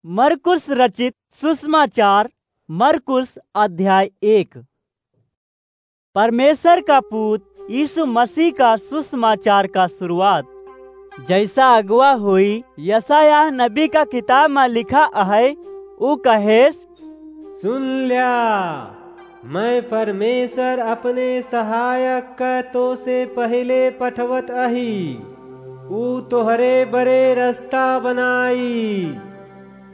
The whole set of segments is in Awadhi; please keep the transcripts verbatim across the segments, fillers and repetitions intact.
मरकुस रचित सुसमाचार, मरकुस अध्याय एक। परमेश्वर का पूत यीशु मसीह का सुसमाचार का शुरुआत। जैसा अगुवा होई, यशायाह नबी का किताब मा लिखा अहै, ऊ कहेस, सुन ल्या, मैं परमेश्वर अपने सहायक का तो से पहिले पठवत अही, ऊ तोहरे बरे रस्ता बनाई।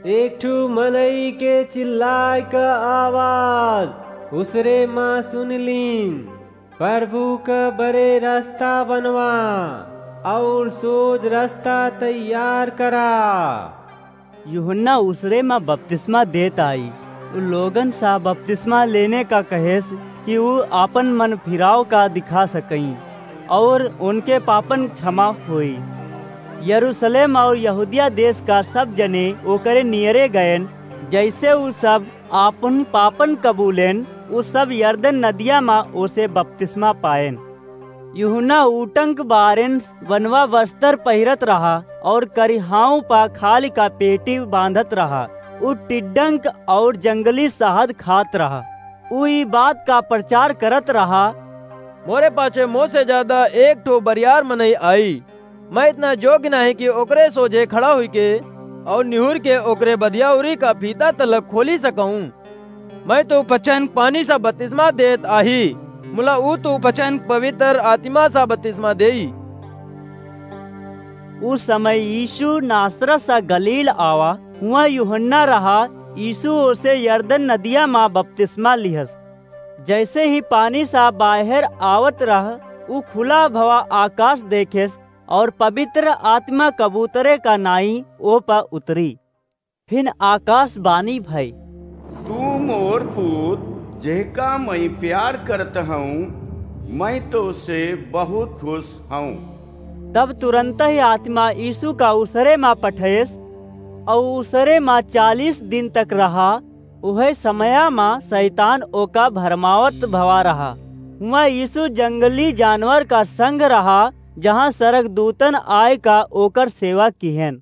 एक ठू मनई के चिल्लाए क आवाज उसरे मा सुन लीन, प्रभु क बरे रस्ता बनवा और सोज रस्ता तैयार करा। यूहन्ना उसरे मा बपतिस्मा देत आई। उ लोगन सा बपतिस्मा लेने का कहेस कि उ आपन मन फिराव का दिखा सकई और उनके पापन क्षमा होई। यरूशलेम और यहूदिया देश का सब जने ओकरे नियरे गयन। जैसे उ सब आपन पापन कबूलेन, उ सब यरदन नदिया मा ओसे बपतिस्मा पाएन। यूहन्ना ऊटंक बारेन बनवा वस्तर पहिरत रहा और करिहाऊ पा खाली का पेटी बांधत रहा। उ टिड्डंक और जंगली शहद खात रहा। उ ई बात का प्रचार करत रहा, मोरे पाछे मोसे ज्यादा एक ठो बरियार मनई आई। मैं इतना जोग्य नाहीं कि ओकरे सोझे खड़ा हुई के और निहुर के ओकरे बदियाउरी का फीता तलक खोली सकऊं। मैं तो पचन पानी सा बपतिस्मा देत आही, मुला ऊ तो पचन पवित्र आत्मा सा बपतिस्मा देई। उस समय यीशु नासरत सा गलील आवा, हुआ यूहन्ना रहा। यीशु ओसे यरदन नदिया मा बपतिस्मा लिहस। जैसे ही पानी सा बाहर आवत रह, ऊ खुला भवा आकाश देखेस और पवित्र आत्मा कबूतरे का नाई ओ पर उतरी। फिन आकाशवाणी भई, तू मोर पूत, जेहका मैं प्यार करत हूँ, मैं तो से बहुत खुश हूँ। तब तुरंत ही आत्मा यीशु का उसरे मा पठेस, और उसरे मा चालीस दिन तक रहा। उहे समया मा शैतान ओका भरमावत भवा रहा। हुआ यीशु जंगली जानवर का संग रहा, जहाँ स्वर्गदूतन आय का ओकर सेवा किहेन।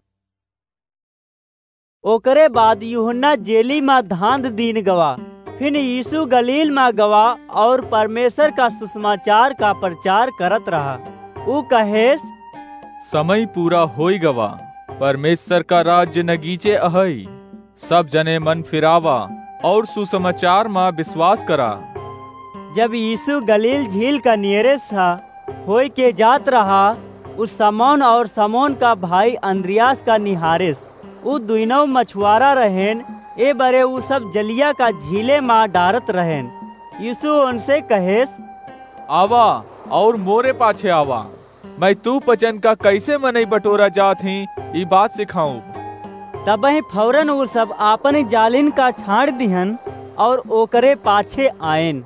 ओकरे बाद यूहन्ना जेली मा धांध दीन गवा। फिन यीशु गलील मा गवा और परमेश्वर का सुसमाचार का प्रचार करत रहा। ऊ कहेस, समय पूरा होई गवा, परमेश्वर का राज्य नगीचे अहई। सब जने मन फिरावा और सुसमाचार मा विश्वास करा। जब यीशु गलील झील का नियरे सा होय के जात रहा, उ समौन और समौन का भाई अंद्रियास का निहारेस। उ दुइनौ मछुआरा रहेन, ए बरे उ सब जलिया का झीले मा डारत रहेन। यीशु उनसे कहेस, आवा और मोरे पाछे आवा। मैं तू पचन का कैसे मनई बटोरा जात ही, ई बात सिखाऊं। तबही फौरन उ सब आपन जालिन का छाड़ दिहन और ओकरे पाछे आएन।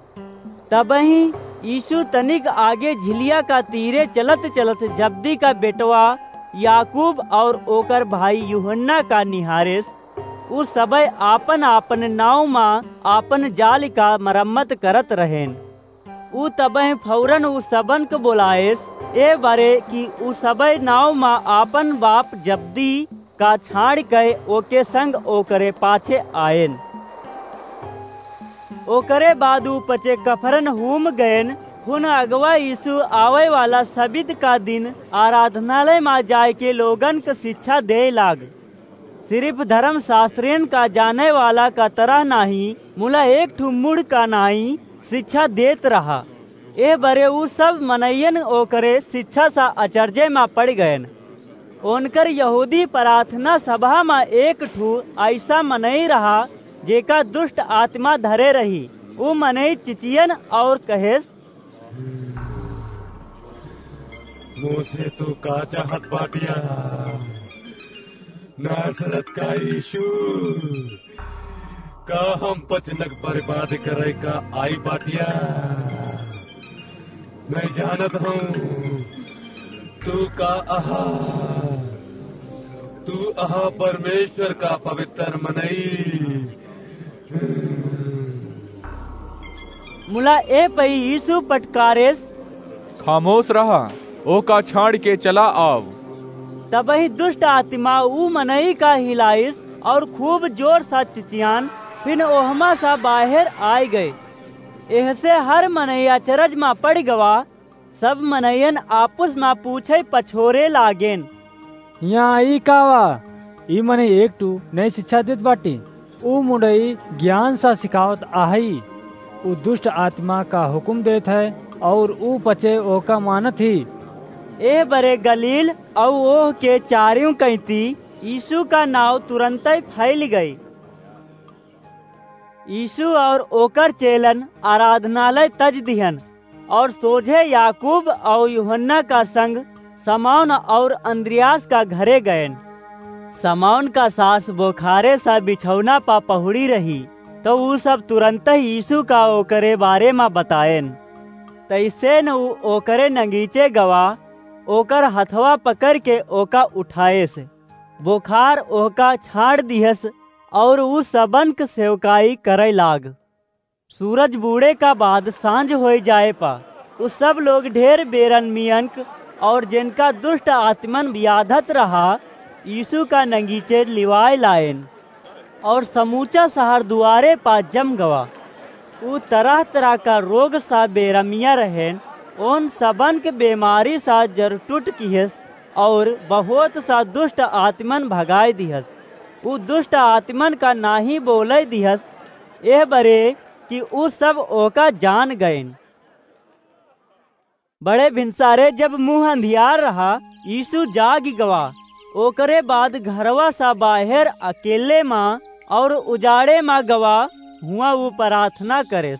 तबही यीशु तनिक आगे झिलिया का तीरे चलत चलत जब्दी का बेटवा याकूब और ओकर भाई यूहन्ना का निहारेस। उ सबय आपन आपन नाव मा आपन जाल का मरम्मत करत रहेन। उ तबह फौरन उ सबन क बोलाएस, ए बरे कि उ सबय नाव मा आपन बाप जब्दी का छाड़ के ओके संग ओकरे पाछे आएन। ओकरे बाद उ पचे कफरनहूम गएन। हुन अगवा यीशु आवे वाला सबित का दिन आराधनालय मा जाए के लोगन क शिक्षा दे लाग। सिर्फ धर्मशास्त्रियन का जाने वाला का तरह नाहीं, मुला एक ठु मुड़ का नाई शिक्षा देत रहा। ए बरे उ सब मनइयन ओकरे शिक्षा सा अचरजे मा पड़ गएन। ओनकर यहूदी प्रार्थना सभा मा एक ठु ऐसा मनई रहा, जेका दुष्ट आत्मा धरे रही। उ मनई चिचियन और कहेस, मोसे तू का चाहत बाटिया? नासरत का यीशु, का हम पचनक बर्बाद करे का आई बाटिया? मैं जानत हूँ तू का अहा, तू अहा परमेश्वर का पवित्र मनई। मुला ए पई यीशु पटकारेस, खामोश रहा, ओका छाड़ के चला आव। तबही दुष्ट आत्मा ऊ मनई का हिलाइस और खूब जोर सा चिचियान, फिन ओहमा सा बाहेर आय गए। एहसे हर मनई अचरज मा पड़ गवा। सब मनइयन आपुस मा पूछे पछोरे लागेन, "हियाँ ई का वा? ई मनई एक ठू नई शिक्षा देत बाटी। ऊ मुंडई ज्ञान सा सिखावत आहई। ऊ दुष्ट आत्मा का हुकुम देत है और ऊ पचे ओका मानत ही।" एह बरे गलील अउ ओह के चारियों कैती यीशु का नाव तुरंतई फैल गई। यीशु और ओकर चेलन आराधनालय तज दिहन और सोझे याकूब और यूहन्ना का संग समौन और अंद्रियास का घरे गएन। समौन का सास बोखारे सा बिछौना पा पहुड़ी रही, तो ऊ सब तुरंत ही यीशु का ओकरे बारे मा बताएन। तैसेन ऊ ओकरे नगीचे गवा, ओकर हथवा पकड़ के ओका उठाएस। बोखार ओहका छाड़ दिहस और ऊ सबन क सेवकाई करे लाग। सूरज बूड़े का बाद सांझ होय जाए पा, ऊ सब लोग ढेर बेरमियन क और जिनका दुष्ट आत्मन बियाधत रहा, यीशु का नगीचे लिवाए लाएन। और समूचा शहर दुआरे पा जम गवा। ऊ तरह-तरह का रोग सा बेरमिया रहेन, ओन सबन के बेमारी सा जरटुट किहस और बहुत सा दुष्ट आत्मन भगाए दिहस। ऊ दुष्ट आत्मन का नाही बोले दिहस, एह बरे कि ऊ सब ओका जान गएन। बड़े भिनसारे जब मुँह अंधियार रहा, यीशु जागि गवा। ओकरे बाद घरवा सा बाहेर अकेले मा और उजाड़े मा गवा, हुआँ ऊ प्रार्थना करेस।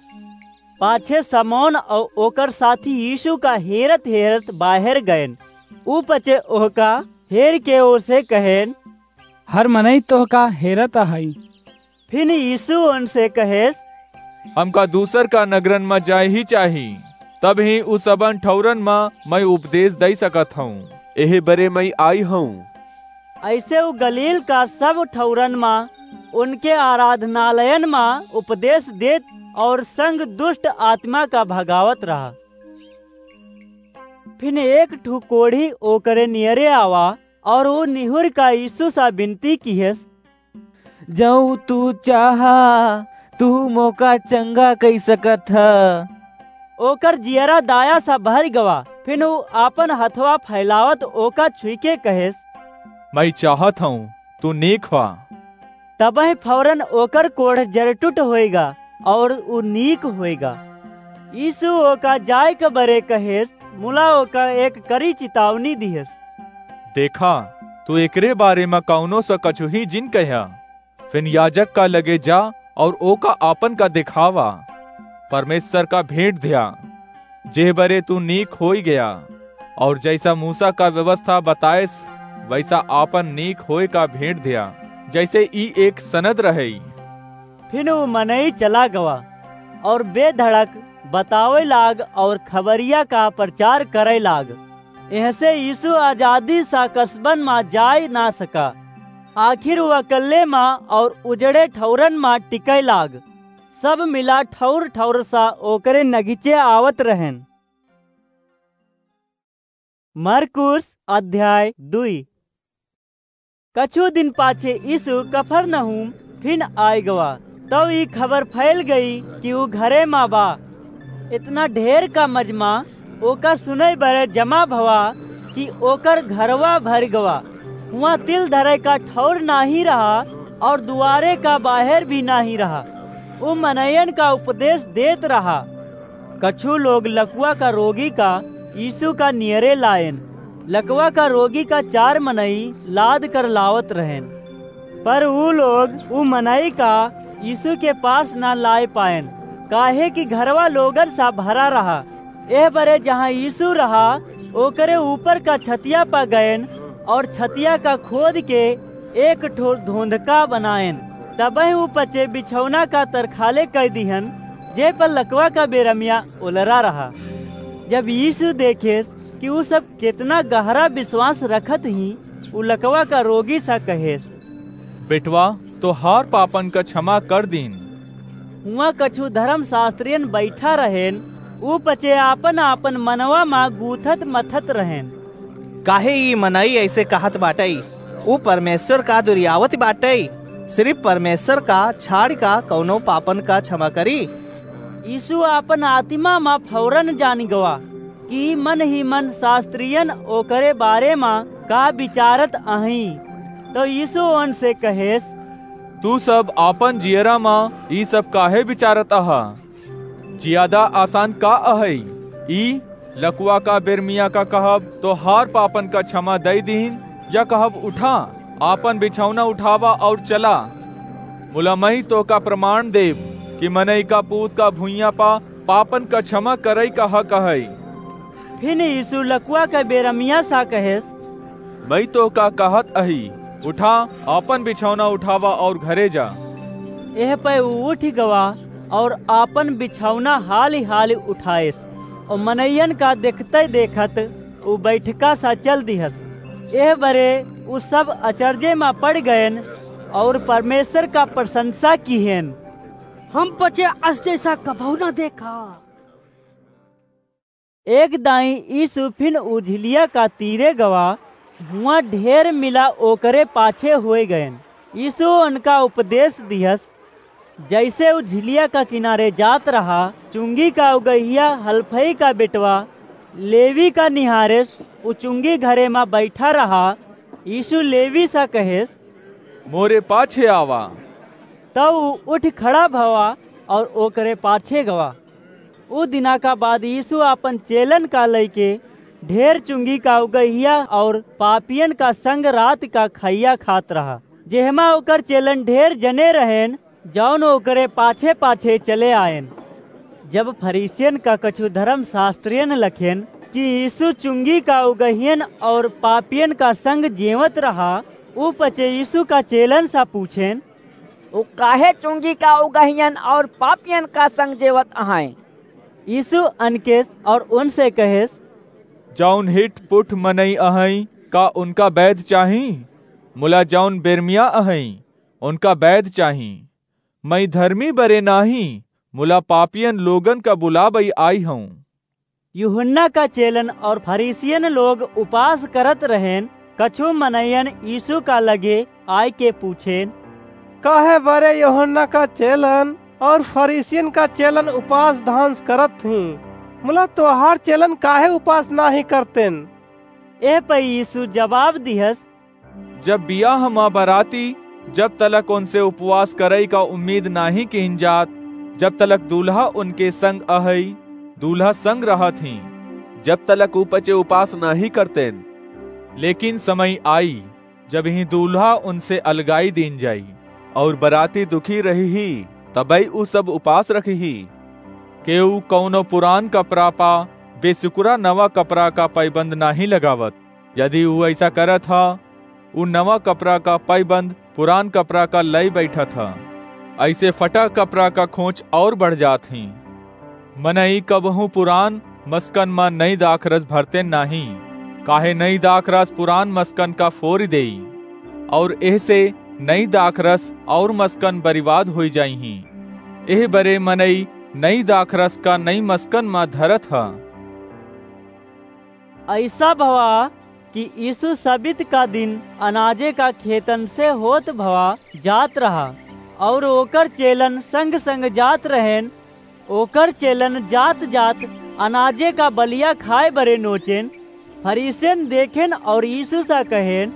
पाछे समौन और ओकर साथी यीशु का हेरत-हेरत बाहेर गएन। ऊ पचे ओहका हेर के ओसे कहेन, "हर मनई तोहका हेरत अहई।" फिन यीशु उनसे कहेस, "हमका दूसर का नगरन म जाए ही चाही, तब ही उ सबन ठौरन म मैं उपदेश दई सकत हूँ। एहे बरे मैं आई हूँ।" ऐसे उ गलील का सब ठौरन म उनके आराधनालयन म उपदेश देत और संग दुष्ट आत्मा का भगावत रहा। फिन एक ठू कोढ़ी ओकरे नियरे आवा और उ निहुर का यीशु सा विनती किहेस, "जऊ तू चाहा, तू मोका चंगा कई सकत ह।" ओकर जियरा दाया सा भर गवा। फिन उ आपन हथवा फैलावत ओका छुई के कहेस, "मैं चाहत हूँ, तू नीक हुआ।" तबहि फौरन ओकर कोढ़ जरटुट होएगा और उ नीक होएगा। यीशु ओका जाए के बरे कहेस, मुला ओका एक करी चितावनी दिहेस। "देखा, तू एकरे बारे म कौनो स कछुही जिन कह्या। फिन याजक का लगे जा और ओका आपन का दिखावा, परमेश्वर का भेंट ध्या, जेह बरे तू नीक होई गया, और जैसा मूसा का व्यवस्था बताएस, वैसा आपन नीक होए का भेंट ध्या, जैसे ई एक सनद रहे।" फिन उ मनई चला गवा और बेधड़क बतावे लाग और खबरिया का प्रचार करे लाग। एहसे यीशु आजादी सा कस्बन मा जाए ना सका। आखिर उ अकल्ले मा और उजड़े ठौरन मा टिके लाग। सब मिला ठौर ठौर सा ओकरे नगीचे आवत रहेन। मरकुस अध्याय दुई। कछु दिन पाछे यीशु कफरनहूम फिन आय गवा। तब ई खबर फैल गई कि उ घरे मा बा। इतना ढेर का मजमा ओका सुने बरे जमा भवा कि ओकर घरवा भर गवा। हुआं तिल धरे का ठौर नाही रहा और दुआरे का बाहेर भी नाही रहा। उ मनयन का उपदेश देत रहा। कछु लोग लकवा का रोगी का यीशु का नियरे लाएन। लकवा का रोगी का चार मनई लाद कर लावत रहेन, पर उ लोग उ मनई का यीशु के पास ना लाए पाएन, काहे कि घरवा लोगन सा भरा रहा। एह बरे जहाँ यीशु रहा, ओकरे ऊपर का छतिया पा गएन और छतिया का खोद के एक ठो धोंधका बनाएन। तबहि उ पचे बिछौना का तरखाले कई दिहन, जे पर लकवा का बेरमिया ओलरा रहा। जब यीशु देखेस कि उ सब केतना गहरा विश्वास रखत ही, उ लकवा का रोगी सा कहेस, "बेटवा, तोहार पापन का क्षमा कर दीन।" हुआं कछु धर्मशास्त्रियन बैठा रहेन, उ पचे आपन आपन मनवा मा गूथत मथत रहेन, "काहे ई मनई ऐसे कहत बाटई? उ परमेश्वर का दुरियावत बाटई?" सिर्फ परमेश्वर का छाड़ि का कउनो पापन का क्षमा करी? यीशु आपन आतिमा मा फौरन जानि गवा कि मन ही मन शास्त्रियन ओकरे बारे मा का बिचारत अहीं। तउ यीशु ओनसे कहेस, तू सब आपन जियरा मा ई सब काहे बिचारत अहा? जियादा आसान का अहइ, ई लकुआ का बेरमिया का कहब, तोहार पापन का क्षमा दइ दीन, या कहब, उठा, आपन बिछौना उठावा अउर चला? मुला मई तोहका प्रमाण देब कि मनई का पूत का भुइयाँ पा पापन का क्षमा करइ का हक अहइ। फिन यीशु लकुआ का बेरमिया सा कहेस, मई तोहका कहत अही, उठा, आपन बिछौना उठावा अउर घरे जा। एह पै ऊ उठि गवा अउर आपन बिछौना हाली हाली उठाएस, अउर मनइयन का देखतइ देखत ऊ बइठका सा चल दिहस। एह बरे ऊ सब अचरजे मा पड़ि गएन अउर परमेश्वर का प्रसंसा किहेन। हम पचे अस जइसा कबहूँ न देखा। एक दाईं यीशु फिन ऊ झिलिया का तीरे गवा, हुआँ ढेर मिला ओकरे पाछे होइ गएन। यीशु ओनका उपदेस दिहस, जइसे ऊ झिलिया का किनारे जात रहा, चुंगी का उगहिया हलफई का बेटवा लेवी का निहारेस, ऊ चुंगी घरे मा बइठा रहा। यीशु लेवी सा कहेस, मोरे पाछे आवा। तब ऊ उठि खड़ा भवा अउर ओकरे पाछे गवा। ऊ दिना का बाद यीशु आपन चेलन का लइके ढेर चुंगी का उगहिया अउर पापियन का संग रात का खइया खात रहा, जेहमा ओकर चेलन ढेर जने रहेन, जउन ओकरे पाछे पाछे चले आएन। जब फरीसियन का कछु धर्मशास्त्रियन लखेन कि यीशु चुंगी का उगहियन अउर पापियन का संग जेवत रहा, ऊ पचे यीशु का चेलन सा पूछेन, ऊ काहे चुंगी का उगहियन अउर पापियन का संग जेवत अहइँ? यीशु अनकेस अउर ओनसे कहेस, जउन हिट पुट मनई अहइँ, का ओनका बैद चाही? मुला जउन बेरमिया अहइँ, ओनका बैद चाही। मई धरमी बरे नाहीं, मुला पापियन लोगन का बुलाबइ आई हउँ। यूहन्ना का चेलन अउर फरीसियन लोग उपास करत रहेन। कछु मनइयन यीशु का लगे आइके पूछेन, काहे बरे यूहन्ना का चेलन अउर फरीसियन का चेलन उपास धांस करत हीं, मुला तोहार चेलन काहे उपास नाहीं करतेन? एह पै यीशु जबाब दिहस, जब बियाह मा बराती जब तलक ओनसे उपवास करइ का उम्मीद नाहीं किहिन जात, जब तलक दूल्हा ओनके संग अहइ, दूल्हा संग रहत हीं, जब तलक ऊ पचे उपास नाहीं करतेन। लेकिन समय आई, जबहीं दूल्हा ओनसे अलगाई दीन जाई, अउर बराती दुखी रहिहीं, तबइ ऊ सब उपास रखिहीं। केऊ कउनो पुरान कपरा पा बेसुकुरा नवा कपरा का पैबंद नाहीं लगावत। यदि ऊ अइसा करत ह, ऊ नवा कपरा का पैबंद पुरान कपरा का लइ बइठत ह। अइसे फटा कपरा का खोंच अउर बढ़ जात हीं। मनई कबहूँ पुरान मसकन मा नई दाखरस भरतेन नाहीं, काहे नई दाखरस पुरान मसकन का फोरि देई, अउर एहसे नई दाखरस अउर मसकन बरिबाद होइ जाइहीं। एह बरे मनई नई दाखरस का नई मसकन मा धरत ह। अइसा भवा कि यीशु सबित का दिन अनाजे का खेतन से होत भवा जात रहा, अउर ओकर चेलन संग-संग जात रहेन। ओकर चेलन जात-जात अनाजे का बलिया खाए बरे नोचेन। फरीसियन देखेन अउर यीशु सा कहेन,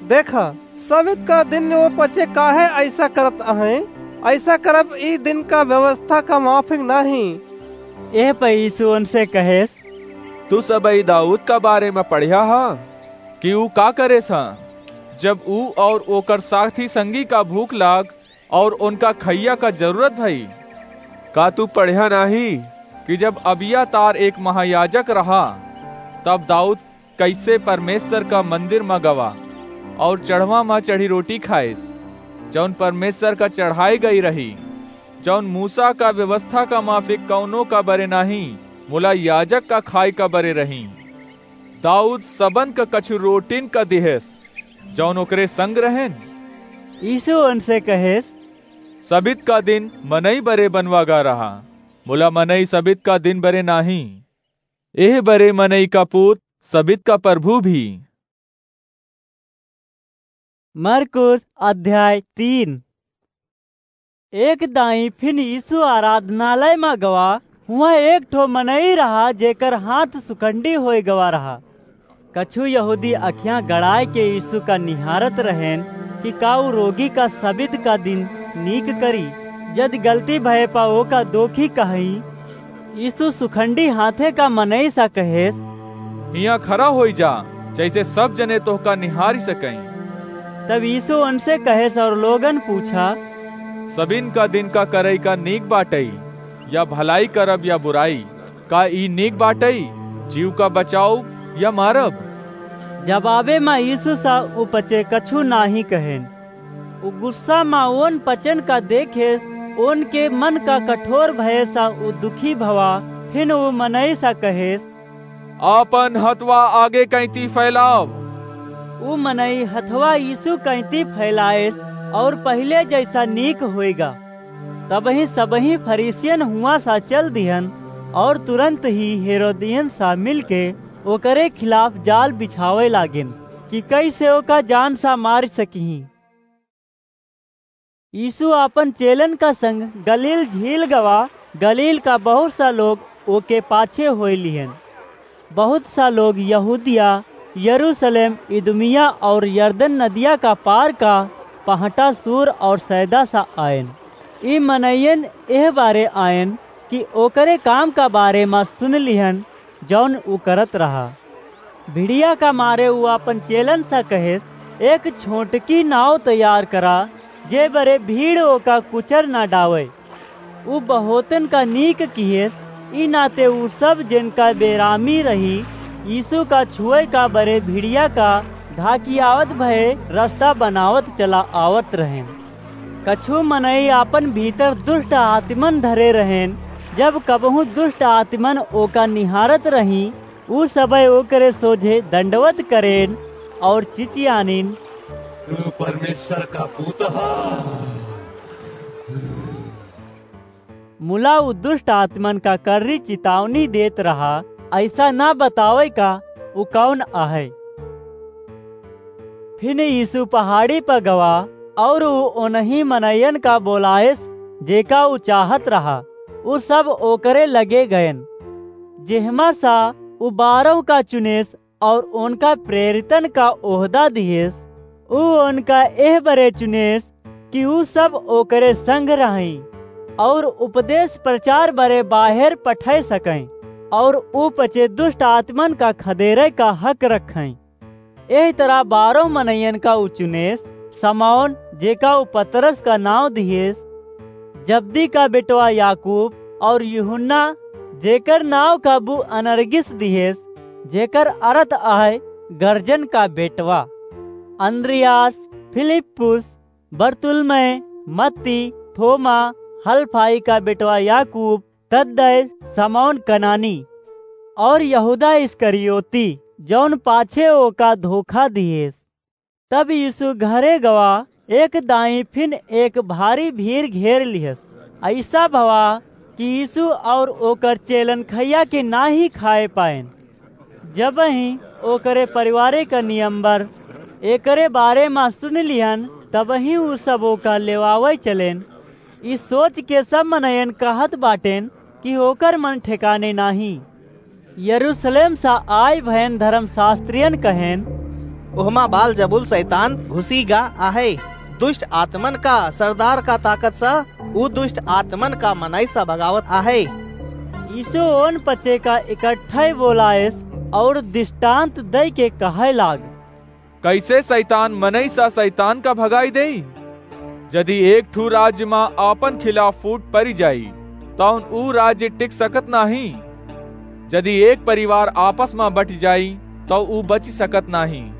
देखा, सबित का दिन ओ पचे काहे अइसा करत अहइँ? अइसा करब ई दिन का व्यवस्था का माफिक नाहीं। एह पै यीशु ओनसे कहेस, तू सबइ दाऊद का बारे मा पढ़्या ह कि ऊ का करेस ह, जब ऊ अउर ओकर साथी संगी का भूख लाग अउर ओनका खइया का जरूरत भई? का तू पढ़्या नाहीं कि जब अबियातार एक महायाजक रहा, तब दाऊद कइसे परमेश्वर का मंदिर मा गवा अउर चढ़वा मा चढ़ी रोटी खाएस, जउन परमेश्वर का चढ़ाई गई रही, जउन मूसा का व्यवस्था का माफिक कउनो का बरे नाहीं, मुला याजक का खाए का बरे रही। दाऊद सबन का कछु रोटिन का दिहेस, जउन ओकरे संग रहेन। यीशु ओनसे कहेस, सबित का दिन मनई बरे बनवा गा रहा, मुला मनई सबित का दिन बरे नाहीं। एह बरे मनई का पूत सबित का प्रभु भी। मरकुस अध्याय तीन। एक दाईं फिन यीशु आराधनालय मा गवा, हुआं एक ठो मनई रहा, जेकर हाथ सुखंडी होय गवा रहा। कछु यहूदी अखियां गड़ाय के यीशु का निहारत रहेन कि का ऊ रोगी का सबित का दिन नीक करी, जद गलती भय पा ओका दोखी कहई। यीशु सुखंडी हाथे का मनई सा कहेस, "हियां खड़ा होई जा, जैसे सब जने तोहका निहारी सकई।" तब यीशु उनसे कहेस और लोगन पूछा, "सबिन का दिन का करई का नीक बाटई, या भलाई करब या बुराई? का ई नीक बाटई, जीव का बचाउब या मारब?" जवाबे मा यीशु सा उ पचे कछु नाही कहेन। उ गुस्सा मा ओन पचन का देखेस, ओन के मन का कठोर भये सा उ दुखी भवा, फिन उ मनई सा कहेस, "आपन हथवा आगे कैंती फैलाव।" उ मनई हथवा यीशु कैंती फैलाएस और पहिले जैसा नीक होएगा। तबही सबही फरीसियन हुआं सा चल दिहन और तुरंत ही हेरोदियन सा मिलके ओकरे खिलाफ जाल बिछावे लागेन कि कैसे ओका जान सा मार सकिहीं। यीशु आपन चेलन का संग गलील झील गवा, गलील का बहुत सा लोग ओके पाछे होय लिहन। बहुत सा लोग यहूदिया, यरूशलेम, इदुमिया और यरदन नदिया का पार का पहटा सूर और सैदा सा आयन। ई मनइयन एह बारे आयन कि ओकरे काम का बारे मा सुन लिहन, जौन उ करत रहा। भिड़िया का मारे उ आपन चेलन सा कहेस, "एक छोटकी नाव तैयार करा, जे बरे भीड़ ओका कुचर ना डावे।" उ बहुतन का नीक किहेस, ई नाते उ सब जिनका बेरामी रही, यीशु का छुए का बरे भिड़िया का ढाकियावत भये रास्ता बनावत चला आवत रहेन। कछु मनई आपन भीतर दुष्ट आत्मन धरे रहेन। जब कबहूँ दुष्ट आत्मन ओका निहारत रही, उ सबय ओकरे सोझे दंडवत करेन और चिचियानिन, "तू परमेश्वर का पूत हा।" मुला उ दुष्ट आत्मन का कर्री चितावनी देत रहा, "ऐसा ना बतावे का उ कौन आहे।" फिन यीशु पहाड़ी पर गवा और उ ओनही मनयन का बोलायस, जेका उ चाहत रहा। उ सब ओकरे लगे गयन। जेहमा सा उ बारह का चुनेस और ओनका प्रेरितन का ओहदा दिहेस, उ ओनका एह बरे चुनेस कि उ सब ओकरे संग रहईं और उपदेश प्रचार बरे बाहेर पठय सकईं और उ पचे दुष्ट आत्मन का खदेरे का हक रखईं। एह तरह बारह मनइयन का उ चुनेस, समौन, जेका उ पतरस का नाव दिहेस, जब्दी का बेटवा याकूब और यूहन्ना, जेकर नाव का बु अनरगिस दिहेस, जेकर अरथ आहे गर्जन का बेटवा, अन्द्रियास, फिलिप्पुस, बरतुल्मै, मत्ती, थोमा, हलफाई का बेटवा याकूब, तद्दै, समौन कनानी, और यहूदा इस्करियोती, जौन पाछे ओका धोखा दिहेस। तब यीशु घरे गवा, एक दाईं फिन एक भारी भीड़ घेर लिहस। ऐसा भवा कि यीशु और ओकर चेलन खइया के नाही खाए पाएन। जबही ओकरे परिवारे का नियम्बर एकरे बारे मा सुन लिहन, तबही उ सब ओका लेवावे चलेन। ई सोच के सब मनयन कहत बाटेन कि ओकर मन ठेकाने नाही। यरूशलेम सा आय भयन धर्मशास्त्रियन कहेन, "ओहमा बालजबूल शैतान घुसी गा आहे। दुष्ट आत्मन का सरदार का ताकत सा उ दुष्ट आत्मन का मनई सा भगावत आहे।" यीशु ओन पचे का इकट्ठे बोलायस और दृष्टांत दई के कहे लाग, "कैसे शैतान मनई सा शैतान का भगाई देई? जदि एक ठू राज्य मा आपन खिलाफ फूट परि जाई, तौन ऊ राज्य टिक सकत नाही। जदि एक परिवार आपस मा बटि जाई, तौ ऊ बचि सकत नाही।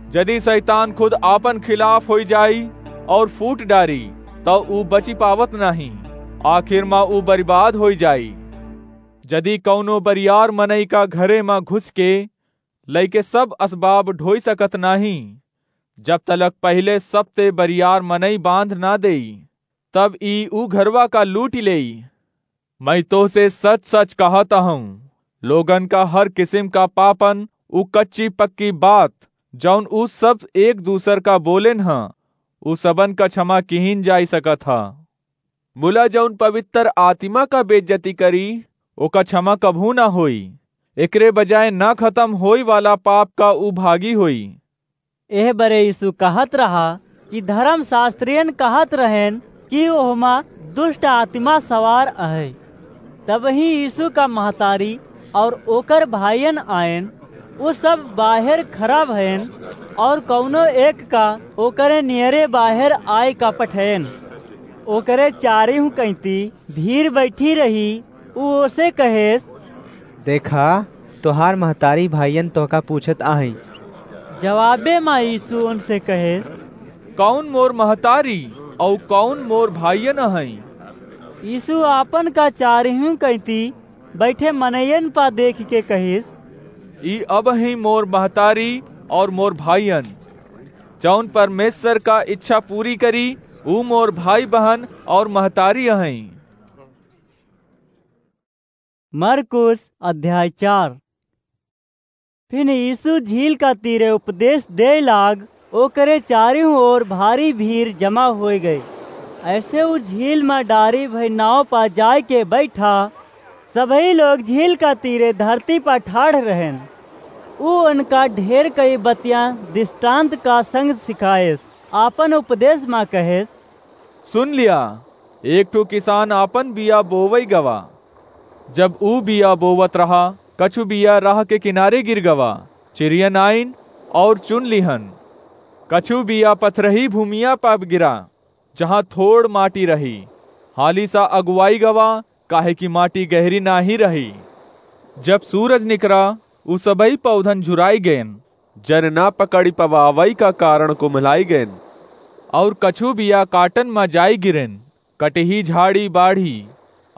जदि शैतान खुद आपन खिलाफ होइ जाई और फूट डारी, तौ ऊ बचि पावत नाही, आखिर मा ऊ बरिबाद होइ जाई। जदि कौनो बरियार मनई का घरे मा घुस के लइके सब असबाब ढोई सकत नाही, जब तलक पहिले सबते बरियार मनई बांध ना देई, तब ई ऊ घरवा का लूटि लेई। मैं तोहसे सच-सच कहत हूँ, लोगन का हर किसिम का पापन ऊ कच्ची-पक्की बात, जौन उ सब एक दूसर का बोलेन ह, उ सबन का क्षमा किहिन जाई सकत ह। मुला जौन पवित्र आत्मा का बेइज्जती करी, ओका क्षमा कभू ना होई। एकरे बजाय ना खतम होई वाला पाप का उ भागी होई। एह बरे यीशु कहत रहा कि धर्मशास्त्रियन कहत रहेन कि ओहमा दुष्ट आत्मा सवार अहै। तबही यीशु का महतारी और ओकर भाइयन आएन। उ सब बाहेर खड़ा भएन और कउनो एक का ओकरे नियरे बाहेर आए का पठएन। ओकरे चारिहु कइती भीड़ बैठी रही। उ ओसे कहेस, "देखा, तोहार महतारी भाइयन तोहका पूछत आहैं।" जवाबे मा यीशु उनसे कहेस, "कउन मोर महतारी अउ कउन मोर भाइयन अहैं?" यीशु आपन का चारिहु कइती बैठे मनइयन पा देख के कहिस, "ई अबहीं मोर महतारी और मोर भाइयन, जौन परमेश्वर का इच्छा पूरी करी, ऊ मोर भाई बहन और महतारी अहैं।" मरकुस अध्याय चार। फिन यीशु झील का तीरे उपदेश देय लाग, ओकरे चारिहु ओर भारी भीड़ जमा होइ गई। ऐसे उ झील मा डारी भई नाव पा जाय के बैठा। सबही लोग झील का तीरे धरती पा ठाढ़ रहेन। उ उनका ढेर कई बतियाँ दृष्टांत का संग सिखाएस, आपन उपदेश मा कहेस, सुन लिया, एक ठो किसान आपन बिया बोवई गवा। जब ऊ बिया बोवत रहा, कछु बिया राह के किनारे गिर गवा, चिड़ियन आइन और चुन लिहन। कछु बिया पथरही भूमिया पर गिरा, जहाँ थोड़ माटी रही। हाली सा अगुवाई गवा, काहे कि माटी गहरी नाही रही। जब सूरज निकरा, उ सबई पौधन झुराई गएन, जर ना पकड़ी पवावई का कारण कुम्हलाई गएन। और कछु बिया काटन मा जाई गिरेन, कटही झाड़ी बाढ़ी,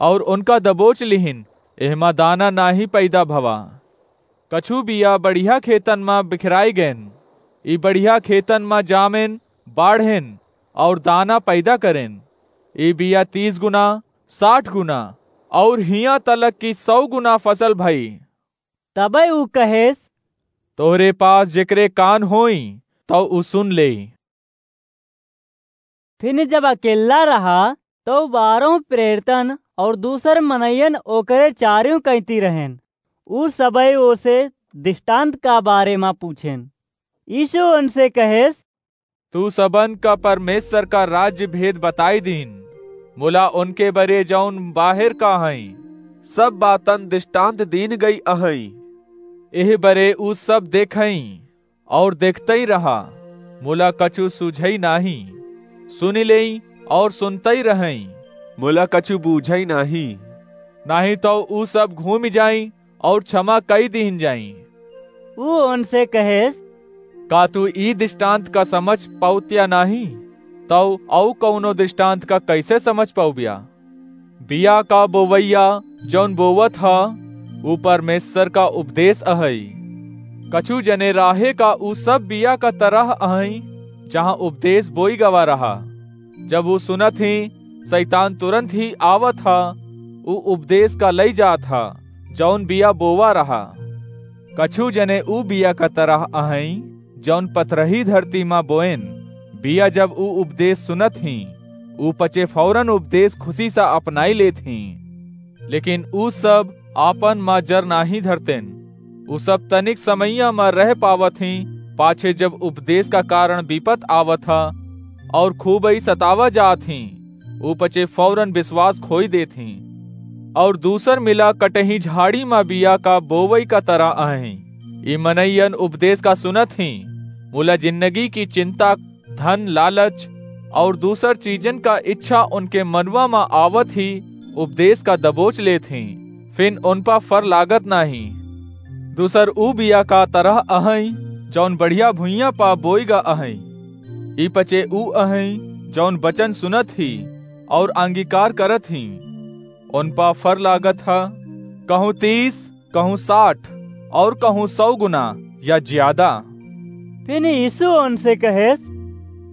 और उनका दबोच लिहिन, एहमा दाना नाही पैदा भवा। कछु बिया बढ़िया खेतन मा बिखराई गएन, ई बढ़िया खेतन मा जामेन, बाढ़ेन, और दाना पैदा करेन। ई बिया तीस गुना, साठ गुना, और हियाँ तलक कि सौ गुना फसल भई। तबे ऊ कहेस, तोहरे पास जेकरे कान होई, तौ ऊ सुन लेई। फिन जब अकेल्ला रहा, तौ बारहों प्रेरितन और दूसर मनइयन ओकरे चारिउ कइती रहेन। ऊ सबई ओसे दृष्टांत का बारे मा पूछेन। यीशु उनसे कहेस, तू सबन का परमेश्वर का राज्य भेद बताई दीन, मुला उनके बरे जौन बाहेर का हईं, सब बातन दृष्टांत दीन गई अहईं। एह बरे ऊ सब देखईं और देखतई रहा, मुला कछु सूझई नाहीं, सुनि लेई और सुनतई रहई, मुला कछु बूझई नाहीं। नाहीं तौ ऊ सब घूमि जाई और क्षमा कई दीन जाई। ऊ उनसे कहेस, का तू ई दृष्टांत का समझ पौत्या नाहीं? तौ अउ कौनो दृष्टांत का कैसे समझ पौब्या? बिया का बोवैया जौन बोवत ह, ऊ परमेश्वर का उपदेश अहई। कछु जने राहे का ऊ सब बिया का तरह अहई, जहाँ उपदेश बोई गवा रहा। जब ऊ सुनत ही, शैतान तुरंत ही आवत ह, ऊ उपदेश का लई जात ह, जौन बिया बोवा रहा। कछु जने ऊ बिया का तरह अहई, जौन पथरही धरती मा बोएन। बिया जब ऊ उपदेश सुनत ही, ऊ पचे फौरन उपदेश खुशी सा अपनाई लेत ही। लेकिन ऊ सब आपन मा जर नाही धरतेन। ऊ सब तनिक समैया मा रह पावत ही, पाछे जब उपदेश का कारण विपत आवत ह और खूबई सतावा जात ही, ऊ पचे फौरन विश्वास खोई देत ही। और दूसर मिला कटही झाड़ी मा बिया का बोवई का तरह अहई। ई मनइयन उपदेश का सुनत ही, मुला जिंदगी की चिंता, धन, लालच और दूसर चीजन का इच्छा उनके मनवा मा आवत ही उपदेश का दबोच लेत ही, फिन उन पा फर लागत नाही। दूसर ऊ बिया का तरह अहई, जौन बढ़िया भुइयां पा बोई गा अहई। ई पचे ऊ अहई, जौन वचन सुनत ही और अंगीकार करत ही। उन पा फर लागत ह, कहूँ तीस, कहूँ साठ और कहूँ सौ गुना या ज्यादा। फिन यीशु उनसे कहेस,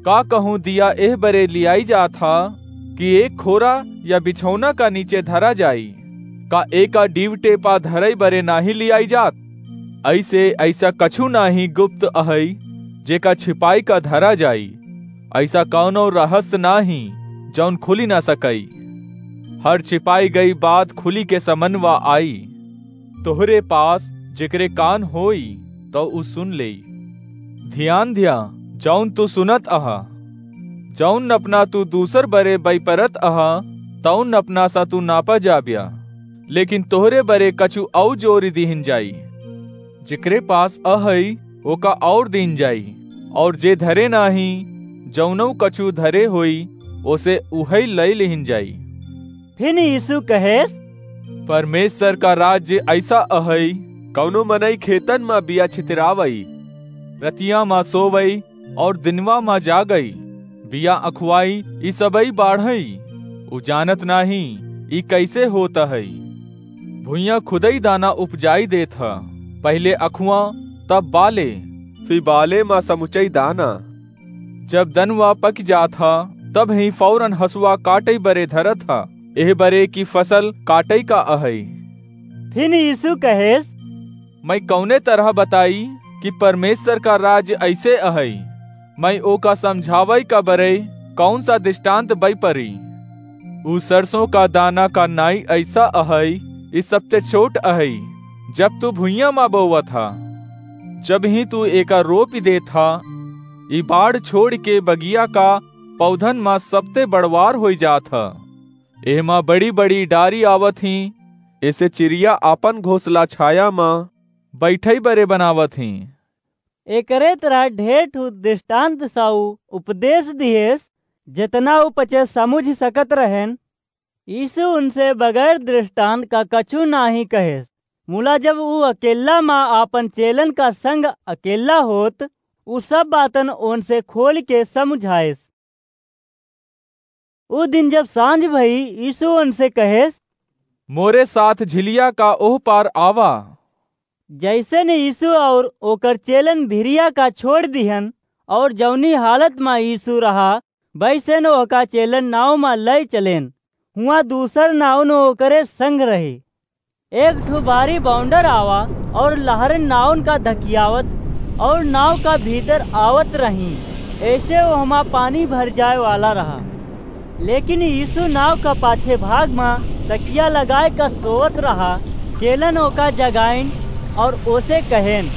का कहूँ दिया एह बरे लियाई जात ह कि एक खोरा या बिछौना का नीचे धरा जाई? का एका डीवटे पा धरई बरे नाही लियाई जात? ऐसे ऐसा कछु नाही गुप्त अहई, जेका छिपाई का धरा जाई। अइसा कउनो रहस्य नाहीं, जउन खुली न सकई। हर छिपाई गई बात खुली के समनवा आई। तोहरे पास जेकरे कान होई, तउ उ सुन लेई। धियान धिया, जउन तू सुनत अहा, जउन नपना तू दूसर बरे बइपरत अहा, तउन नपना सा तू नापा जाब्या। लेकिन तोहरे बरे कछु अउ जोरी दिहिन जाई। जेकरे पास अहई, ओका अउर दीन जाई, अउर जे धरे नाहीं, जउनउ कछु धरे होई, ओसे उहई लइ लिहिन जाई। फिन यीशु कहेस, परमेश्वर का राज्य अइसा अहई, कउनो मनई खेतन म बिया छितरावई, रतिया म सोवई, अउर दिनवा म जागई, बिया अँखुवाई, ई सबई बाढ़ई। उ जानत नाहीं, ई कइसे होत हई। भुइयाँ खुदई दाना उपजाई देत ह, पहिले अँखुवा, तब बाले, फिर बाले म समुचई दाना। जब दनवा पकि जात ह, तबहीं फौरन हँसुआ काटई बरे धरत ह, एह बरे कि फसल काटई का अहई। फिन यीशु कहेस, मइँ कउने तरह बताई कि परमेश्वर का राज्य अइसे अहई? मइँ ओका समझावइ का बरे कउन सा दृष्टान्त बइपरी? उ सरसों का दाना का नाईं अइसा अहई, ई सबते छोट अहई, जब तू भुइयाँ म बोवत ह। जबहीं तू एका रोपि देत ह, ई बाढ़ छोड़िके बगिया का पौधन म सबते बड़वार होइ जात ह। एहमा बड़ी-बड़ी डारी आवत हीं, एसे चिरिया आपन घोंसला छाया म बइठई बरे बनावत हीं। एकरे तरह ढेर ठू दृष्टान्त सा उ उपदेस दिहेस, जेतना उ पचे समुझि सकत रहेन। यीशु उनसे बगैर दृष्टान्त का कछु नाहीं कहेस। मुला जब उ अकेल्ला म आपन चेलन का संग अकेल्ला होत, उ सब बातन ओनसे खोलिके समुझाएस। उ दिन जब साँझ भई, यीशु ओनसे कहेस, मोरे साथ झिलिया का ओह पार आवा। जइसेन यीशु अउर ओकर चेलन भिरिया का छोड़ि दिहन, अउर जउनी हालत म यीशु रहा, वइसेन ओहका चेलन नाव म लइ चलेन। हुआँ दूसर नाउन ओकरे संग रही। एक ठू भारी बौंडर आवा अउर लहरन नाउन का धकियावत अउर नाव का भीतर आवत रहीं, एसे ओहमा पानी भर जाए वाला रहा। लेकिन यीशु नाव का पाछे भाग म तकिया लगाए का सोवत रहा। चेलन ओका जगाइन अउर ओसे कहेन,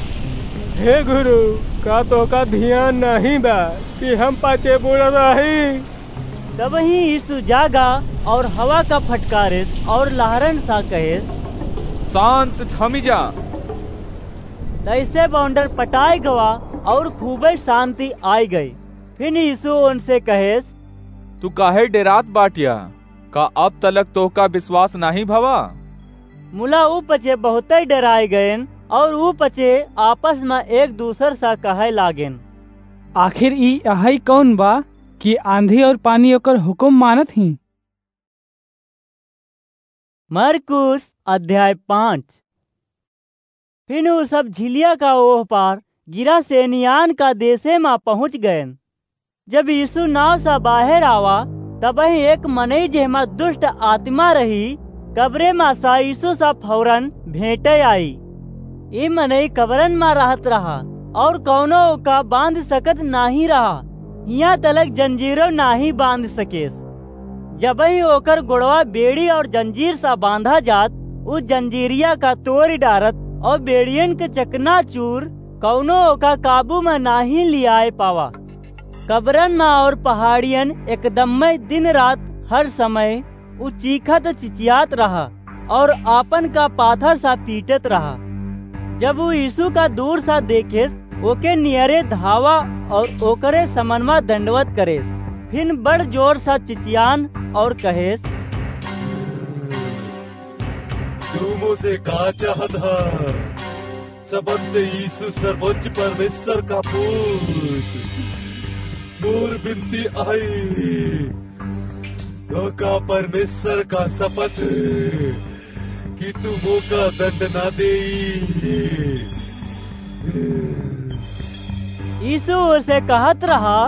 हे गुरु, का तोहका धियान नाहीं बा कि हम पाछे बुड़त रही? तबहीं यीशु जागा अउर हवा का फटकारेस अउर लहरन सा कहेस, शांत थमि जा। तइसे बौंडर पटाए गवा अउर खूबे शांति आइ गई। फिन यीशु ओनसे कहेस, तू काहे डेरात बाट्या? का अब तलक तोहका विश्वास नाहीं भवा? मुला उ पचे बहुतइ डेराइ गएन अउर उ पचे आपस म एक दूसर सा कहइ लागेन, आखिर ई अहइ कउन बा कि आँधी अउर पानी ओकर हुकुम मानत हीं? मरकुस अध्याय पाँच। फिन उ सब झिलिया का ओह पार गिरासेनियान का देसे म पहुँच गएन। जब यीशु नाव सा बाहेर आवा, तबहीं एक मनई जेहमा दुष्ट आतिमा रही, कबरे म सा यीशु सा फौरन भेंटे आई। ई मनई कबरन म रहत रहा अउर कउनो ओका बाँध सकत नाहीं रहा, हियाँ तलक जंजीरो नाहीं बाँध सकेस। जबहीं ओकर गोड़वा बेड़ी अउर जंजीर सा बाँधा जात, उ जंजीरिया का तोरि डारत अउर बेड़ियन के चकनाचूर, कउनो ओका काबू म नाहीं लिआए पावा। कबरन म अउर पहाड़ियन एकदम्मय दिन रात हर समय उ चीखत चिचियात रहा अउर आपन का पाथर सा पीटत रहा। जब उ यीशु का दूर सा देखेस, ओके नियरे धावा अउर ओकरे समनवा दंडवत करेस। फिन बड़ जोर सा चिचियान अउर कहेस, तू मोसे का चाहत ह? सबंत यीशु सर्वोच्च परमेश्वर का पूत, मोर बिनती अहइ, तोहका परमेश्वर का सपत कि तू मोका दंड ना देई। यीशु ओसे कहत रहा,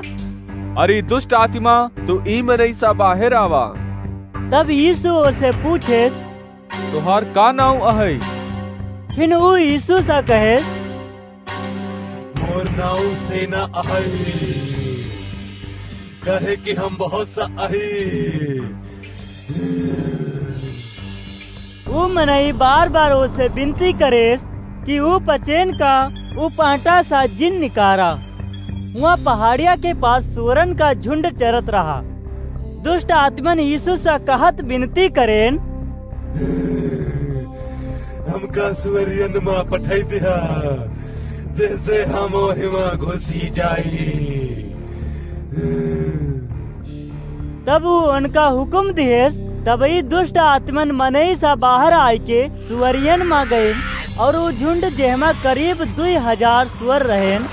अरे दुष्ट आतिमा, तू ई मनई सा बाहेर आवा। तब यीशु ओसे पूछेस, तोहार का नाउँ अहइ? फिन उ यीशु सा कहेस, मोर नाउ सेना अहइ, काहे कि हम बहुत सा अही। ऊ मनई बार-बार ओसे बिनती करेस कि ऊ पचेन का ऊ पाटा सा जिन निकारा। हुआं पहाड़िया के पास सुअरन का झुंड चरत रहा। दुष्ट आत्मन यीशु सा कहत बिनती करेन, हमका सुअरियन मा पठाई दिहा, जैसे हम ओहिमा घुसी जाई। तब ऊ उनका हुकुम दिहेस, तबही दुष्ट आत्मन मनई सा बाहर आइके सुअरियन मा गइन, और ऊ झुंड जेहमा करीब दुई हजार सुअर रहेन,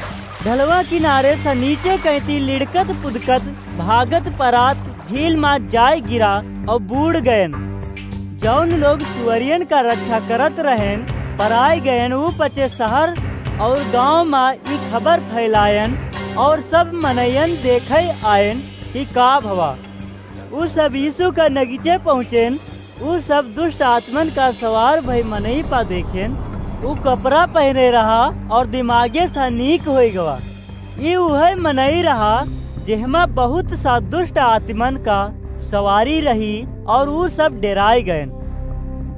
ढलवा किनारे सा नीचे कैती लिड़कत पुदकत भागत परात झील मा जाय गिरा और बूड़ गयन। जौन लोग सुअरियन का रक्षा करत रहेन, पराय गयन, ऊ पचे शहर और गांव मा ई खबर फैलायन और सब मनयन देखै आयन कि का भवा। ऊ सब यीशु का नगीचे पहुँचेन। ऊ सब दुष्ट आत्मन का सवार भई मनई पा देखेन। ऊ कपड़ा पहने रहा और दिमागे सा नीक होई गवा। ई उहै मनई रहा, जेहमा बहुत सा दुष्ट आत्मन का सवारी रही और ऊ सब डेराय गयन।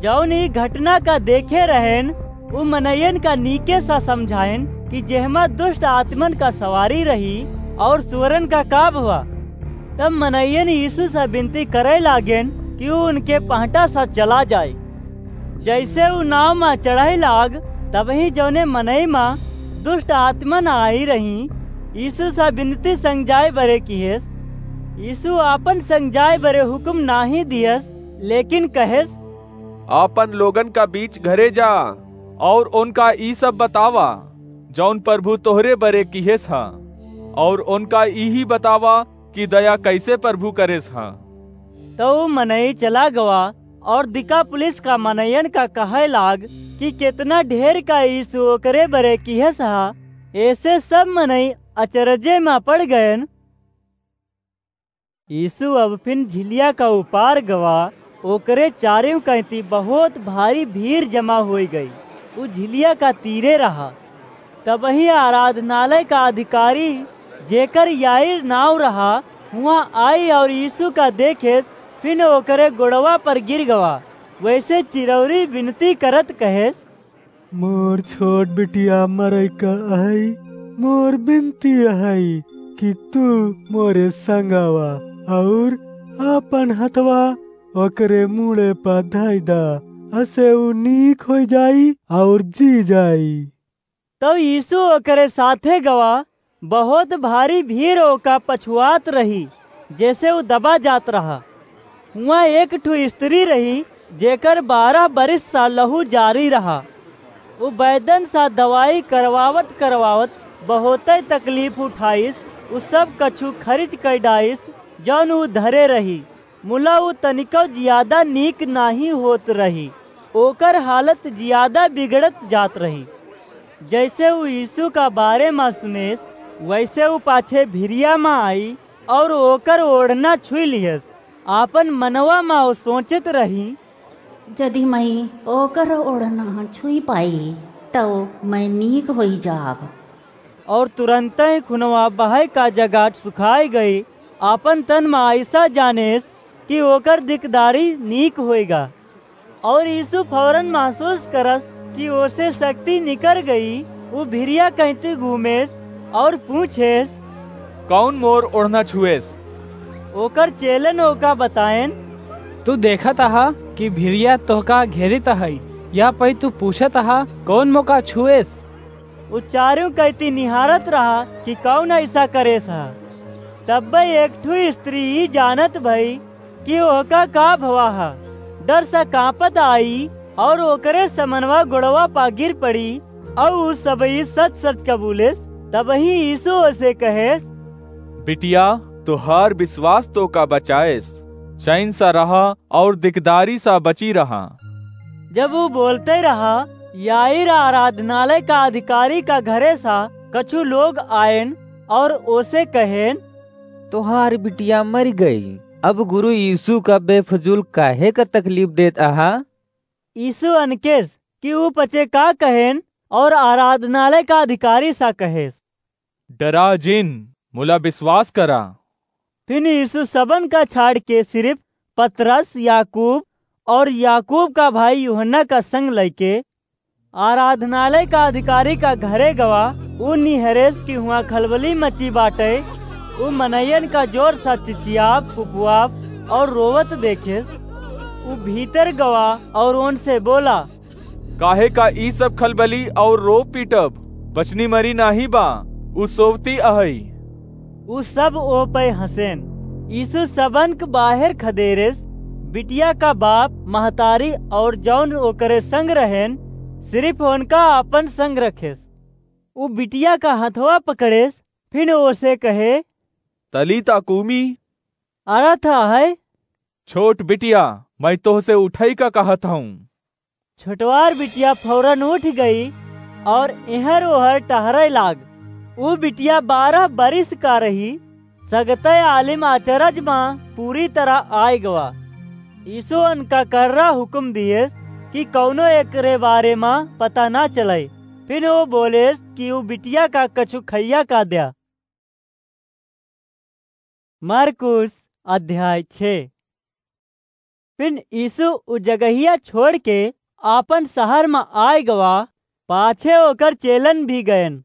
जौन ई घटना का देखे रहेन, ऊ मनयन का नीके सा समझायन कि जेहमा दुष्ट आत्मन का सवारी रही और सुअरन का का भवा। तब मनयन यीशु सा बिनती करै लागेन कि ऊ उनके पहटा सा चला जाय। जैसे ऊ नाव मा चढ़ै लाग, तबही जौने मनई मा दुष्ट आत्मन आई रही, यीशु सा बिनती संग जाय बरे किहेस। यीशु आपन संग जाय बरे हुकुम नाहीं दियस, लेकिन कहेस, आपन लोगन का बीच घरे जा और उनका ई सब बतावा, जौन प्रभु तोहरे बरे किहेस हा, और उनका इही बतावा कि दया कैसे प्रभु करेस हा। तौ ऊ मनई चला गवा और दिकापुलिस का मनयन का कहै लाग कि केतना ढेर का यीशु ओकरे बरे किहेस हा। ऐसे सब मनई अचरजे मा पड़ गयन। यीशु अब फिन झिलिया का उपार गवा, ओकरे चारेउ कैती बहुत भारी भीड़ जमा होइ गई। ऊ झिलिया का तीरे रहा। तबही आराधनालय का अधिकारी, जेकर याईर नाव रहा, हुआं आई और यीशु का देखेस, फिन ओकरे गोड़वा पर गिर गवा। वैसे चिरौरी बिनती करत कहेस, मोर छोट बिटिया मरई का अहई, मोर बिनती अहई कि तू मोरे संग आवा और आपन हथवा ओकरे मूड़े पर धई दा, असे ऊ नीक होइ जाई और जी जाई। तब यीशु ओकरे साथे गवा। बहुत भारी भीड़ ओका पछुआत रही, जैसे ऊ दबा जात रहा। हुआं एक ठु स्त्री रही, जेकर बारह बरिस सा लहू जारी रहा। ऊ बैदन सा दवाई करवावत करवावत बहुतै तकलीफ उठाइस। ऊ सब कछु खरिच कइ डाइस, जौन ऊ धरे रही। मुला ऊ तनिकौ जियादा नीक नाहीं होत रही, ओकर हालत जियादा बिगड़त जात रही। जैसे ऊ यीशु का बारे मा सुनेस, वैसे ऊ पाछे भिरिया मा आई और ओकर ओढ़ना छुई लिहेस। आपन मनवा मा ऊ सोचत रही, जदि मई ओकर ओढ़ना छुई पाई, तौ मई नीक होई जाब। और तुरंतै खुनवा बहै का जगाट सुखाई गई। आपन तन मा ऐसा जानेस कि ओकर दिकदारी नीक होइगा। और यीशु फौरन महसूस करस कि ओसे शक्ति निकर गई। ऊ भिरिया कैती घूमेस और पूछेस, कौन मोर ओढ़ना छुएस? ओकर चेलन ओका बताएन, तू देखत अहा कि भिरिया तोहका घेरित अहई, या पई तू पूछत अहा, कौन मोका छुएस? ऊ चारू कैती निहारत रहा कि कौन ऐसा करेस हा। तब्बे एक ठु स्त्री ई जानत भई कि ओहका का भवा हा। डर सा कांपत आई और ओकरे समनवा गोड़वा पा गिर पड़ी और ऊ सबई सच सच कबूलेस। तबही यीशु ओसे कहेस, बिटिया, तोहार विश्वास तोका बचाएस। चैन सा रहा और दिकदारी सा बची रहा। जब ऊ बोलते रहा, याईर आराधनालय का अधिकारी का घरे सा कछु लोग आएन और ओसे कहेन, तोहार बिटिया मरि गई। अब गुरु यीशु का बेफजूल काहे का तकलीफ देत अहा? यीशु अनकेस कि ऊ पचे का कहेन, और आराधनालय का अधिकारी सा कहेस, "डरा जिन, मुला विश्वास करा।" फिन यीशु सबन का छाड़ के सिर्फ पतरस, याकूब और याकूब का भाई यूहन्ना का संग लइके आराधनालय का अधिकारी का घरे गवा। ऊ निहरेस कि हुआं खलबली मची बाटे। ऊ मनइयन का जोर सा चिचियाब, फुफुआब और रोवत देखेस। ऊ भीतर गवा और उनसे बोला, "काहे का ई सब खलबली और रोब पीटब? बचनी मरी नाहीं बा, ऊ सोवती अहई।" ऊ सब ओ पे हँसेन। यीशु सबन क बाहेर खदेरेस, बिटिया का बाप, महतारी और जौन ओकरे संग रहेन, सिर्फ उनका आपन संग रखेस। ऊ बिटिया का हथवा पकड़ेस, फिन ओसे कहे, "तलीता कूमी," अरथ है, "छोट बिटिया, मैं तोहसे उठई का कहत हूँ।" छोटवार बिटिया फौरन उठ गई और एहर ओहर टहरे लाग। ऊ बिटिया बारह बरिस का रही। सगतय आलिम अचरज मा पूरी तरह आय गवा। यीशु उनका कर्रा हुकुम दिएस कि कौनो एकरे बारे मा पता ना चले। फिर वो बोलेस कि ऊ बिटिया का कछु खइया का द्या। मरकुस अध्याय छे। फिन यीशु उ जगहिया छोड़ के आपन शहर म आय गवा, पाछे ओकर चेलन भी गयन।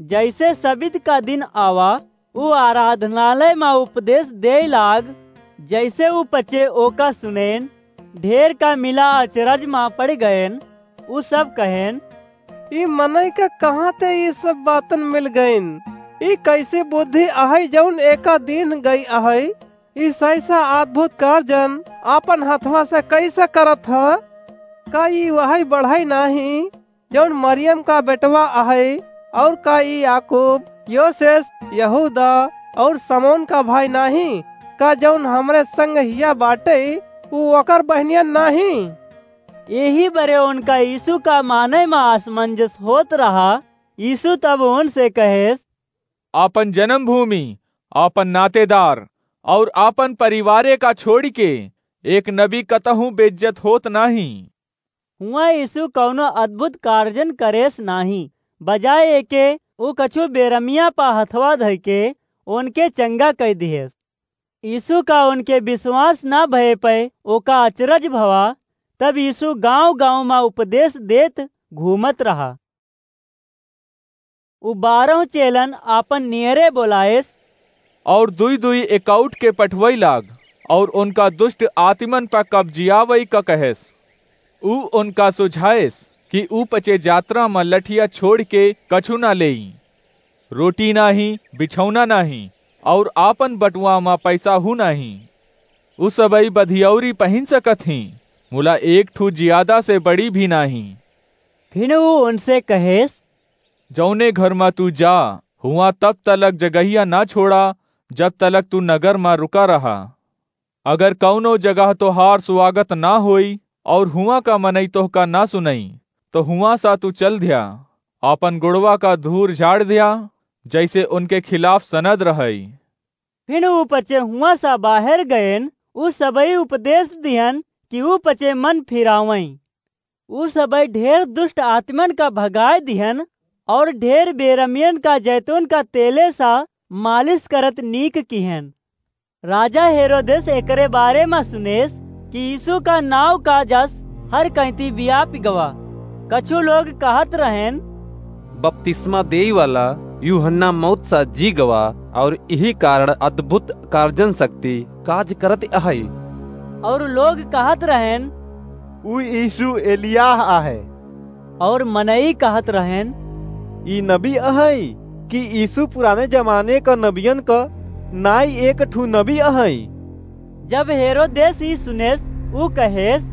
जैसे सबित का दिन आवा, उ आराधनालय म उपदेश देय लाग। जैसे उ पचे ओका सुनेन, ढेर का मिला अचरज म पड़ गयन। उ सब कहेन, "ई मनई के कहाँ ते ई सब बातन मिल गईन? ई कैसी बुद्धि अहई जौन एका दीन गई अहई? ई सैसा अद्भुत कार्जन आपन हथवा से कैसे करत ह? का ई वही बढ़ई नाही जौन मरियम का बेटवा अहई? और का ई याकूब, योसेस, यहूदा और समौन का भाई नाही? का जौन हमरे संग हिया बाटे, ऊ ओकर बहनियन नाही?" एही बरे उनका यीशु का माने म असमंजस होत रहा। यीशु तब उनसे कहेस, "आपन जन्मभूमि, आपन नातेदार और आपन परिवारे का छोड़ि के एक नबी कतहूँ बेइज्जत होत नाही।" हुआं यीशु कौनो अद्भुत कार्जन करेस नाही, बजाय एके ऊ कछु बेरमिया पा हथवा धइके उनके चंगा कइ दिहेस। यीशु का उनके विश्वास ना भये पे ओका अचरज भवा। तब यीशु गांव-गांव मा उपदेश देत घूमत रहा। उ बारह चेलन आपन नियरे बोलाएस, और दुई-दुई एकउठ के पठवई लाग, और उनका दुष्ट आत्मन पा कब्जियावई का कहेस। उ उनका सुझाएस कि उ पचे जात्रा म लठिया छोड़ि के कछु ना लेई, रोटी नाही, बिछौना नाही, और आपन बटुआ म पैसा हू नाही। उ सबई बधियौरी पहिन सकत ही, मुला एक ठू जियादा से बड़ी भी नाही। फिर उ उनसे कहेस, "जौने घर म तू जा, हुआं तब तलक जगहिया ना छोड़ा, जब तलक तू नगर म रुका रहा। अगर कौनो जगह तोहार स्वागत ना होई और हुआं का मनई तोहका ना सुनई, तो हुआं सा तू चल ध्या, आपन गोड़वा का धूर झाड़ ध्या, जैसे उनके खिलाफ सनद रहई।" फिर उ पचे हुआं सा बाहर गयन, उ सबई उपदेश दिहन कि उ पचे मन फिरावई। उ सबई ढेर दुष्ट आत्मन का भगाए दिहन और ढेर बेरमियन का जैतून का तेले सा मालिश करत नीक किहन। राजा हेरोदेस एकरे बारे म सुनेस कि यीशु का नाव का जस हर कहीं व्यापि गवा। कछु लोग कहत रहेन, "बपतिस्मा देई वाला यूहन्ना मौत सा जी गवा, और यही कारण अद्भुत कार्जन शक्ति काज करत अहई।" और लोग कहत रहेन, "ऊ यीशु एलियाह आहे।" और मनई कहत रहेन, "ई नबी अहई कि यीशु पुराने जमाने क नबियन क नाई एक ठू नबी अहई?" जब हेरोदेस ई सुनेस, ऊ कहेस,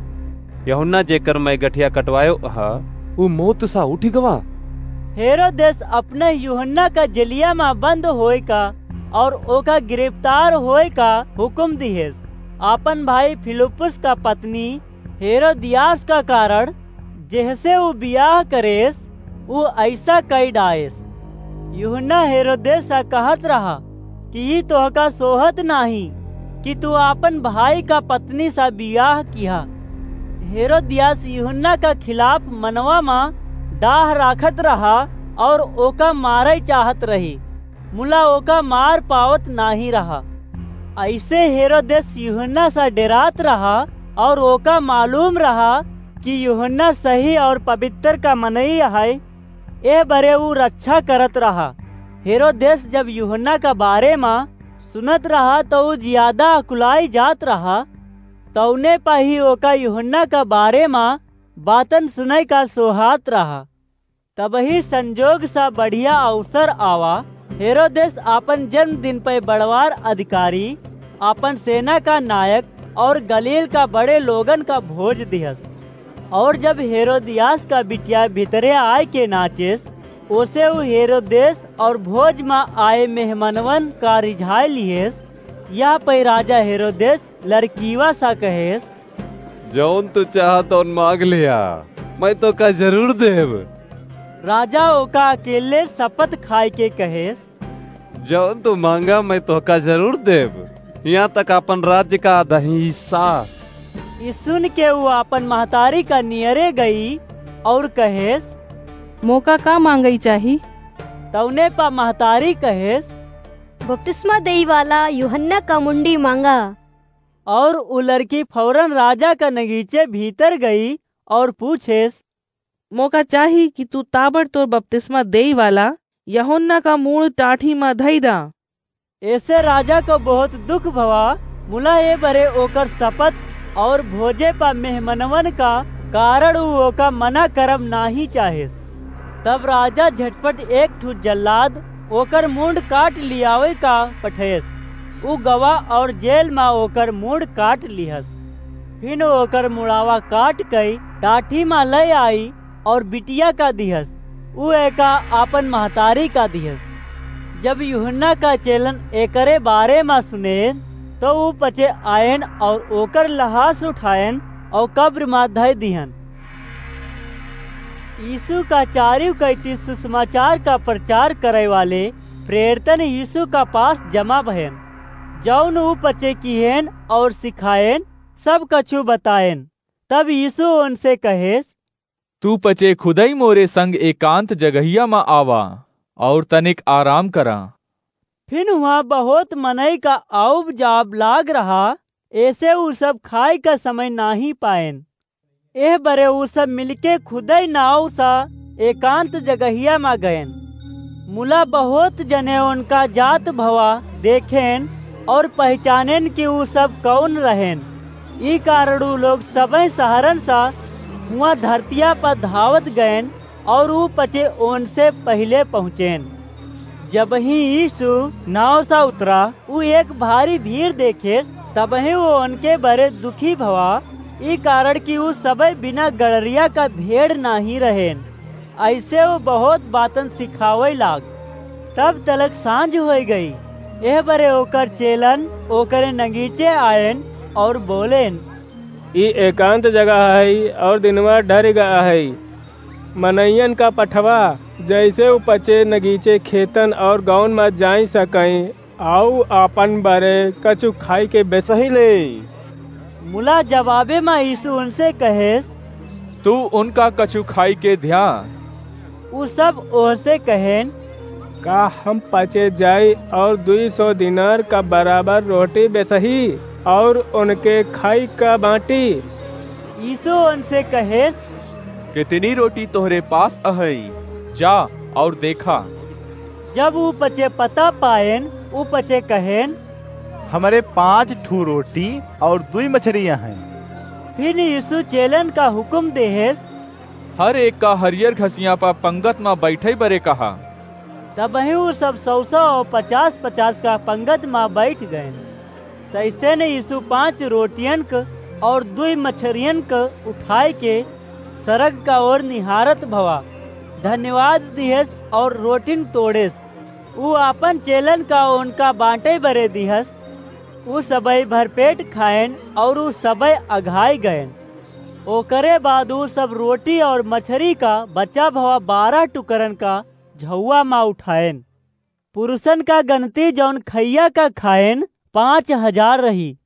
"यूहन्ना जेकर मैं गठिया कटवायो ह, ऊ मौत सा उठि गवा।" हेरोदेस अपने यूहन्ना का जेलिया मा बंद होए का और ओका गिरफ्तार होए का हुकुम दिहेस। आपन भाई फिलिप्पुस का पत्नी हेरोदियास का कारण, जेहसे ऊ बियाह करेस, ऊ ऐसा कई डाएस। यूहन्ना हेरोदेस से कहत रहा कि ई तोहका सोहत नाही कि तू आपन भाई का पत्नी से बियाह किहा। हेरोदियास यूहन्ना का खिलाफ मनवा मा डाह राखत रहा और ओका मारै चाहत रही, मुला ओका मार पावत नाहीं रहा। अइसे हेरोदेस यूहन्ना सा डेरात रहा और ओका मालूम रहा कि यूहन्ना सही और पबित्तर का मनई अहै, एह बरे ऊ रच्छा करत रहा। हेरोदेस जब यूहन्ना का बारे मा सुनत रहा, तौ ऊ जियादा अकुलाई जात रहा। तौने पा ही ओका यूहन्ना का बारे मा बातन सुनै का सोहात रहा। तबही संजोग सा बढ़िया अवसर आवा, हेरोदेस आपन जन्मदिन पे बड़वार अधिकारी, आपन सेना का नायक और गलील का बड़े लोगन का भोज दिहस। और जब हेरोदियास का बिटिया भीतरे आय के नाचेस, ओसे ऊ हेरोदेस और भोज मा आए मेहमनवन का रिझाए लिहेस। यह पे राजा हेरोदेस लड़कीवा सा कहेस, "जौन तू चाह तौन मांग लिया, मैं तोका जरूर देब।" राजा ओका अकेले शपथ खाए के कहेस, "जौन तू मांगा मैं तोका जरूर देब, यहाँ तक अपन राज्य का आधा हिस्सा।" ई सुन के ऊ अपन महतारी का नियरे गई और कहेस, "मोका का मांगई चाही?" तौने पा महतारी कहेस, "बपतिस्मा देई वाला यूहन्ना का मुंडी मांगा।" और उ लड़की फौरन राजा का नगीचे भीतर गई और पूछेस, "मोका चाही कि तू ताबड़तोड़ बपतिस्मा देई वाला यूहन्ना का मूड़ टाठी मा धई दा।" ऐसे राजा को बहुत दुख भवा, मुला ए बरे ओकर शपथ और भोजे पा मेहमनवन का कारण उ ओका मना करब नाही चाहेस। तब राजा झटपट एक ठू जल्लाद ओकर मूंड काट लियावे का पठेस। उ गवा और जेल मा ओकर मूंड काट लिहस। फिन ओकर मुड़ावा काट कई टाठी मा ले आई और बिटिया का दिहस, उ एका आपन महतारी का दिहस। जब यूहन्ना का चेलन एकरे बारे मा सुनेन, तो उ पचे आयन और ओकर लहास उठायन और कब्र मा धय दिहन। यीशु का चारिउ कैती सुसमाचार का प्रचार करे वाले प्रेरितन यीशु का पास जमा भयन, जौन उ पचे किहेन और सिखायन, सब कछु बतायन। तब यीशु उनसे कहेस, "तू पचे खुदई मोरे संग एकांत जगहिया मा आवा और तनिक आराम करा।" फिन हुआं बहुत मनई का आउब जाब लाग रहा, ऐसे उ सब खाए का समय नाही पाएन। एह बरे उ सब मिलके खुदई नाव सा एकांत जगहिया मा गएन। मुला बहुत जने उनका जात भवा देखेन और पहचानेन कि उ सब कौन रहेन। ई कारण उ लोग सबह शहरन सा हुआं धरतिया पर धावत गएन और उ पचे ओनसे पहिले पहुँचेन। जबही यीशु नाव सा उतरा, उ एक भारी भीड़ देखेस, तबही उ ओनके बरे दुखी भवा, ई कारण कि उ सबह बिना गड़रिया का भेड़ नाही रहेन। अइसे उ बहुत बातन सिखावे लाग। तब तलक सांझ होइ गई। एह बरे ओकर चेलन ओकरे नगीचे आएन और बोलेन, "ई एकांत जगह है और दिनवा ढरि गया है। मनइयन का पठवा, जैसे उ पचे नगीचे खेतन और गौन मा जाई सकई, आउ आपन बरे कछु खाई के बेसही ले।" मुला जवाबे मा यीशु उनसे कहेस, "तू उनका कछु खाई के ध्या।" उ सब ओहसे कहेन, "का हम पचे जाई और दुई सौ दिनार का बराबर रोटी बेसही और उनके खाई का बांटी?" यीशु उनसे कहेस, "कितनी रोटी तोहरे पास अहई? जा और देखा।" जब उ पचे पता पाएन, उ पचे कहेन, "हमरे पांच ठू रोटी और दुई मछरिया हैं।" फिर यीशु चेलन का हुकुम देहेस, "हर एक का हरियर घसिया पा पंगत मा बैठे बरे कहा।" तबही उ सब सौ सौ और पचास पचास का पंगत मा बैठ गएन। तैसे ने यीशु पांच रोटियन क और दुई मछरियन क उठाए के सरग का ओर निहारत भवा, धन्यवाद दिहेस और रोटिन तोड़ेस। उ आपन चेलन का उनका बांटे बरे दिहस। उ सबई भरपेट खाएन और उ सबई अघाई गएन। ओकरे बाद उ सब रोटी और मछरी का बचा भवा बारह टुकरन का झउआ मा उठाएन। पुरुषन का गनती जौन खइया का खाएन, पांच हजार रही।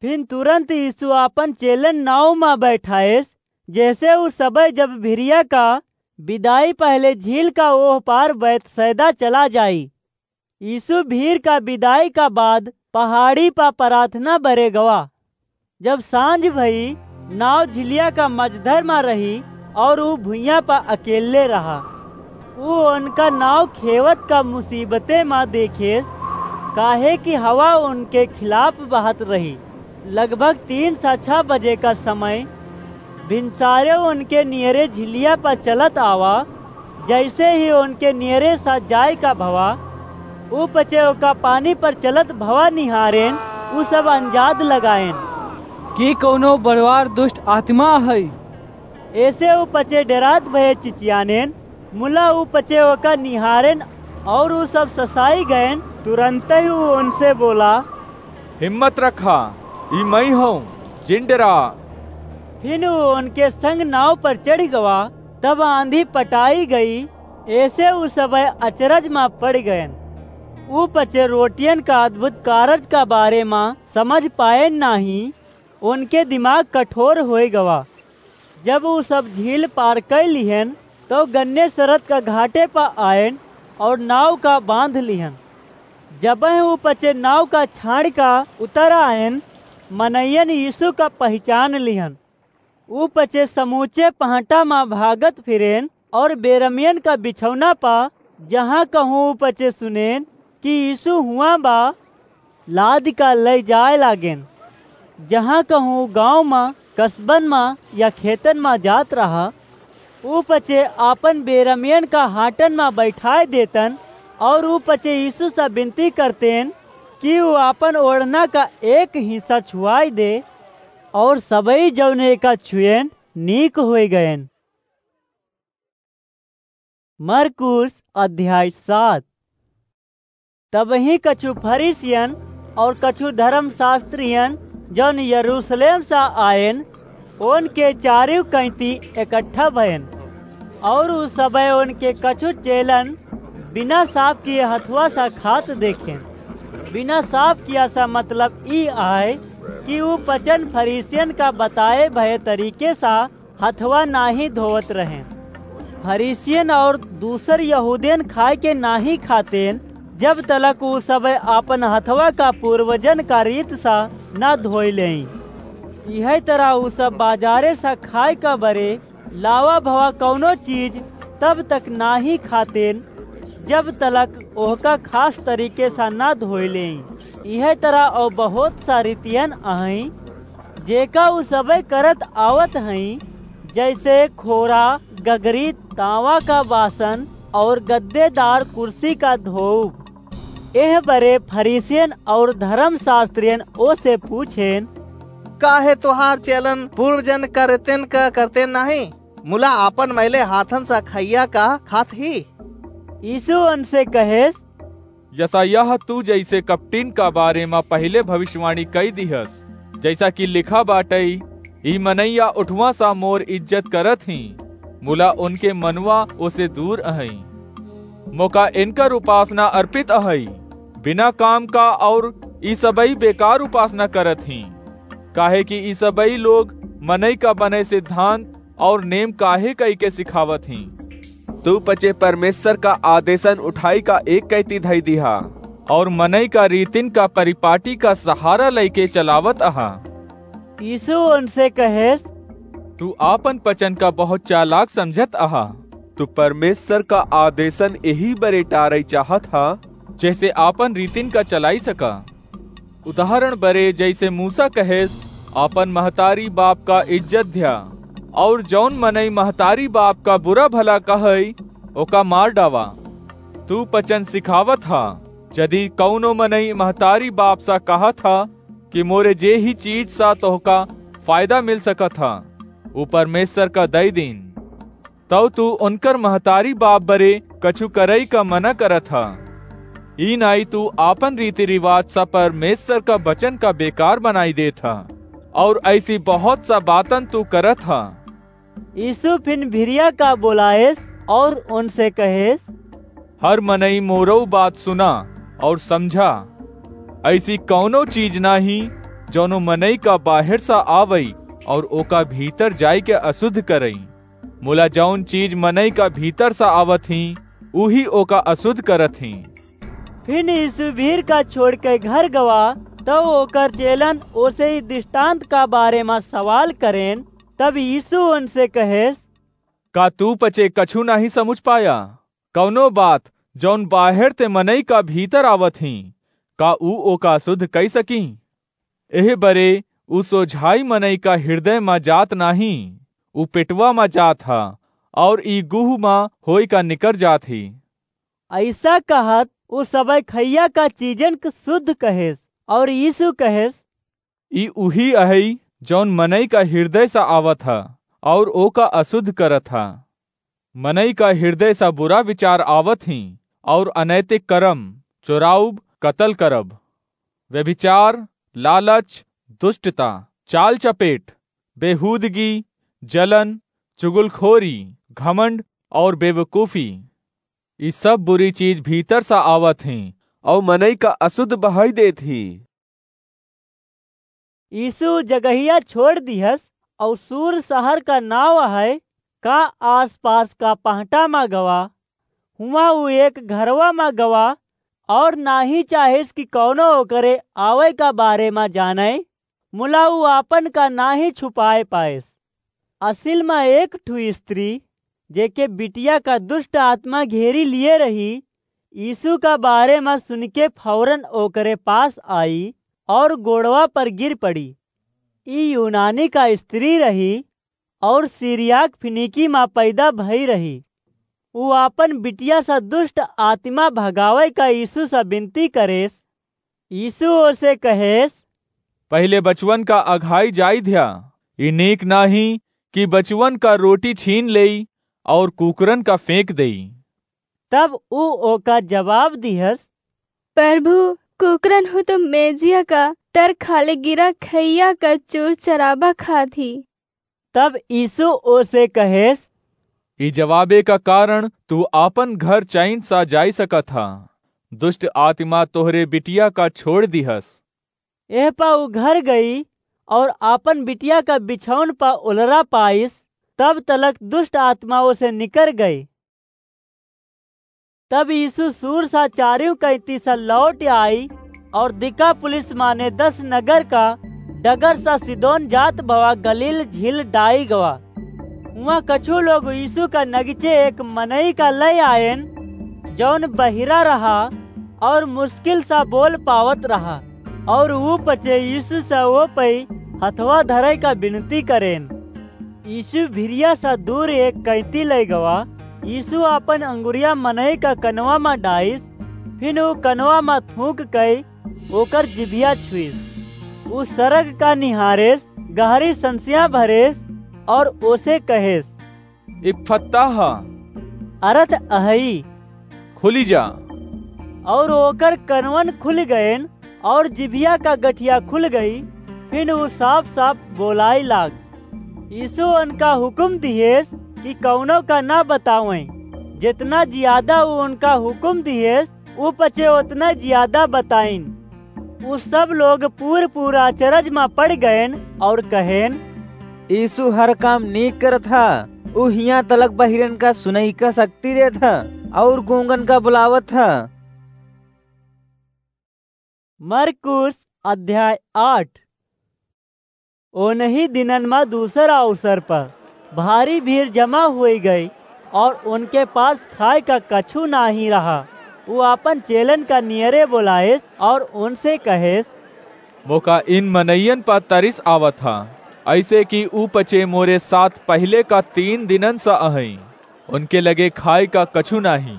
फिन तुरंत यीशु आपन चेलन नाव मा बैठाएस, जैसे उ सबई जब भिरिया का विदाई पहले झील का ओह पार बैतसैदा चला जाई। यीशु भीड़ का विदाई का बाद पहाड़ी पा प्रार्थना बरे गवा। जब सांझ भई, नाव झिलिया का मझधर मा रही और ऊ भुइयां पा अकेले रहा। ऊ उनका नाव खेवत का मुसीबते मा देखेस, काहे कि हवा उनके खिलाफ बहत रही। लगभग तीन सा छह बजे का समय भिनसारे उनके नियरे झिलिया पा चलत आवा। जैसे ही उनके नियरे सा जाए का भवा, ऊ पचे ओका पानी पर चलत भवा निहारेन, ऊ सब अंजाद लगाएन। की कौनो बड़वार दुष्ट आत्मा है? ऐसे ऊ पचे डेरात भये चिचियानेन, मुला ऊ पचे ओका निहारेन और ऊ सब ससाई गएन। तुरंत ही ऊ उनसे बोला, "हिम्मत रखा, ई मई हूँ, जिन डेरा।" फिर ऊ उनके संग नाव पर चढ़ गवा। तब आंधी पटाई गई, ऐसे ऊ सब अचरज मा पड़ गएन। ऊ पचे रोटियन का अद्भुत कारज का बारे मा समझ पाएन नाही, उनके दिमाग कठोर होए गवा। जब ऊ सब झील पार कर लिहन, तो गन्नेसरत का घाटे पर आएन और नाव का बांध लिहन। जब ऊ पचे नाव का छाड़ का उतर आएन, मनैयन यीशु का पहचान लिहन। ऊ पचे समूचे पहाटा मा भागत फिरेन और बेरमियन का बिछौना पा, जहाँ कहूँ ऊ पचे सुनेन कि यीशु हुआ बा, लाद का लई जाए लागेन। जहाँ कहूँ गाँव मा, कस्बन मा या खेतन मा जात रहा, ऊ पचे आपन बेरमियन का हाटन मा बैठाए देतन और ऊ पचे यीशु से विनती करतेन कि ऊ आपन ओढ़ना का एक हिस्सा छुआई दे, और सबई जौन एका छुएन नीक होए गएन। मरकुस अध्याय सात। तबही कछु फरीसियन और कछु धर्मशास्त्रियन, जौन यरूशलेम से आएन, उनके चारिउ कैंती इकट्ठा भएन, और उ सबे उनके कछु चेलन बिना साफ किए हथवा से खात देखेन। बिना साफ किया सा मतलब ई आए कि उ पचन फरीसियन का बताए भए तरीके सा हथवा नाही धोवत रहें। फरीसियन और दूसर यहूदियन खाए के नाही खातेन, जब तलक उ सब आपन हथवा का पूर्वजन का रीत सा न धोई लें। इहे तरह उ सब बाजारे सा खाए का बरे लावा भवा कौनो चीज तब तक नाही खातेन, जब तलक ओहका खास तरीके सा न धोई लें। इहे तरह और बहुत सा रीतियन अहई, जेका उ सबे करत आवत हई, जैसे खोरा, गगरी, तांवा का बासन और गद्देदार कुर्सी का धोउब। एह बरे फरीसियन और धर्मशास्त्रियन ओ से पूछेन, "काहे तोहार चेलन पूर्वजन का रीतिन का करते नाही, मुला आपन मैले हाथन सा खइया का खात ही?" यीशु उनसे कहेस, यसायाह तू जैसे कपटिन का बारे मा पहिले भविष्यवाणी कई दिहस, जैसा कि लिखा बाटई, "ई मनैया उठवा सा मोर इज्जत करत ही, मुला उनके मनवा ओसे दूर अहई। मोका इनकर उपासना अर्पित अहई, बिना काम का, और ई सबई बेकार उपासना करत ही, काहे कि ई सबई लोग मनई का बने सिद्धांत और नेम काहे कई के सिखावत ही? तू पचे परमेश्वर का आदेशन उठाई का एक कैती धई दिहा, और मनई का रीतिन का परिपाटी का सहारा लइके चलावत अहा।" यीशु उनसे कहेस, "तू आपन पचन का बहुत चालाक समझत अहा। तू परमेश्वर का आदेशन यही बरे टारई चाहत हा, जैसे आपन रीतिन का चलाई सका। उदाहरण बरे जैसे मूसा कहेस, आपन महतारी बाप का इज्जत ध्या, और जौन मनई महतारी बाप का बुरा भला कहई, ओका मार डावा। तू पचन सिखावत हा, यदि कौनो मनई महतारी बाप सा कहत हा कि मोरे जे ही चीज सा तोहका फायदा मिल सकत हा, उ परमेश्वर का दई दीन, तौ तू उनकर महतारी बाप बरे कछु करई का मना करत हा। ई नाई तू आपन रीति रिवाज सा परमेश्वर का वचन का बेकार बनाई देत हा, और ऐसी बहुत सा बातन तू करत हा।" यीशु फिन भिरिया का बोलाएस और उनसे कहेस, "हर मनई मोरऊ बात सुना और समझा। ऐसी कौनो चीज नाही जौनो मनई का बाहर सा आवई और ओका भीतर जाई के अशुद्ध करई। मुला जौन चीज मनई का भीतर सा आवत ही, उही ओका असुद्ध करत ही। फिन यीशु भीड़ का छोड़ के घर गवा, तब ओकर चेलन ओसे ई दृष्टांत का बारे मा सवाल करेन। तब यीशु उनसे कहेस, का तू पचे कछु नाहीं समुझ पाया? कौनो बात जौन बाहेर ते मनई का भीतर आवत ही, का ऊ ओका असुद्ध कई सकी? एह बरे ऊ सोझाई मनई का हिरदय मा जात नाहीं, ऊ पेटवा मा जात हा, और ई गुह मा होई का निकर जात ही। ऐसा कहत ऊ सबई खइया का चीजन क सुद्ध कहेस, और यीशु कहेस, ई उही अहई जौन मनई का हिरदय सा आवत हा, और ओका असुद्ध करत हा। मनई का हिरदय सा बुरा विचार आवत ही, और अनैतिक करम, चोराउब, कतल करब, व्यभिचार, लालच, दुष्टता, चाल चपेट, बेहूदगी, जलन, चुगलखोरी, घमंड और बेवकूफी। ई सब बुरी चीज भीतर सा आवत ही, और मनई का असुद्ध बहाई देत ही। यीशु जगहिया छोड़ दिहस, और सूर शहर का नाव है, का आसपास का पहटा मा गवा। हुआं ऊ एक घरवा मा गवा, और नाहीं चाहिस कि कौनो ओकरे आवै का बारे मा जानै, मुला ऊ आपन का नाहीं छुपाए पाइस। असिल मा एक ठू स्त्री, जेके बिटिया का दुष्ट आत्मा घेरी लिए रही, यीशु का बारे मा सुनिके फौरन ओकरे पास आई और गोड़वा पर गिर पड़ी। ई यूनानी का स्त्री रही और सीरियाक फिनिकी मा पैदा भई रही। ऊ आपन बिटिया सा दुष्ट आत्मा भगावै का यीशु सा बिनती करेस। यीशु ओसे कहेस, पहिले बचवन का अघाई जाई ध्या, ई नीक नाहीं कि बचवन का रोटी छीन लेई और कुकरन का फेंक देई। तब ऊ ओका जवाब दिहस, प्रभु, कुकरन हूँ तो मेजिया का तर खाले गिरा खइया का चूर चराबा खात ही। तब यीशु ओसे कहेस, ई जवाबे का कारण तू आपन घर चैन सा जाई सकत हा। दुष्ट आत्मा तोहरे बिटिया का छोड़ दिहस। एह पा ऊ घर गई और आपन बिटिया का बिछौन पा उलरा पाइस, तब तलक दुष्ट आत्मा ओसे निकर गई। तब यीशु सूर सा चारियों कैती सा लौट आई और दिकापुलिस माने दस नगर का डगर सा सिदोन जात भवा गलील झील डाई गवा। हुआं कछु लोग यीशु का नगीचे एक मनई का लय आयन, जौन बहिरा रहा और मुश्किल सा बोल पावत रहा, और ऊ पचे यीशु सा ओ पई हथवा धरे का बिनती करेन। यीशु भिरिया सा दूर एक कैती लय गवा। यीशु आपन अंगुरिया मनई का कनवा मा डाइस, फिन ऊ कनवा मा थूक कई ओकर जिभिया छुइस। ऊ सरग का निहारेस, गहरी संसिया भरेस और ओसे कहेस, इप्फत्ताह, अरथ अहई, खुली जा। और ओकर कनवन खुल गएन और जिभिया का गठिया खुल गई, फिन ऊ साफ साफ बोलाई लाग। यीशु उनका हुकुम दिहेस कि कौनो का ना बतावें। जितना जियादा ऊ उनका हुकुम दिहेस, ऊ पचे उतना जियादा बताइन। ऊ सब लोग पूर पूरा अचरज मा पड़ गएन और कहेन, यीशु हर काम नीक करत हा। ऊ हियां तलक बहिरन का सुनई का शक्ति देत हा और गूंगन का बुलावत हा। मरकुस अध्याय आठ। ओनही दिनन मा दूसर अवसर पर भारी भीड़ जमा हुई गई और उनके पास खाए का कछु नाही रहा। ऊ आपन चेलन का नियरे बोलाएस और उनसे कहेस, मोका इन मनइयन पर तरिस आवत हा, ऐसे कि ऊ पचे मोरे साथ पहिले का तीन दिनन सा अहई। उनके लगे खाए का कछु नाही।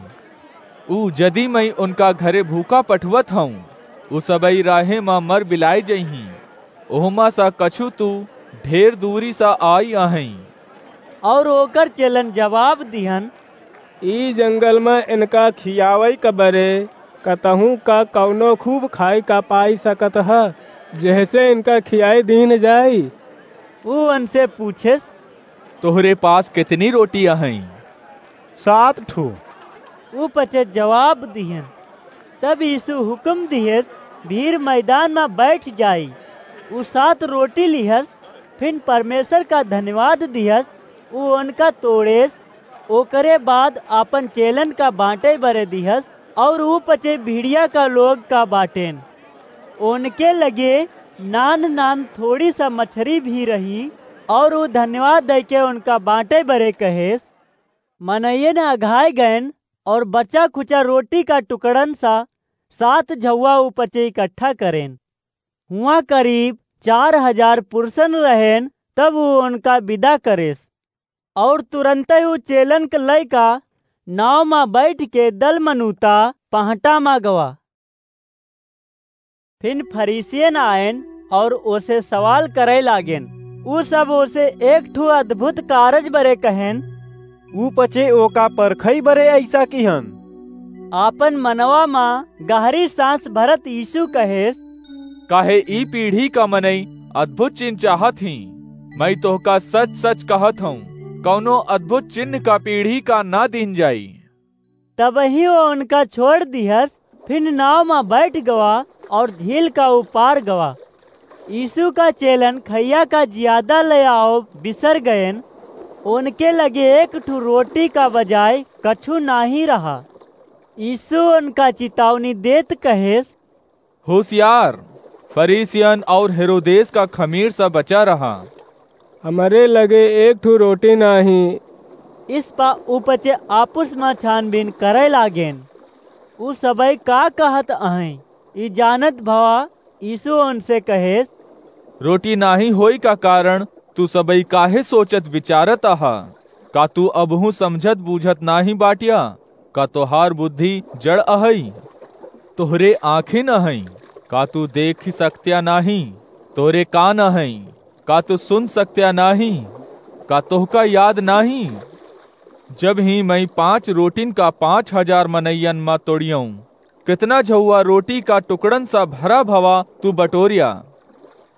ऊ जदी मई उनका घरे भूखा पठवत हऊँ, ऊ सबई राहे मा मर बिलाए जइहीं। ओहमा सा कछु तू ढेर दूरी सा आई अहई। और ओकर चेलन जवाब दिहन, ई जंगल मा इनका खियावई का बरे कतहूँ का कौनो खूब खाए का पाई सकत ह, जेहसे इनका खियाए दीन जाई। ऊ उनसे पूछेस, तोहरे पास कितनी रोटी अहई? सात ठो। ऊ पचे जवाब दिहन। तब यीशु हुक्म दिहेस, भीड़ मैदान मा बैठ जाई। ऊ सात रोटी लिहस, फिन परमेश्वर का धन्यवाद दिहस उ ओनका तोड़ेस, ओकरे बाद आपन चेलन का बाँटै बरे दिहस, और उ पचे भीड़िया का लोग का बाँटेन। ओनके लगे नान्ह नान्ह थोड़ी सा मछरी भी रही, और उ धन्यवाद दैके ओनका बाँटै बरे कहेस। मनइयन अघाय गएन, और बचा खुचा रोटी का टुकड़न सा सात झउवा उ पचे इकट्ठा करेन। हुआँ करीब चार हजार पुरुषन रहेन, तब उ ओनका बिदा करेस। और तुरन्तै उ चेलन क लइका नाव मा बैठके दलमनूता पहटा मा गवा। फिन फरीसियन आएन और ओसे सवाल करै लागेन। उ सब ओसे एक ठू अद्भुत कारज बरे कहेन। उ पचे ओका परखै बरे अइसा किहन। आपन मनवा मा गहरी साँस भरत यीशु कहेस, काहे ई पीढ़ी का मनई अद्भुत चिन्ह चाहत हीं? मैं तोहका सच-सच कहत हूँ, कौनो अद्भुत चिन्ह का पीढ़ी का ना दीन जाई। तबही वो उनका छोड़ दिहस, फिन नाव मा बैठ गवा और झील का उपार गवा। यीशु का चेलन खइया का जियादा ले आओ बिसर गएन। उनके लगे एक ठू रोटी का बजाय कछु नाहीं रहा। यीशु उनका चितावनी देत कहेस, होशियार, फरीसियन और हेरोदेस का खमीर से बचा रहा। हमरे लगे एक ठू रोटी नाहीं। इस पा उपचे आपुस मा छानबीन करै लागेन। उ सबई का कहत अहैं, ई जानत भवा यीशु उनसे कहेस, रोटी नाहीं होई का कारण तू सबई काहे सोचत विचारत अहा? का तू अबहूँ समझत बूझत नाहीं बाटिया? का तोहार बुद्धि जड़ अहई? तोहरे आँखिन अहई, का तू देखि सकत्या नाहीं? तोहरे कान अहई, का तू सुन सकत्या नाहीं? का तोहका याद नाहीं? जब ही मैं पाँच रोटिन का पाँच हजार मनइयन मा तोड़ियऊँ, कितना झउआ रोटी का टुकड़न सा भरा भवा तू बटोरिया?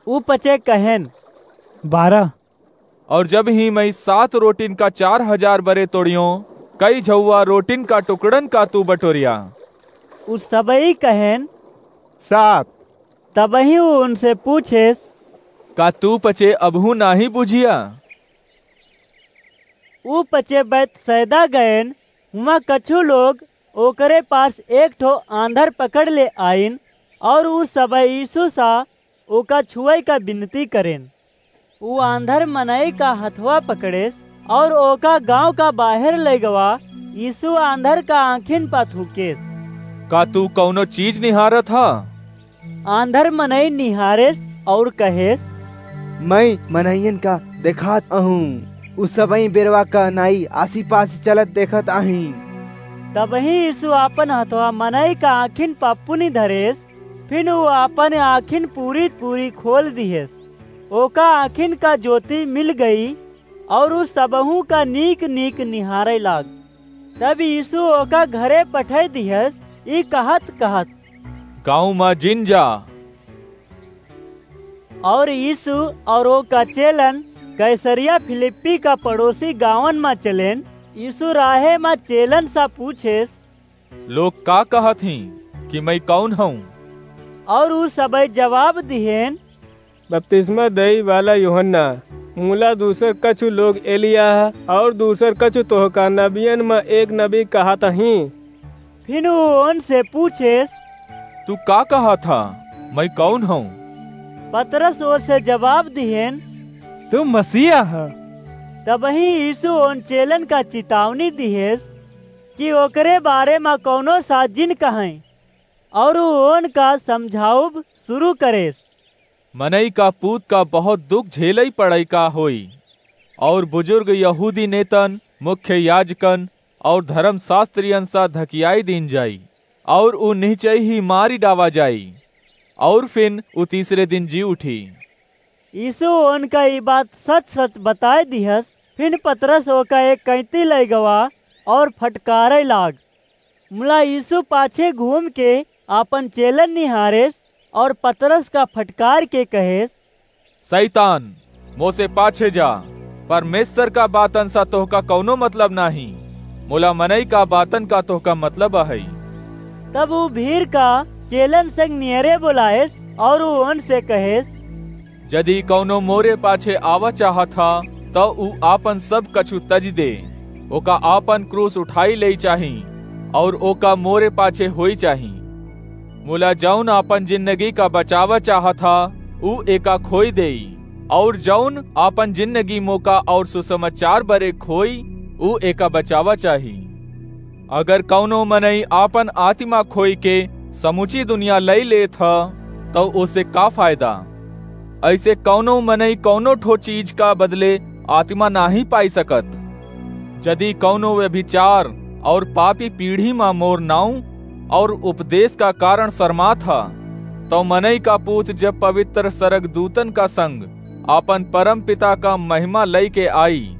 उ पचे कहेन, बारह। और जब ही मैं सात रोटिन का चार हजार बरे तोड़ियों, कई झउआ रोटिन का टुकड़न का तू बटोरिया? उ सबई कहेन, सात। तबही उ उनसे पूछेस, का तू पचे अबहूँ नाहीं बुझिया? उ पचे बैतसैदा गएन, हुआँ कछु लोग ओकरे पास एक ठो आंधर पकड़ ले आइन, और उ सबई यीशु सा ओका छुअई का बिनती करेन। उ आंधर मनई का हथवा पकड़ेस और ओका गाँव का बाहेर लइगवा। यीशु आंधर का आँखिन पा थूकेस, का तू कउनो चीज निहारत हा? आंधर मनई निहारेस और कहेस, मैं मनइयन का देखात अहूँ, उ सबई बेरवा का नाई आसी पास चलत देखत आहीं। तबही यीशु आपन हथवा मनई का आँखिन पा पुनि धरेस, फिन उ आपन आँखिन पूरी पूरी खोल दिहेस। ओका आँखिन का ज्योति मिल गई और उ सबहू का नीक नीक निहारै लाग। तब यीशु ओका घरे पठै दिहेस, ई कहत कहत, गाँव मा जिन जा। और यीशु और ओका चेलन कैसरिया फिलिप्पी का पड़ोसी गाँवन मा चलेन। यीशु राहे मा चेलन सा पूछेस, लोग का कहत हीं कि मैं कउन हूँ? और उ सबई जवाब दिहेन, बपतिस्मा देई वाला यूहन्ना, मुला दूसर कछु लोग एलियाह, और दूसर कछु तोहका नबियन मा एक नबी कहत हीं। फिन उ ओनसे पूछेस, तू का कहत हा? मैं कउन हूँ? पतरस ओसे जवाब दिहेन, तू मसीहा ह। तबही यीशु ओन चेलन का चितावनी दिहेस कि ओकरे बारे मा कउनो सा जिन कहैं, और उ ओनका समझाउब शुरू करेस। मनई का पूत का बहुत दुख झेलई पड़ई का होई, और बुजुर्ग यहूदी नेतन, मुख्य याजकन और धर्मशास्त्रियन सा धकियाई दीन जाई, और उ निहचई ही मारी डावा जाई, और फिन उ तीसरे दिन जी उठी। यीशु ओनका ई बात सच सच बताय दिहस। फिन पतरस ओका एक कैंती लइगवा और फटकारै लाग। मुला यीशु पाछे घूम के आपन चेलन निहारेस और पतरस का फटकार के कहेस, शैतान, मोसे पाछे जा, परमेश्वर का बातन सा तोहका कउनो मतलब नाहीं, मुला मनई का बातन का तोहका मतलब अहई। तब उ भीड़ का चेलन संग नियरे बोलाएस और उ ओनसे कहेस, जदि कउनो मोरे पाछे आवा चाहत हा, तौ ऊ आपन सब कछु तजि दे, ओका आपन क्रूस उठाई लेई चाही, अउर ओका मोरे पाछे होई चाही। मुला जौन आपन जिन्दगी का बचावा चाहत हा, ऊ एका खोई देई, अउर जौन आपन जिन्दगी मोका अउर सुसमाचार बरे खोई, ऊ एका बचावा चाही। अगर कउनो मनई आपन आतिमा खोई के समुची दुनिया लई लेत ह, तौ ओसे का फायदा? अइसे कउनो मनई कउनो ठो चीज का बदले आतिमा नाहीं पाई सकत। जदि कउनो व्यभिचार अउर पापी पीढ़ी मा मोर नाउँ अउर उपदेश का कारन सरमात ह, तौ मनई का पूत जब पवित्र सरगदूतन का संग आपन परम पिता का महिमा लइके आई,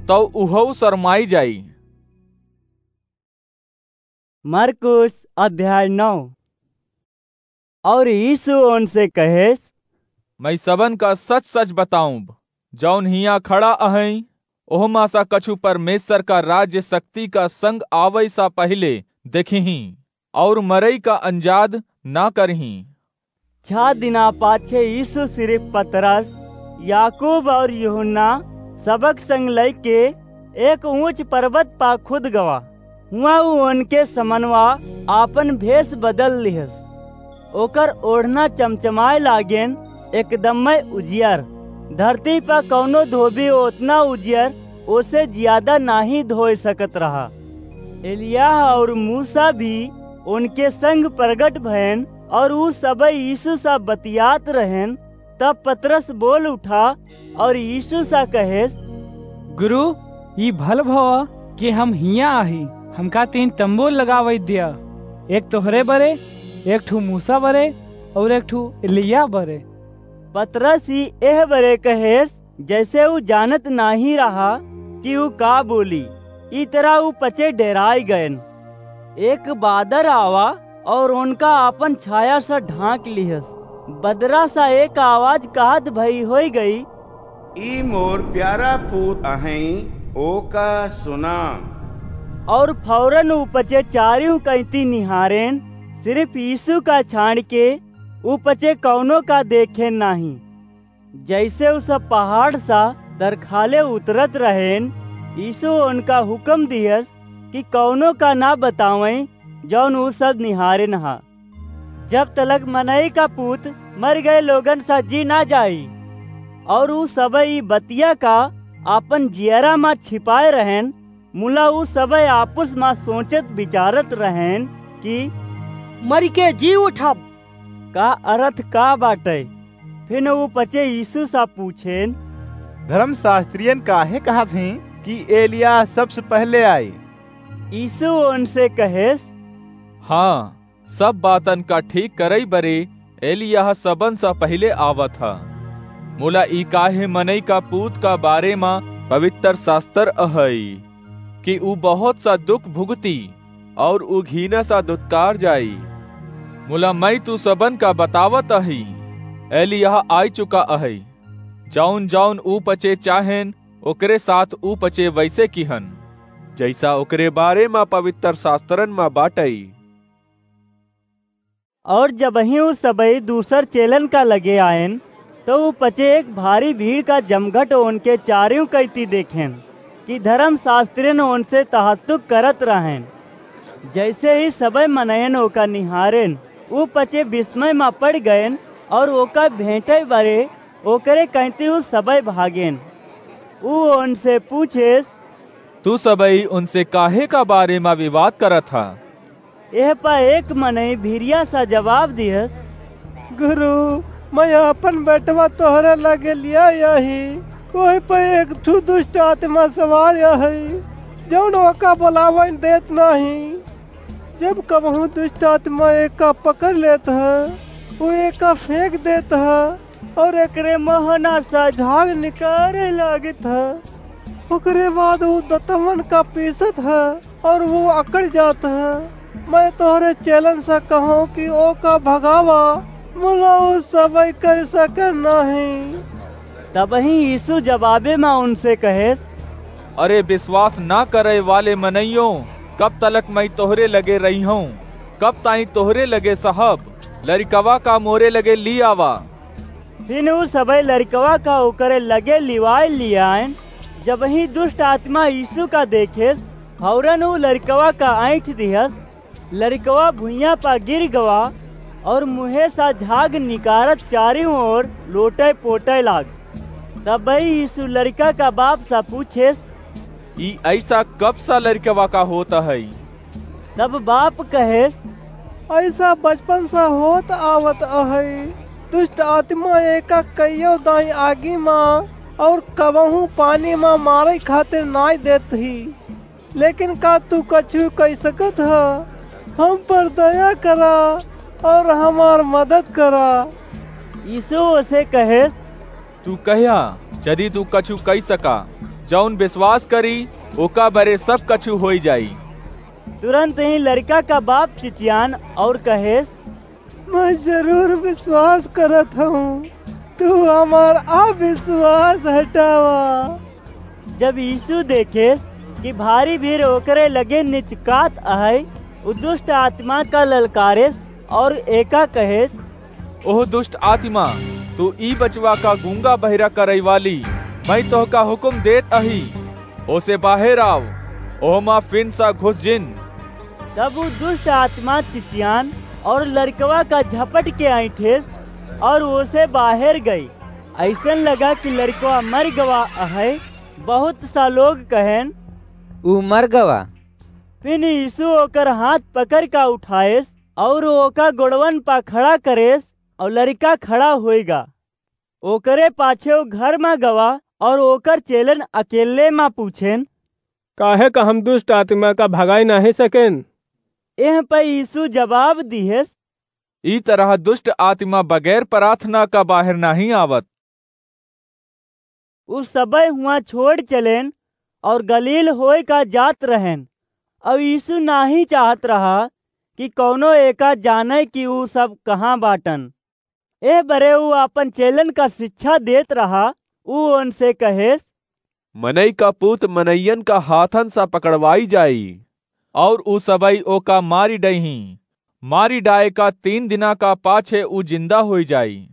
तौ उहउ सरमाई जाई। मरकुस अध्याय नौ। अउर यीशु ओनसे कहेस, "मैं सबन का सच-सच बताउब, जौन हियाँ खड़ा अहइँ, ओहमा सा कछु परमेश्वर का राज्य शक्ति का संग आवइ सा पहिले देखिहीं, अउर मरई का अंजाद ना करिहीं।" छह दिना पाछे यीशु सिरिफ पतरस, याकूब अउर यूहन्ना सबक संग लइके एक ऊँच परबत पा खुद गवा। हुआँ ऊ ओनके समनवा आपन भेस बदल लिहस। ओकर ओढ़ना चमचमाए लागेन, एकदम्मय उजियर। धरती पा कउनो धोबी ओतना उजियर ओसे जियादा नाहीं धोए सकत रहा। एलियाह अउर मूसा भी ओनके संग परगट भएन अउर ऊ सबइ यीशु सा बतियात रहेन। तब पतरस बोल उठा अउर यीशु सा कहेस, "गुरु, ई भल भवा कि हम हियाँ आही, हमका तीन तम्बू लगावइ दिया, एक तोहरे बरे, एक ठू मूसा बरे अउर एक ठू एलियाह बरे।" पतरस ई एह बरे कहेस, जइसे ऊ जानत नाहीं रहा कि ऊ का बोली। ई तरह ऊ पचे डेराइ गएन। एक बादर आवा अउर ओनका आपन छाया से ढाँक लिहस। बदरा सा एक आवाज कहत भई होइ गई, "ई मोर प्यारा पूत अहइँ, ओका सुना।" अउर फौरन ऊ पचे चारिउ कइती निहारेन, सिरिफ यीशु का छाँड़ के ऊ पचे कउनो का देखेन नाहीं। जइसे ऊ सब पहाड़ सा तरखाले उतरत रहेन, यीशु ओनका हुकम दिहस कि कउनो का ना बतावइँ, जौन ऊ सब निहारेन हा। जब तलक मनई का पूत मरि गए लोगन सा जी ना जाई। अउर ऊ सबइ ई बतिया का आपन जियरा मा छिपाए रहेन, मुला ऊ सबइ आपुस मा सोचत बिचारत रहेन कि मरि के जी उठब का अरथ का बाटइ? फिन ऊ पचे यीशु सा पूछेन, "धर्मशास्त्रियन काहे कहत हीं कि एलियाह सबसे पहिले आई?" यीशु ओनसे कहेस, "हाँ, सब बातन का ठीक करइ बरे एलियाह सबन सा पहिले आवत ह। मुला ई काहे मनई का पूत का बारे मा पवित्र शास्त्र अहइ कि ऊ बहुत सा दुख भुगती अउर ऊ घीना सा दुत्कार जाई। मुला मइँ तू सबन का बतावत अही, एलियाह आइ चुका अहइ। जौन जौन ऊ पचे चाहेन, ओकरे साथ ऊ पचे वइसे किहन, जइसा ओकरे बारे मा पवित्र शास्त्रन मा बाटइ।" अउर जबहिं ऊ सबइ दूसर चेलन का लगे आएन, तउ ऊ पचे एक भारी भीड़ का जमघट ओनके चारिउ कइती देखेन, कि धर्मशास्त्रिन ओनसे तहत्तुक करत रहेन। जइसे ही सबइ मनयन ओका निहारेन, ऊ पचे बिस्मय मा पड़ि गएन, अउर ओका भेंटइ बरे ओकरे कइती ऊ सबइ भागेन। ऊ ओनसे पूछेस, "तू सबइ उनसे काहे का बारे मा विवाद करत ह?" एह प एक मनई भिरिया सा जवाब दिहस, "गुरु, मइँ आपन बेटवा तोहरे लगे लियाइ अही, ओह प एक ठू दुष्ट आतिमा सवार अहइ, जउन ओका बोलावइ देत नाहीं। जब कबहूँ दुष्ट आतिमा एका पकरि लेत ह, ऊ एका फेंकि देत ह, अउर एकरे महना सा झाग निकरइ लागित ह। ओकरे बाद ऊ दतवन का पीसत ह, अउर ऊ अकड़ि जात ह। मइँ तोहरे चेलन सा कहउँ कि ओका भगावा, मुला ऊ सबइ करि सकेन नाहीं।" तबहिं यीसू जबाबे मा उनसे कहेस, "अरे बिसवास न करइ वाले मनइयो, कब तलक मइँ तोहरे लगे रहिहउँ? कब ताईं तोहरे लगे सहब? लरिकवा का मोरे लगे ली आवा।" फिन ऊ सबइ लरिकवा का ओकरे लगे लिवाइ लिआएन, जबही दुष्ट आत्मा यीशु का देखेस, फौरन ऊ लरिकवा का ऐंठ दिहस। लरिकवा भुइयां पा गिर गवा और मुँहे सा झाग निकारत चारियों ओर लोटै पोटै लाग। तबही यीशु लरिका का बाप सा पूछेस, "ई ऐसा कब सा लरिकवा का होत है?" तब बाप कहेस, "ऐसा बचपन सा होत आवत है। दुष्ट आत्मा एका कइयो दाई आगी मा और कबहूँ पानी मा मारै खातिर नाई देत ही। लेकिन का तू कछु कइ सकत ह? हम पर दया करा और हमार मदद करा।" यीशु ओसे कहेस, "तू कह्या, जदि तू कछु कइ सका, जौन विश्वास करी, ओका बरे सब कछु होइ जाई।" तुरंत ही लरिका का बाप चिचियान और कहेस, "मैं जरूर विश्वास करत हूँ, तू हमार अविश्वास हटावा।" जब यीशु देखेस कि भारी भीड़ ओकरे लगे निचकात अहै, उ दुष्ट आत्मा का ललकारेस और एका कहेस, "ओह दुष्ट आत्मा, तू ई बचवा का गूंगा बहिरा करै वाली, मैं तोहका हुकुम देत अही, ओसे बाहेर आव, ओहमा फिन सा घुस जिन।" तब उ दुष्ट आत्मा चिचियान और लरिकवा का झपट के ऐंठेस और ओसे बाहेर गई। ऐसन लगा कि लरिकवा मर गवा अहै। बहुत सा लोग कहेन, "ऊ मर गवा।" फिन यीशु ओकर हाथ पकड़ का उठाएस और ओका गोड़वन पा खड़ा करेस और लरिका खड़ा होइगा। ओकरे पाछे उ घर मा गवा और ओकर चेलन अकेले मा पूछेन, "काहे का हम दुष्ट आत्मा का भगाई नाहीं सकेन?" एह पे यीशु जवाब दिहेस, "ई तरह दुष्ट आत्मा बगैर प्रार्थना का बाहर नाहीं आवत।" उ सबे हुआं छोड़ चलेन और गलील होए का जात रहेन। और यीशु नाहीं चाहत रहा कि कौनो एका जाने कि उ सब कहाँ बाटन। एह बरे उ आपन चेलन का शिक्षा देत रहा। उ उनसे कहेस, "मनई का पूत मनइयन का हाथन सा पकड़वाई जाई, और उ सबई ओका मारी डइहीं। मारी डाए का तीन दिना का पाछे उ जिंदा होई जाई।"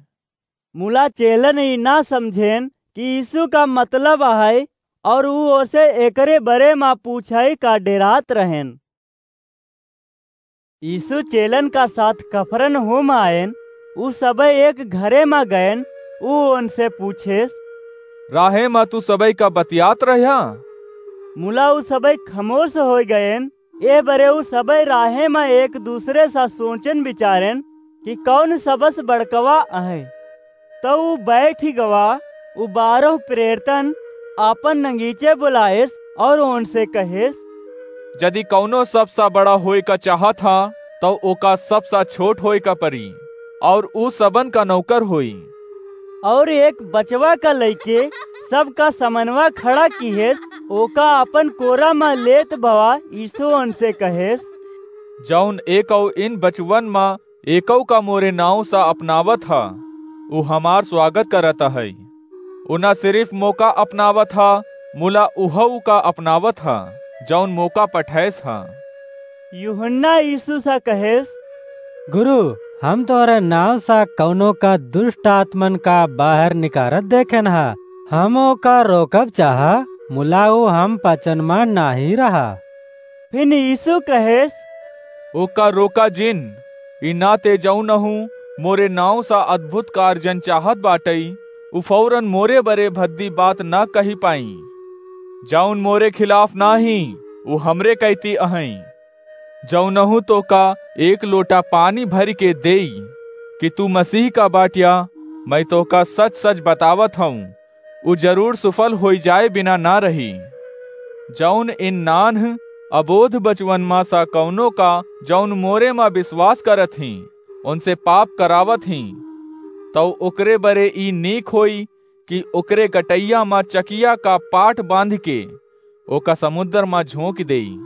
मुला चेलन ई ना समझेन कि यीशु का मतलब आहे, और उ ओसे एकरे बरे मा पूछाई का डेरात रहेन। यीशु चेलन का साथ कफरनहूम आएन। उ सबे एक घरे मा गएन। उ उनसे पूछेस, "राहे मा तू सबे का बतियात रह्या?" मुला उ सबे खमोश होई गएन। ए बरे उ सबे राहे मा एक दूसरे सा सोचेन विचारेन कि कौन सबस बड़कवा आहे। तौ उ बैठ गवा, उ बारह प्रेरितन आपन नगीचे बुलाएस और उनसे कहेस, "जदि कौनो सबसा बड़ा होए का चाहत हा, तौ ओका सबसा छोट होए का परी, और उ सबन का नौकर होई।" और एक बचवा का लइके सबका समनवा खड़ा किहेस, ओका आपन कोरा मा लेत भवा यीशु उनसे कहेस, "जौन एकौ इन बचवन मा एकौ का मोरे नाव सा अपनावत हा, उ हमार स्वागत करत है। उ ना सिर्फ मोका अपनावत हा, मुला उहौ का अपनावत हा, जौन मोका पठैस हा।" यूहन्ना यीशु सा कहेस, "गुरु, हम तोहरे नाव सा कौनो का दुष्ट आत्मन का बाहर निकारत देखेन हा। हम ओका रोकब चाहा, मुला उ हम पचन मा नाहीं रहा।" फिन यीशु कहेस, "ओका रोका जिन, ई नाते जौनहू मोरे नाव सा अद्भुत कार्जन चाहत बाटई, उ फौरन मोरे बरे भद्दी बात ना कही पाई। जौन मोरे खिलाफ नाहीं, उ हमरे कैती अहई। जौनहू तोका एक लोटा पानी भरि के देई कि तू मसीह का बाट्या, मैं तोका सच-सच बतावत हौं, उ जरूर सुफल होई जाए बिना ना रही। जौन इन नान्ह अबोध बचवन मा सा कौनो का, जौन मोरे मा विश्वास करत ही, उनसे पाप करावत ही, तौ ओकरे बरे ई नीक होई कि ओकरे गटैया मा चकिया का पाट बांध के ओका समुद्र मा झोंक देई।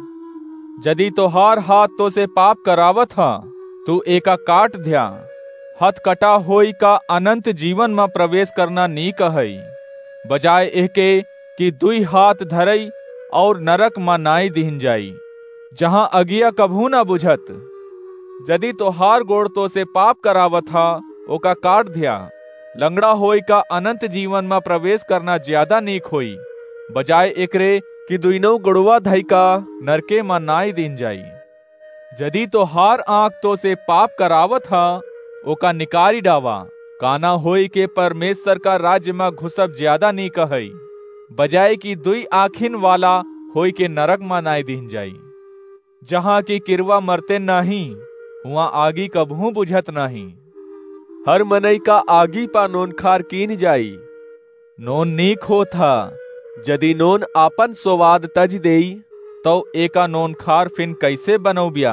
जदि तोहार हाथ तोसे पाप करावत हा, तू एका काट ध्या। हथ कटा होई का अनंत जीवन मा प्रवेश करना नीक है, बजाय एहके कि दुई हाथ धरई और नरक मा नाई दिहन जाई, जहाँ अगिया कबहू ना बुझत। जदि तोहार गोड़ तोसे पाप करावत हा, ओका काट ध्या। लंगड़ा होई का अनंत जीवन मा प्रवेश करना ज्यादा नीक होई, बजाय एकरे कि दुइनौ गोड़वा धइका नरके मा नाई दीन जाई। जदि तोहार आँख तोसे पाप करावत ह, ओका निकारी डावा। काना होई के परमेश्वर का राज्य मा घुसब ज्यादा नीक हई, बजाय कि दुई आँखिन वाला होई के नरक मा नाई दीन जाई, जहाँ की किरवा मरते नाहीं, हुआं आगी कबहूँ बुझत नाहीं। हर मनई का आगी पा नोनखार कीन जाई। नोन नीक होत ह, जदि नोन आपन सोवाद तज देई, तौ एका नोनखार फिन कइसे बनौब्या?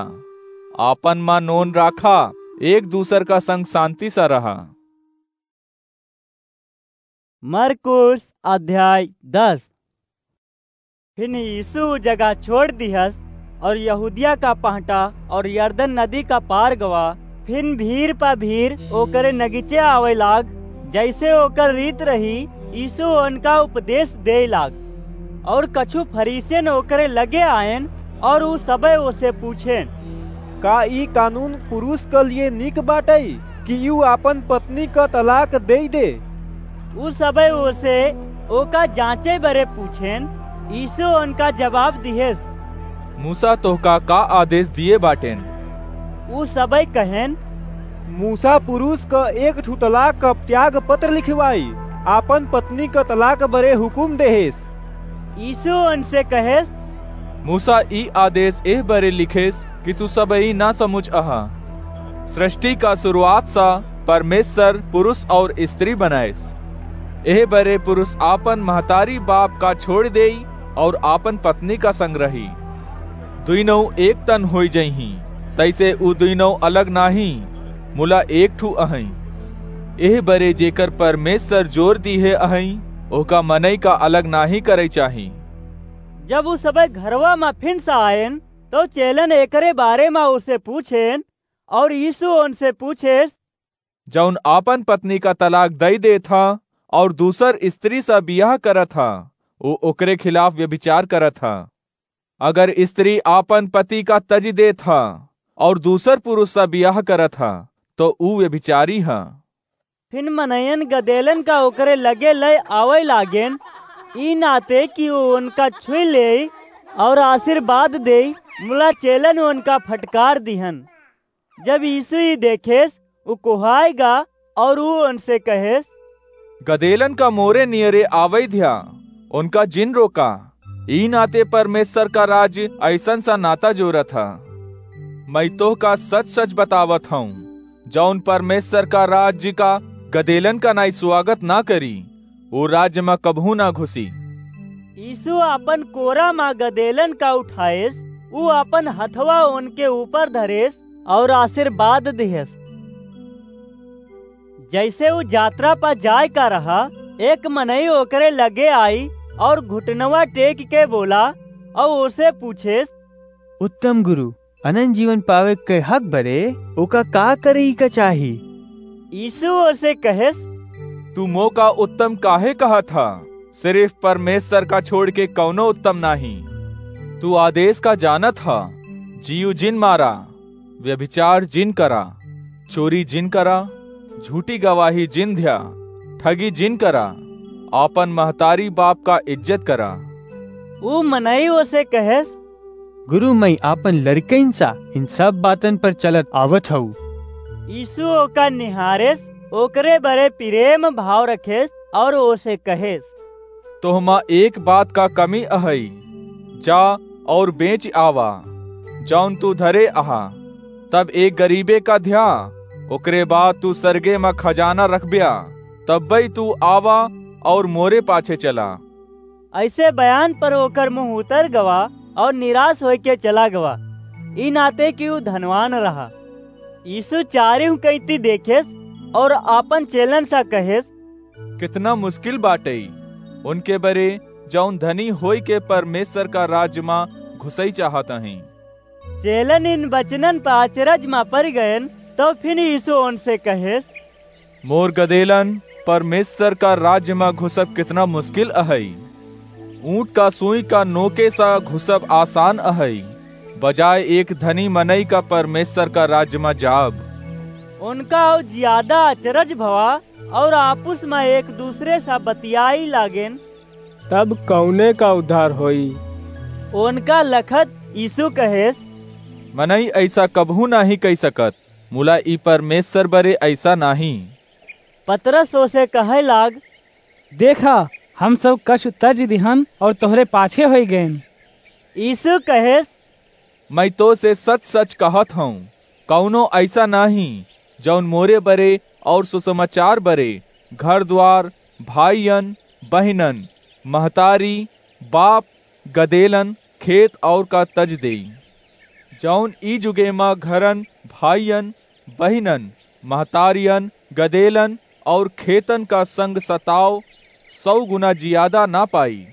आपन मा नोन राखा, एक दूसर का संग सांति सा रहा। मरकुस अध्याय दस। फिन यीशु ऊ जगह छोड़ दिहस और यहूदिया का पहटा और यरदन नदी का पार गवा। फिन भीड़ पा भीड़ ओकरे नगीचे आवे लाग, जैसे ओकर रीत रही, यीशु उनका उपदेश देय लाग। और कछु फरीसियन ओकरे लगे आयन और ऊ सबे ओसे पूछेन, का ई कानून पुरुष क लिए नीक बाटई कि यू आपन पत्नी क तलाक देई दे? ऊ सबे ओसे ओका जांचे बरे पूछेन। यीशु उनका जवाब दिहेस, मूसा तोहका का आदेश दिए बाटेन? ऊ सबे कहेन, मूसा पुरुष क एक ठु तलाक क त्याग पत्र लिखवाई, आपन पत्नी क तलाक बरे हुकुम देहेस। यीशु उनसे कहेस, मूसा ई आदेश एह बरे लिखेस कि तू सबई ना समुझ अहा। सृष्टि का शुरुआत सा परमेश्वर पुरुष और स्त्री बनाएस। एह बरे पुरुष आपन महतारी बाप का छोड़ देई और आपन पत्नी का संग रही, दुइनौ एक तन होई जइहीं। तैसे ऊ दुइनौ अलग नाहीं, मुला एक ठू अहई। एह बरे जेकर परमेश्वर जोर दीहे अहई, ओका मनई का अलग नाहीं करे चाही। जब ऊ सबे घरवा मा फिन से आयन, तो चेलन एकरे बारे मा ओसे पूछेन, और यीशु उनसे पूछेस, जौन आपन पत्नी का तलाक दई देत ह और दूसर स्त्री सा बियाह करत ह, ऊ ओकरे खिलाफ व्यभिचार करत ह। अगर स्त्री आपन पति का तजि देत ह और दूसर पुरुष सा बियाह करत ह, तो ऊ व्यभिचारी ह। फिन मनयन गदेलन का ओकरे लगे लय आवै लागेन, ई नाते कि ऊ उनका छुई लेई और आशीर्वाद देई, मुला चेलन उनका फटकार दिहन। जब यीशु ई देखेस, ऊ कोहाय गा और ऊ उनसे कहेस, गदेलन का मोरे नियरे आवै ध्या, उनका जिन रोका। ई नाते परमेश्वर का राज अइसन सा नाता जोरत ह। मैं तोहका सच-सच बतावत हऊँ, जौन परमेश्वर का राज्य का गदेलन का नाई स्वागत ना करी, वो राज्य मा कबहूँ ना घुसी। यीशु आपन कोरा मा गदेलन का उठाएस, ऊ आपन हथवा उनके ऊपर धरेस और आशीर्वाद दिहेस। जैसे ऊ जात्रा पा जाए का रहा, एक मनई ओकरे लगे आई और घुटनवा टेक के बोला और ओसे पूछेस, उत्तम गुरु, अनंत जीवन पावे के हक बरे ओका का करई का चाही? यीशु ओसे कहेस, तू मोका उत्तम काहे कहत ह? सिर्फ परमेश्वर का छोड़ के कौनो उत्तम नाही। तू आदेश का जानत ह, जीव जिन मारा, व्यभिचार जिन करा, चोरी जिन करा, झूठी गवाही जिन ध्या, ठगी जिन करा, आपन महतारी बाप का इज्जत करा। ऊ मनई ओसे कहेस, गुरु, मैं आपन लड़कइन सा इन सब बातन पर चलत आवत हऊ। यीशु ओका निहारेस, ओकरे बरे प्रेम भाव रखेस और ओसे कहेस, तोहमा एक बात का कमी अहई, जा और बेच आवा, जौन तू धरे अहा, तब एक गरीबे का ध्या, ओकरे बाद तू सरगे मा खजाना रखब्या, तब्बे तू आवा और मोरे पाछे चला। ऐसे बयान पर ओकर मुंह उतर गवा और निराश होइके चला गवा, ई नाते कि ऊ धनवान रहा। यीशु चारिउ कैती देखेस और आपन चेलन सा कहेस, कितना मुश्किल बाटई उनके बरे जौन धनी होई के परमेश्वर का राज्य मा घुसई चाहत हईं। चेलन इन वचनन पर अचरज मा परि गयन, तो फिर यीशु उनसे कहेस, मोर गदेलन, परमेश्वर का राज्य मा घुसब कितना मुश्किल अहई। ऊंट का सुई का नोके सा घुसब आसान अहई, बजाय एक धनी मनई का परमेश्वर का राज्य मा जाब। उनका और ज्यादा अचरज भवा और आपुस मा एक दूसरे सा बतियाई लागेन। तब कउने का उद्धार होई? ओनका लखत यीशु कहेस, मनई अइसा कबहूँ नाहीं कइ सकत, मुला ई परमेस्वर बरे अइसा नाहीं। पतरस ओसे कहइ लाग, देखा, हम सब कछु तजि दिहन अउर तोहरे पाछे होइ गएन। यीशु कहेस, मइँ तोसे सच-सच कहत हउँ, कउनो अइसा नाहीं, जउन मोरे बरे अउर सुसमाचार बरे घर-द्वार, भाइयन, बहिनन, महतारी, बाप, गदेलन, खेत अउर का तजि देई। जउन ई जुगे मा घरन, भाइयन, बहिनन, महतारियन, गदेलन अउर खेतन का संग सताव सौ गुना जियादा न पाई,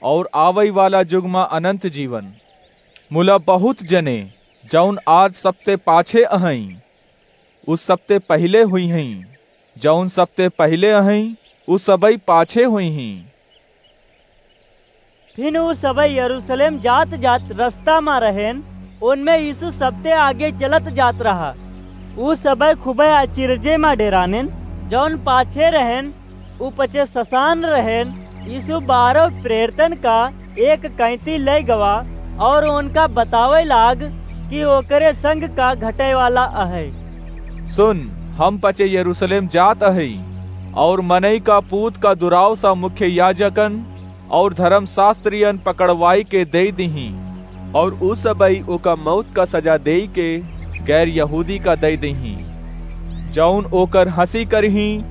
अउर आवइ वाला जुग मा अनन्त जीवन। मुला बहुत जने, जउन आज सबते पाछे अहइँ, उ सबते पहिले हुइहइँ, जउन सबते पहिले अहइँ, उ सबइ पाछे हुइहीं। फिन उ सबइ यरूसलेम जात-जात रस्ता मा रहेन, ओनमे यीशु सबते आगे चलत जात रहा। उ सबइ खुबइ अचिरजे मा डेरानेन, जउन पाछे रहेन, उ पचे ससान रहेन। यीशु बारह प्रेरितन का एक कैंती लइ गवा अउर ओनका बतावइ लाग कि ओकरे संग का घटइ वाला अहइ। सुन, हम पचे यरूसलेम जात अहइ अउर मनई का पूत का दुरावसा मुख्य याजकन अउर धरमशास्त्रियन पकड़वाइ के देइ दिहीं, अउर उ सबइ ओका मउत का सजा देइ के गैर यहूदी का दइ दिहीं, जउन ओकर हँसी करिहीं,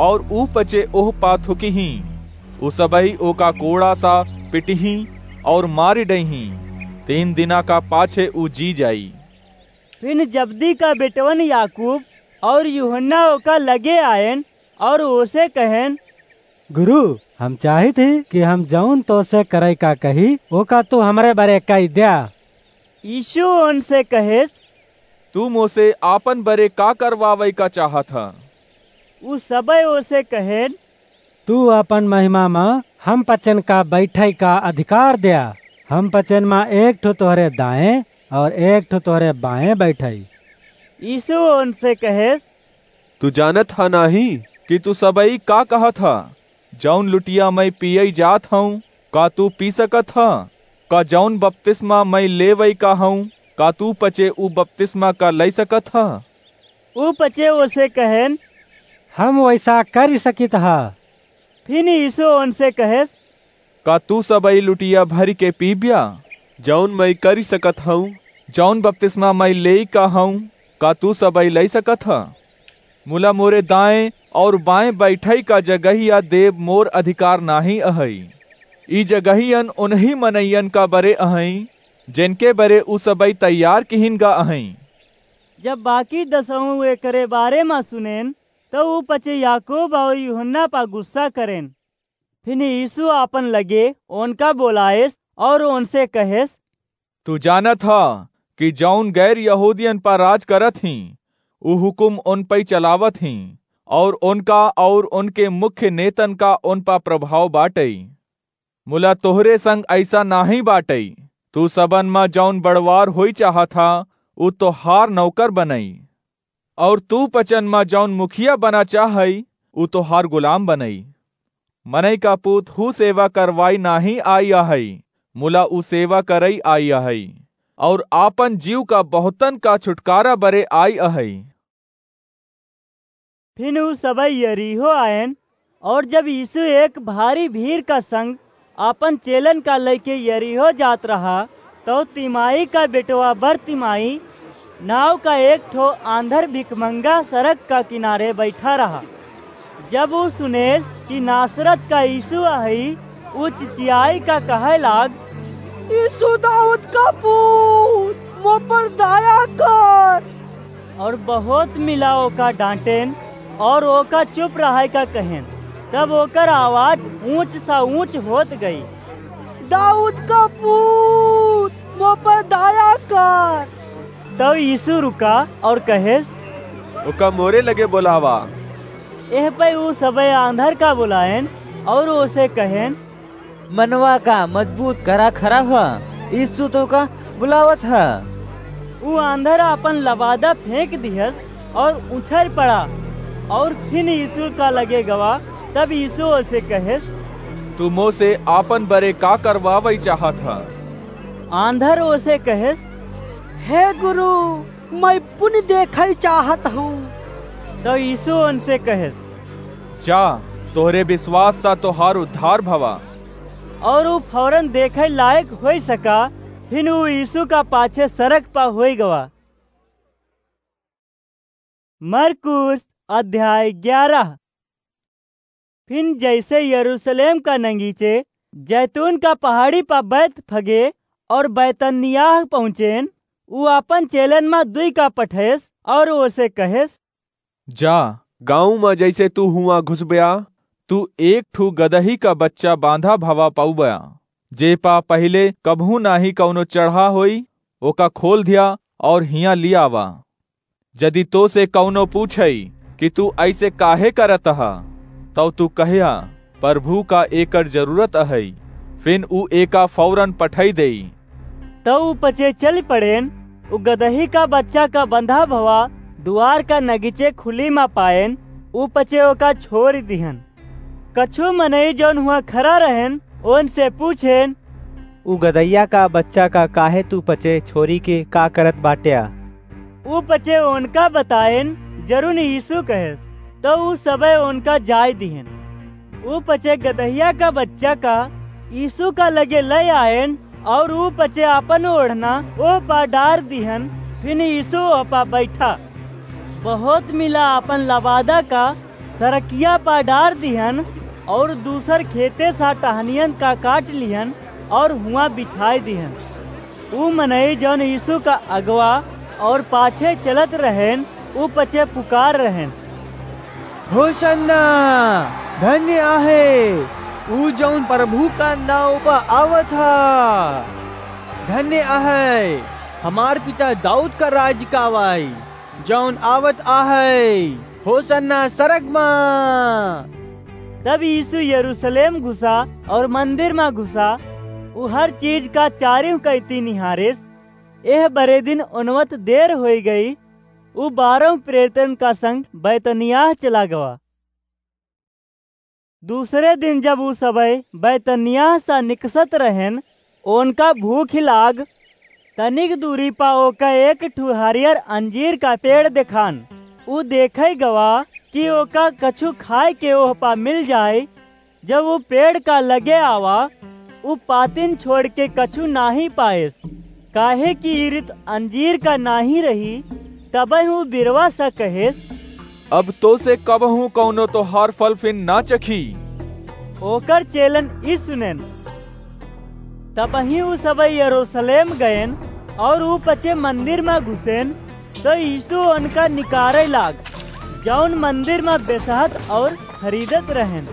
अउर उ पचे ओह पा थुकिहीं। उ सबइ ओका कोड़ासा पिटिहीं अउर मारि डइहीं। तीन दिना का पाछे उ जी जाई। फिन जब्दी का बेटवन याकूब अउर यूहन्ना ओका लगे आएन अउर ओसे कहेन, गुरु, हम चाहित ही कि हम जउन तोसे करइ का कही, ओका तू हमरे बरे कइ द्या। यीशु ओनसे कहेस, तू मोसे आपन बरे का करवावइ का चाहत ह? उ सबइ ओसे कहेन, तू आपन महिमा मा हम पचन का बइठइ का अधिकार द्या। हम पचन मा एक ठो तोहरे दाएँ अउर एक ठो तोहरे बाएँ बइठइ। यीशु ओनसे कहेस, तू जानत ह नाहीं कि तू सबइ का कहत ह? जउन लुटिया मइँ पियइ जात हउँ, का तू पी सकत ह? का जउन बपतिस्मा मइँ लेवइ का हउँ, का तू पचे उ बपतिस्मा का लइ सकत ह? उ पचे ओसे कहेन, हम वइसा करि सकित ह। फिन यीशु ओनसे कहेस, का तू सबइ लुटिया भरिके पीब्या? जउन मइँ करि सकत हउँ, जउन बपतिस्मा मइँ लेइ का हउँ, का तू सबइ लइ सकत ह? मुला मोरे दाएँ अउर बाएँ बइठइ का जगहिया देब मोर अधिकार नाहीं अहइ। ई जगहियन ओनहीं मनइयन का बरे अहइँ, जेनके बरे उ सबइ तैयार किहिन गा अहइँ। जब बाकी दसहूँ एकरे बारे मा सुनेन, त उ पचे याकूब अउर यूहन्ना पा गुस्सा करेन। फिन यीशु आपन लगे ओनका बोलाएस अउर ओनसे कहेस, तू जानत ह कि जउन गैर यहूदियन पा राज करत हीं, उ हुकुम ओन पइ चलावत हीं, अउर ओनका अउर ओनके मुख्य नेतन का ओन पा प्रभाव बाटइ। मुला तोहरे संग अइसा नाहीं बाटइ। तू सबन मा जउन बड़वार होई चाहत ह, उ तोहार नौकर बनइ। अउर तू पचन मा जउन मुखिया बना चाहइ, उ तोहार गुलाम बनइ। मनई का पूत हू सेवा करवाई नाहीं आई अहइ, मुला उ सेवा करइ आई अहइ, अउर आपन जीव का बहुतन का छुटकारा बरे आई अहइ। फिन उ सबइ यरीहो आएन, अउर जब यीशु एक भारी भीड़ का संग आपन चेलन का लइके यरीहो जात रहा, तउ तिमाई का बेटवा बरतिमाई नाव का एक ठो आंधर भिखमंगा सड़क का किनारे बइठा रहा। जब उ सुनेस कि नासरत का यीशु अहइ, उ चिचियाई का कहइ लाग, यीशु दाऊद का पूत, मो पर दया कर। अउर बहुत मिला ओका डांटेन अउर ओका चुप रहइ का कहेन। तब ओकर आवाज ऊंच सा ऊंच होत गई, दाऊद का पूत, मो पर दया कर। तब यीशु रुका अउर कहेस, ओका मोरे लगे बोलावा। एह पे उ सबे आंधर का बुलाएन अउर ओसे कहेन, मनवा का मजबूत करा खड़ा ह, यीशु तोका बुलावत ह। उ आंधर आपन लबादा फेंक दिहस अउर उछर पड़ा अउर फिन यीशु का लगे गवा। तब यीशु ओसे कहेस, तू मोसे आपन बरे का करवावइ चाहत ह?" आंधर ओसे कहेस, "हे गुरु, मइँ पुनि देखइ चाहत हूँ।" तउ यीसु ओनसे कहेस, "जा, तोहरे बिसवास सा तोहार उद्धार भवा।" अउर ऊ फौरन देखइ लायक होइ सका, फिन ऊ यीसु का पाछे सरग पा होइ गवा। मरकुस अध्याय ग्यारह। फिन जइसे यरूसलेम का नगीचे जैतून का पहाड़ी पा बैतफगे अउर बैतनिय्याह पहुँचेन, ऊ आपन चेलन मा दुइ का पठेस अउर ओसे कहेस, "जा, गाँव मा जइसे तू हुआँ घुसब्या, तू एक ठू गदही का बच्चा बाँधा भवा पउब्या, जे पा पहिले कबहूँ नाहीं कउनो चढ़ा होई, ओका खोल ध्या अउर हियाँ लिआवा। जदि तोसे कउनो पूछइ कि तू अइसे काहे करत ह, तउ तू कह्या, 'परभू का एकर जरूरत अहइ,' फिन ऊ एका फौरन पठइ देई।" तउ ऊ पचे चलि पड़ेन, ऊ गदही का बच्चा का बँधा भवा दुआर का नगीचे खुली मा पाएन, ऊ पचे ओका छोरि दिहन। कछू मनई जउन हुआँ खरा रहेन, ओनसे पूछेन, "ऊ गदहिया का बच्चा का काहे तू पचे छोरि के का करत बाट्या?" ऊ पचे ओनका बताएन, जरुन यीसु कहेस, तउ ऊ सबइ ओनका जाइ दिहेन। ऊ पचे गदहिया का बच्चा का यीसु का लगे लइ आएन, अउर ऊ पचे आपन ओढ़ना ओह पा डार दिहन, फिन यीसु ओह पा बइठा। बहुत मिला आपन लबादा का सरकिया पा डार दिहन, अउर दूसर खेते सा टहनियन का काट लिहन, अउर हुआँ बिछाइ दिहन। ऊ मनई जउन यीसु का अगवा अउर पाछे चलत रहेन, ऊ पचे पुकार रहेन, "होसन्ना! धन्य आहे ऊ जउन परभू का नाउँ पा आवत ह। धन्य आहे हमार पिता दाऊद का राज का आवइ, जउन आवत आहे। होसन्ना सरग मा।" तब यीसु यरूसलेम घुसा अउर मन्दिर मा घुसा, ऊ हर चीज का चारिउ कइती निहारेस। एह बरे दिन ओनवत देर होइ गई, ऊ बारह प्रेरितन का संग बैतनिय्याह चला गवा। दूसरे दिन जब ऊ सबइ बैतनिय्याह सा निकसत रहेन, ओनका भूख लाग, तनिक दूरी पा ओका एक ठू हरियर अंजीर का पेड़ देखान। ऊ देखइ गवा कि ओका कछू खाइ के ओह पा मिल जाइ। जब ऊ पेड़ का लगे आवा, ऊ पातिन छोड़ि के कछू नाहीं पाएस, काहे कि ई रित अंजीर का नाहीं रही। तबहिं ऊ बिरवा सा कहेस, "अब तोसे कबहूँ कउनो तोहार फल फिन ना चखी।" ओकर चेलन ई सुनेन। तबहिं ऊ सबइ यरूसलेम गएन अउर ऊ पचे मन्दिर मा घुसेन, तउ यीसु ओनका निकारइ लाग, जउन मन्दिर मा बेसहत अउर खरीदत रहेन।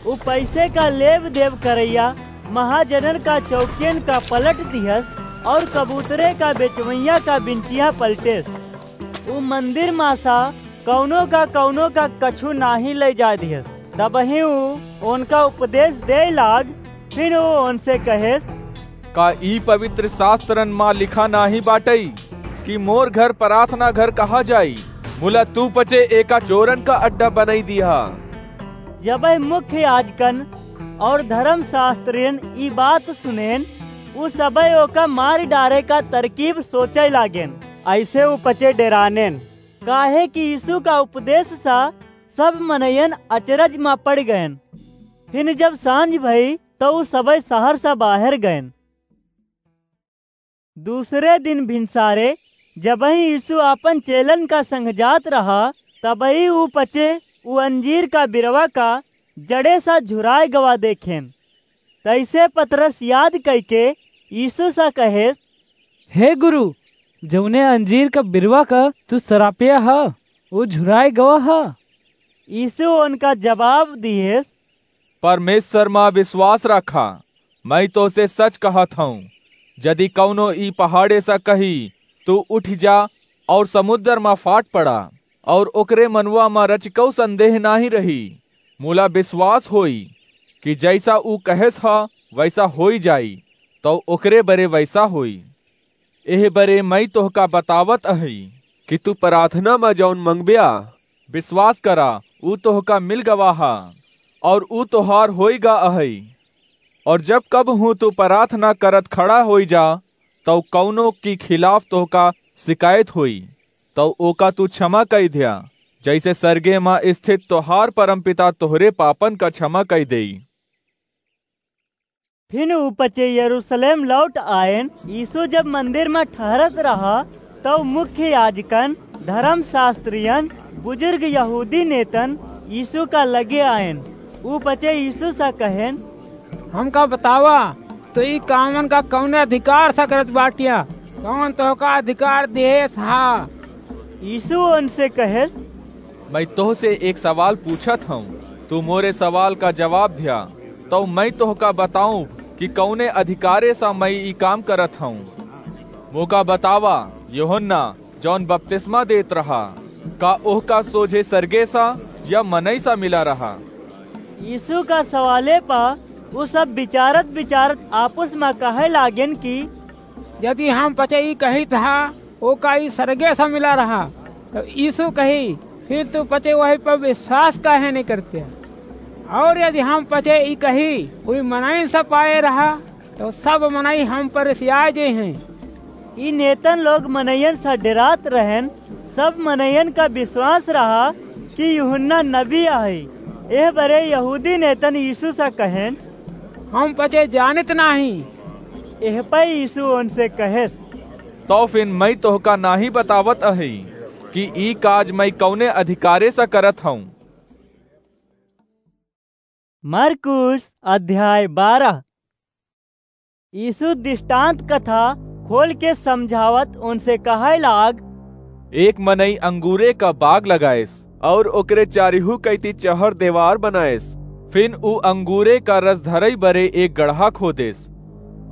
ऊ पइसे का लेब देब करइया महाजनन का चौकियन का पलट दिहस अउर कबूतरे का बेचवइया का बिनचिहा पलटेस। ऊ मन्दिर मा सा कउनो का कउनो का कछू नाहीं लइ जाइ दिहस। तबहिं ऊ ओनका उपदेस देइ लाग, फिन ऊ ओनसे कहेस, "का ई पवित्र सास्त्रन मा लिखा नाहीं बाटइ कि मोर घर पराथना घर कहा जाई? मुला तू पचे एका चोरन का अड्डा बनइ दिहा।" जबहिं मुख्य याजकन अउर धरम सास्त्रियन ई बात सुनेन, ऊ सबइ ओका मारि डारइ का तरकीब सोचइ लागेन। अइसे ऊ पचे डेरानेन, काहे कि यीसु का उपदेस सा सब मनइयन अचरज मा पड़ि गएन। फिन जब साँझ भई, तउ ऊ सबइ सहर सा बाहेर गएन। दूसरे दिन भिनसारे जबहिं यीसु आपन चेलन का संग जात रहा, तबहिं ऊ पचे ऊ अंजीर का बिरवा का जड़े सा झुराइ गवा देखेन। तइसे पतरस याद कइके यीसु सा कहेस, "हे गुरु, जउने अंजीर का बिरवा का तू सरापया ह, ऊ झुराइ गवा ह।" यीसु ओनका जबाब दिहेस, "परमेसर मा बिसवास राखा। मइँ तोसे सच कहत हऊँ, जदि कउनो ई पहाड़े सा कही, 'तू उठि जा अउर समुन्दर मा फाट पड़ा,' अउर ओकरे मनवा मा रचिकउ संदेह नाहीं रही, मुला बिसवास होई कि जइसा ऊ कहेस ह, वइसा होइ जाई, तउ ओकरे बरे वइसा होई। एह बरे मइँ तोहका बतावत अहई कि तू पराथना मा जउन मँगब्या, बिसवास करा, ऊ तोहका मिल गवा ह, अउर ऊ तोहार होइ गा अहई। और जब कबहूँ तू प्रार्थना करत खड़ा होई जा, तउ कउनो की खिलाफ तोहका सिकायत होई, तउ ओका तू क्षमा कइ द्या, जइसे सरगे मा स्थित तोहार परमपिता तोहरे पापन का क्षमा कइ देई। फिन ऊ पचे यरूशलेम लौट आएन। यीशु जब मंदिर में ठहरत रहा, तब मुख्य याजकन, धर्मशास्त्रियन, बुजुर्ग यहूदी नेतन यीशु का लगे आएन। ऊ पचे यीशु से कहेन, "हमका बतावा, तू ई कामन का कौने अधिकार से करत बाटिया? कौन तोहका अधिकार देस हा?" यीशु उनसे कहेस, "मैं तोहसे एक सवाल पूछत हूँ, तू मोरे सवाल का जवाब द्या, तउ मैं तोहका बताऊँ कि कौने अधिकारे से मैं ई काम करत हूँ। मोका बतावा, यूहन्ना जौन बपतिस्मा देत रहा, का ओहका सोझे सरगे सा या मनई सा मिला रहा?" यीशु का सवाले पा उ सब विचारत विचारत आपस में कहे लागेन कि, "यदि हम पचे ई कहित हा, ओका ई सरगे सा मिला रहा।" तब यीशु कही, "फिर तू पचे वही पर विश्वास काहे नहीं करते? और यदि हम पचे ई कही, कोई मनई सा पाए रहा, तो सब मनई हम पर रिसियाए जे हैं।" ई नेतन लोग मनइयन से डेरात रहेन। सब मनइयन का विश्वास रहा कि यूहन्ना नबी आहे। एह बरे यहूदी नेतन यीशु से कहेन, "हम पचे जानित नाही।" एह पे यीशु उनसे कहेस, "तौ फिन मैं तोहका नाही बतावत अही कि ई काज मैं कौने अधिकारे से करत हूँ।" मरकुस अध्याय बारह। यीशु दृष्टांत कथा खोल के समझावत उनसे कहे लाग, एक मनई अंगूरे का बाग लगाएस और ओकरे चारिहू कैती चहर देवार बनाएस। फिन ऊ अंगूरे का रस धरई बरे एक गड़हा खोदेस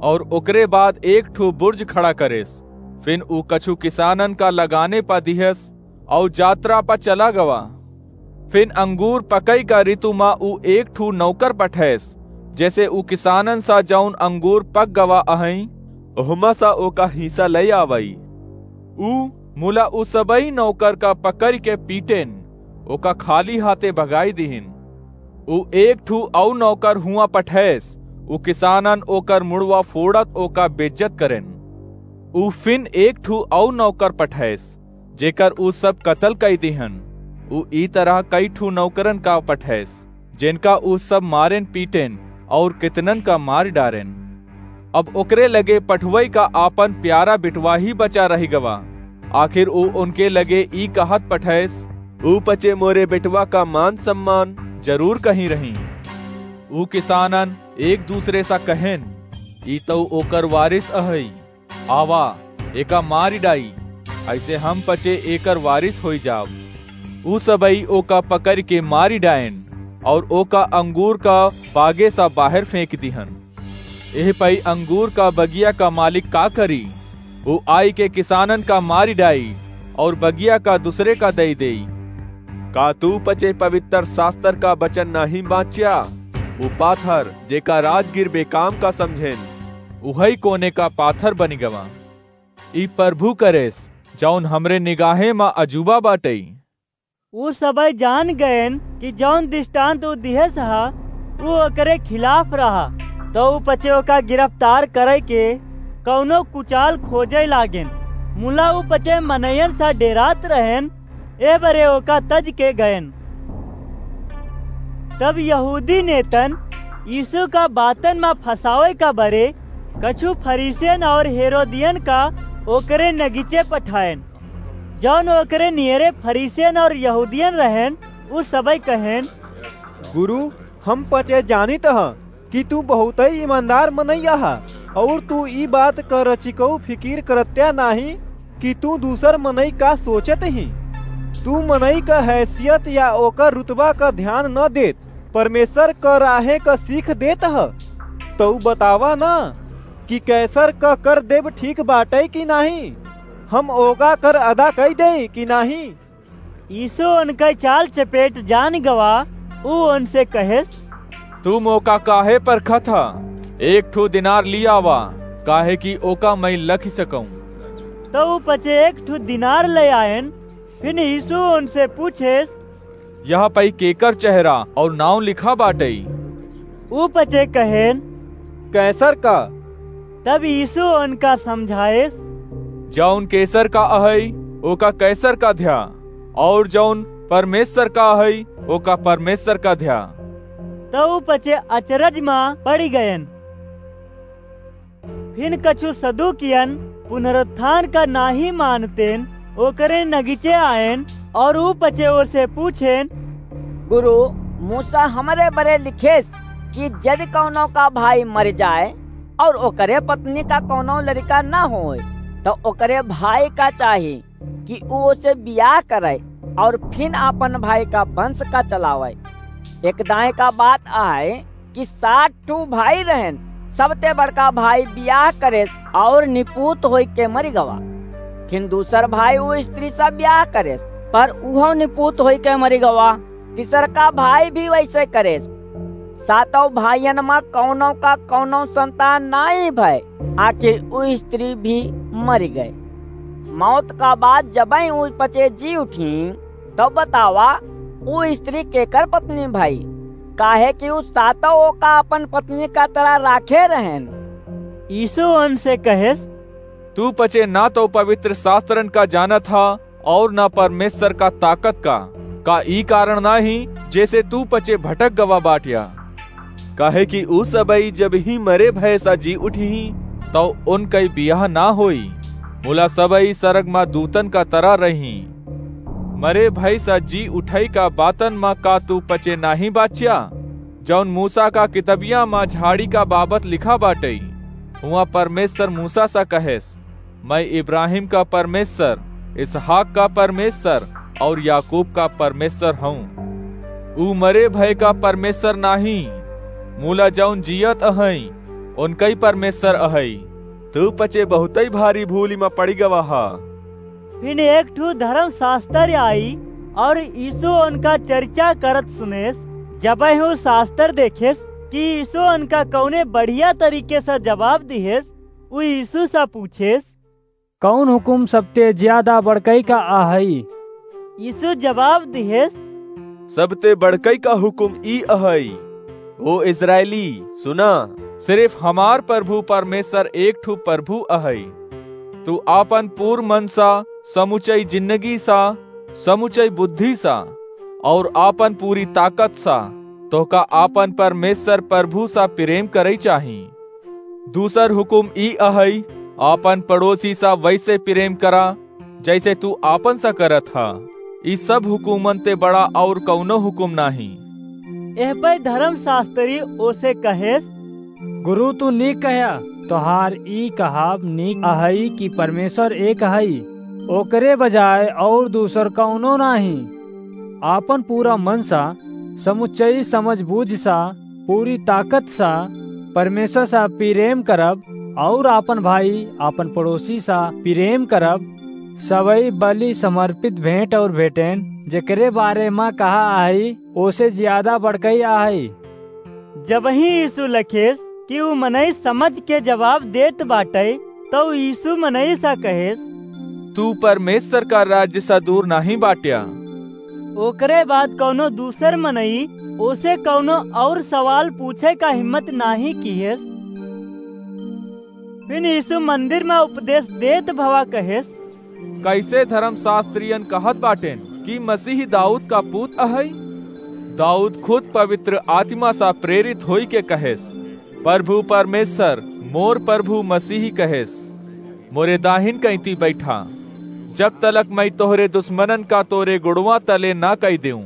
और ओकरे बाद एक ठो बुर्ज खड़ा करेस। फिन ऊ कछु किसानन का लगाने पा दिहस और जात्रा पा चला गवा। फिन अंगूर पकई का ऋतु मा ऊ एक ठू नौकर पठैस, जैसे ऊ किसानन सा जौन अंगूर पक गवा अहई, ओहमा सा ओका हिस्सा लई आवई। ऊ मुला ऊ सबई नौकर का पकड़ के पीटेन, ओका खाली हाथे भगाई दिहिन। ऊ एक ठू अऊ नौकर हुआ पठैस, ऊ किसानन ओकर मुड़वा फोड़त ओका बेज्जत करेन। ऊ फिन एक ठू अऊ नौकर पठैस, जेकर ऊ सब कतल कई दिहन। ऊ ई तरह कई ठू नौकरन का पठैस, जेनका ऊ सब मारेन पीटेन और कितनन का मार डारेन। अब ओकरे लगे पठवई का आपन प्यारा बिटवा ही बचा रही गवा। आखिर ऊ उनके लगे ई कहत पठैस, ऊ पचे मोरे बिटवा का मान सम्मान जरूर कहीं रही। ऊ किसानन एक दूसरे सा कहेन, ई तऊ ओकर वारिस अहई। आवा, एका मारि डाई, ऐसे हम पचे एकर वारिस होई जाब। ऊ सबई ओका पकड़ के मारि डायन और ओका अंगूर का बागे सा बाहर फेंक दिहन। एह पई अंगूर का बगिया का मालिक का करी? ऊ आई के किसानन का मारि डाई और बगिया का दूसरे का दई देई। का तू पचे पवित्र शास्त्र का वचन नहीं बाँच्या? ऊ पाथर, जेका राजगीर बेकाम का समझेन, उहई कोने का पाथर बनि गवा। ई प्रभु करेस, जौन हमरे निगाहे मा अजूबा बाटई। ऊ सबई जान गएन कि जौन दृष्टांत ऊ दिहेस हा, ऊ ओकरे खिलाफ रहा। तो ऊ पचे ओका गिरफ्तार करे के कौनो कुचाल खोजे लागेन। मुला ऊ पचे मनयन सा डेरात रहेन, ए बरे ओका तज के गएन। तब यहूदी नेतन यीशु का बातन मा फंसावे का बरे कछु फरीसियन और हेरोदियन का ओकरे नगीचे पठाएन। जौन ओकरे नियरे फरीसियन और यहूदियन रहेन, उ सबई कहेन, "गुरु, हम पचे जानित ह कि तू बहुतई ईमानदार मनई अहा, और तू ई बात क रचिकऊ फिकिर करत्या नाही कि तू दूसर मनई का सोचत ही। तू मनई क हैसियत या ओकर रुतबा क ध्यान न देत, परमेश्वर क राहे क सीख देत ह। तू बतावा न कि कैसर क कर देब ठीक बाटई कि नाही? हम ओका कर अदा कई देई कि नाही?" यीशु उनकै चाल चपेट जान गवा, ऊ उनसे कहेस, "तू मोका काहे परखत ह? एक ठो दिनार ली आवा, काहे कि ओका मैं लखि सकऊँ।" तो ऊ पचे एक ठो दिनार ले आएन। फिर यीशु उनसे पूछेस, "यह पई केकर चेहरा और नाव लिखा बाटई?" ऊ पचे कहेन, कैसर का।" तब यीशु उनका समझाएस, "जौन कैसर का अहइ, ओका कैसर का ध्या, और जौन परमेश्वर का अहइ, ओका परमेश्वर का ध्या।" तउ ऊ पचे अचरज मा पड़ि गएन। फिन कछु सदूकियन पुनरुत्थान का नाहीं मानतेन, ओकरे नगीचे आएन और ऊ पचे ओसे पूछेन, "गुरु, मूसा हमरे बरे लिखेस कि जदि कउनो का भाई मरि जाए और ओकरे पत्नी का कउनो लरिका न होए, तउ ओकरे भाई का चाही कि ऊ ओसे बियाह करइ और फिन आपन भाई का वंश का चलावइ। एकदाएँ का बात अहइ कि सात ठू भाई रहेन। सबते बड़का भाई बियाह करेस और निपूत होइके मरि गवा। फिन दूसर भाई ऊ स्त्री से बियाह करेस, पर उहउ निपूत होइके मरि गवा। तीसरका भाई भी वइसे करेस। सातउ भाइयन मा कउनो का कउनो संतान नाहीं भए, आखिर ऊ स्त्री भी मरि गए। मौत का बाद जबहिं ऊ पचे जी उठीं, तब बतावा, ऊ स्त्री केकर पत्नी भई? काहे कि ऊ सातउ ओका आपन पत्नी का तरह राखे रहेन।" यीशु उनसे कहेस, "तू पचे न तउ पवित्र शास्त्रन का जानत ह और न परमेश्वर का ताकत का। का ई कारण नाहीं जेसे तू पचे भटक गवा बाट्या? काहे कि ऊ सबई जबहिं मरे भए सा जी उठिहीं, तउ उनकइ बियाह न होई, मुला सबई सरग मा दूतन का तरह रहिहीं। मरे भए सा जी उठइ का बातन मा का तू पचे नाहीं बाच्या, जउन मूसा का कितबिया मा झाड़ी का बाबत लिखा बाटइ? हुआँ परमेश्वर मूसा सा कहेस, 'मैं इब्राहिम का परमेश्वर, इसहाक का परमेश्वर और याकूब का परमेश्वर हऊँ।' ऊ मरे भए का परमेश्वर नाहीं, मुला जउन जियत अहइँ, उनकइ परमेश्वर अहइँ। तू पचे बहुतइ भारी भूलि मा पड़ि गवा ह।" फिन एक ठू धर्मशास्त्री आई और यीशु उनका चर्चा करत सुनेस। जबहिं ऊ शास्त्र देखेस कि यीशु उनका कउने बढ़िया तरीके से जवाब दिहेस, ऊ यीशु से पूछेस, "कउन हुकुम सबते ज्यादा बड़कइ का अहइ?" यीशु जवाब दिहेस, "सबते बड़कइ का हुकुम ई अहइ, 'ओ इस्राएली, सुना, सिरिफ हमार प्रभु परमेश्वर एक ठू प्रभु अहइ। तू आपन पूर मन सा, समुचई जिन्नगी सा, समुचई बुद्धि सा, और आपन पूरी ताकत सा, तोहका आपन परमेश्वर प्रभु सा प्रेम करइ चाही। दूसर हुकुम ई अहइ, आपन पड़ोसी सा वइसे प्रेम करा, जइसे तू आपन सा करत ह। ई सब हुकुमन ते बड़ा और कउनो हुकुम नाहीं।" एह पइ धर्मशास्त्री ओसे कहेस, "गुरु, तू नीक कह्या, तोहार ई कहब नीक अहइ कि परमेश्वर एक अहइ, ओकरे बजाय और दूसर कउनो नाहीं। आपन पूरा मन सा, समुच्चई समझ बूझ सा, पूरी ताकत सा परमेश्वर सा प्रेम करब, और आपन भाई, आपन पड़ोसी सा प्रेम करब, सबई बलि समर्पित भेंट और भेंटेन, जेकरे बारे मा कहा अहइ, ओसे ज्यादा बड़कइ अहइ।" जबहिं यीशु लखेस कि ऊ मनई समझ के जवाब देत बाटइ, तउ यीशु मनई सा कहेस, "तू परमेश्वर का राज्य सा दूर नाहीं बाट्या।" ओकरे बाद कउनो दूसर मनई ओसे कउनो और सवाल पूछे का हिम्मत नाहीं किहेस। फिन यीशु मंदिर मा उपदेश देत भवा कहेस, "कइसे धर्मशास्त्रियन कहत बाटेन कि मसीही दाऊद का पूत अहइ? दाऊद खुद पवित्र आत्मा सा प्रेरित होइके कहेस, 'प्रभु परमेश्वर मोर प्रभु मसीही कहेस, मोरे दाहिन कइती बइठा, जब तलक मइँ तोहरे दुस्मनन का तोरे गुड़वा तले न कइ देऊँ।'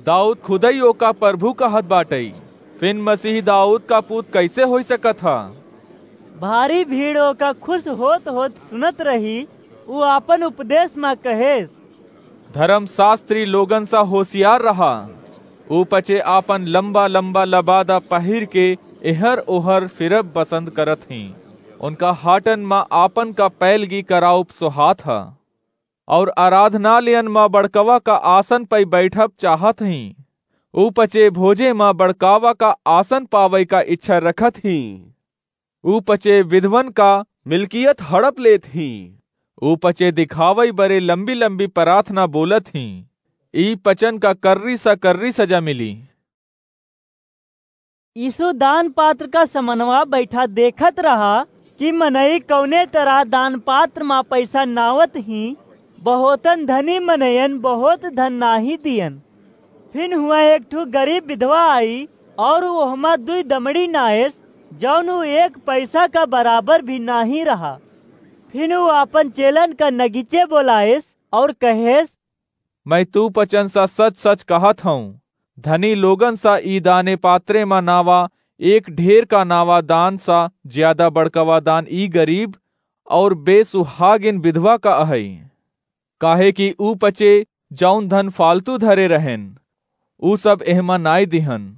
दाऊद खुदई ओका प्रभु कहत बाटइ, फिन मसीही दाऊद का पूत कइसे होइ सकत ह?" भारी भीड़ ओका खुश होत होत सुनत रही। ऊ आपन उपदेश मा कहेस, "धर्मशास्त्री लोगन सा होशियार रहा। ऊ पचे आपन लंबा लंबा लबादा पहिर के एहर ओहर फिरब पसंद करत हीं। उनका हाटन मा आपन का पैलगी कराउब सोहात ह, और आराधनालयन मा बड़कवा का आसन पइ बैठब चाहत हीं। ऊ पचे भोजे मा बड़कावा का आसन पावइ का इच्छा रखत हीं। ऊ पचे विधवन का मिलकियत हड़प लेत हीं। ऊ पचे दिखावइ बरे लंबी लंबी प्रार्थना बोलत हीं। ई पचन का कर्री सा कर्री सजा मिली।" यीशु दान पात्र का समनवा बैठा देखत रहा कि मनई कौने तरह दान पात्र मा पैसा नावत ही। बहुतन धनी मनयन बहुत धन नाही दियन। फिन हुआ एक ठो गरीब विधवा आई और ओहमा दुई दमड़ी नायस, जौन उ एक पैसा का बराबर भी नाही रहा। फिन उ आपन चेलन का नगीचे बोलायस और कहेस, "मैं तू पचन सा सच सच कहत हूँ, धनी लोगन सा ई दाने पात्रे मा नावा एक ढेर का नावा दान सा ज्यादा बड़कवा दान ई गरीब और बेसुहागिन विधवा का अहई। काहे कि ऊ पचे जौन धन फालतू धरे रहेन, ऊ सब एहमा नाई दिहन।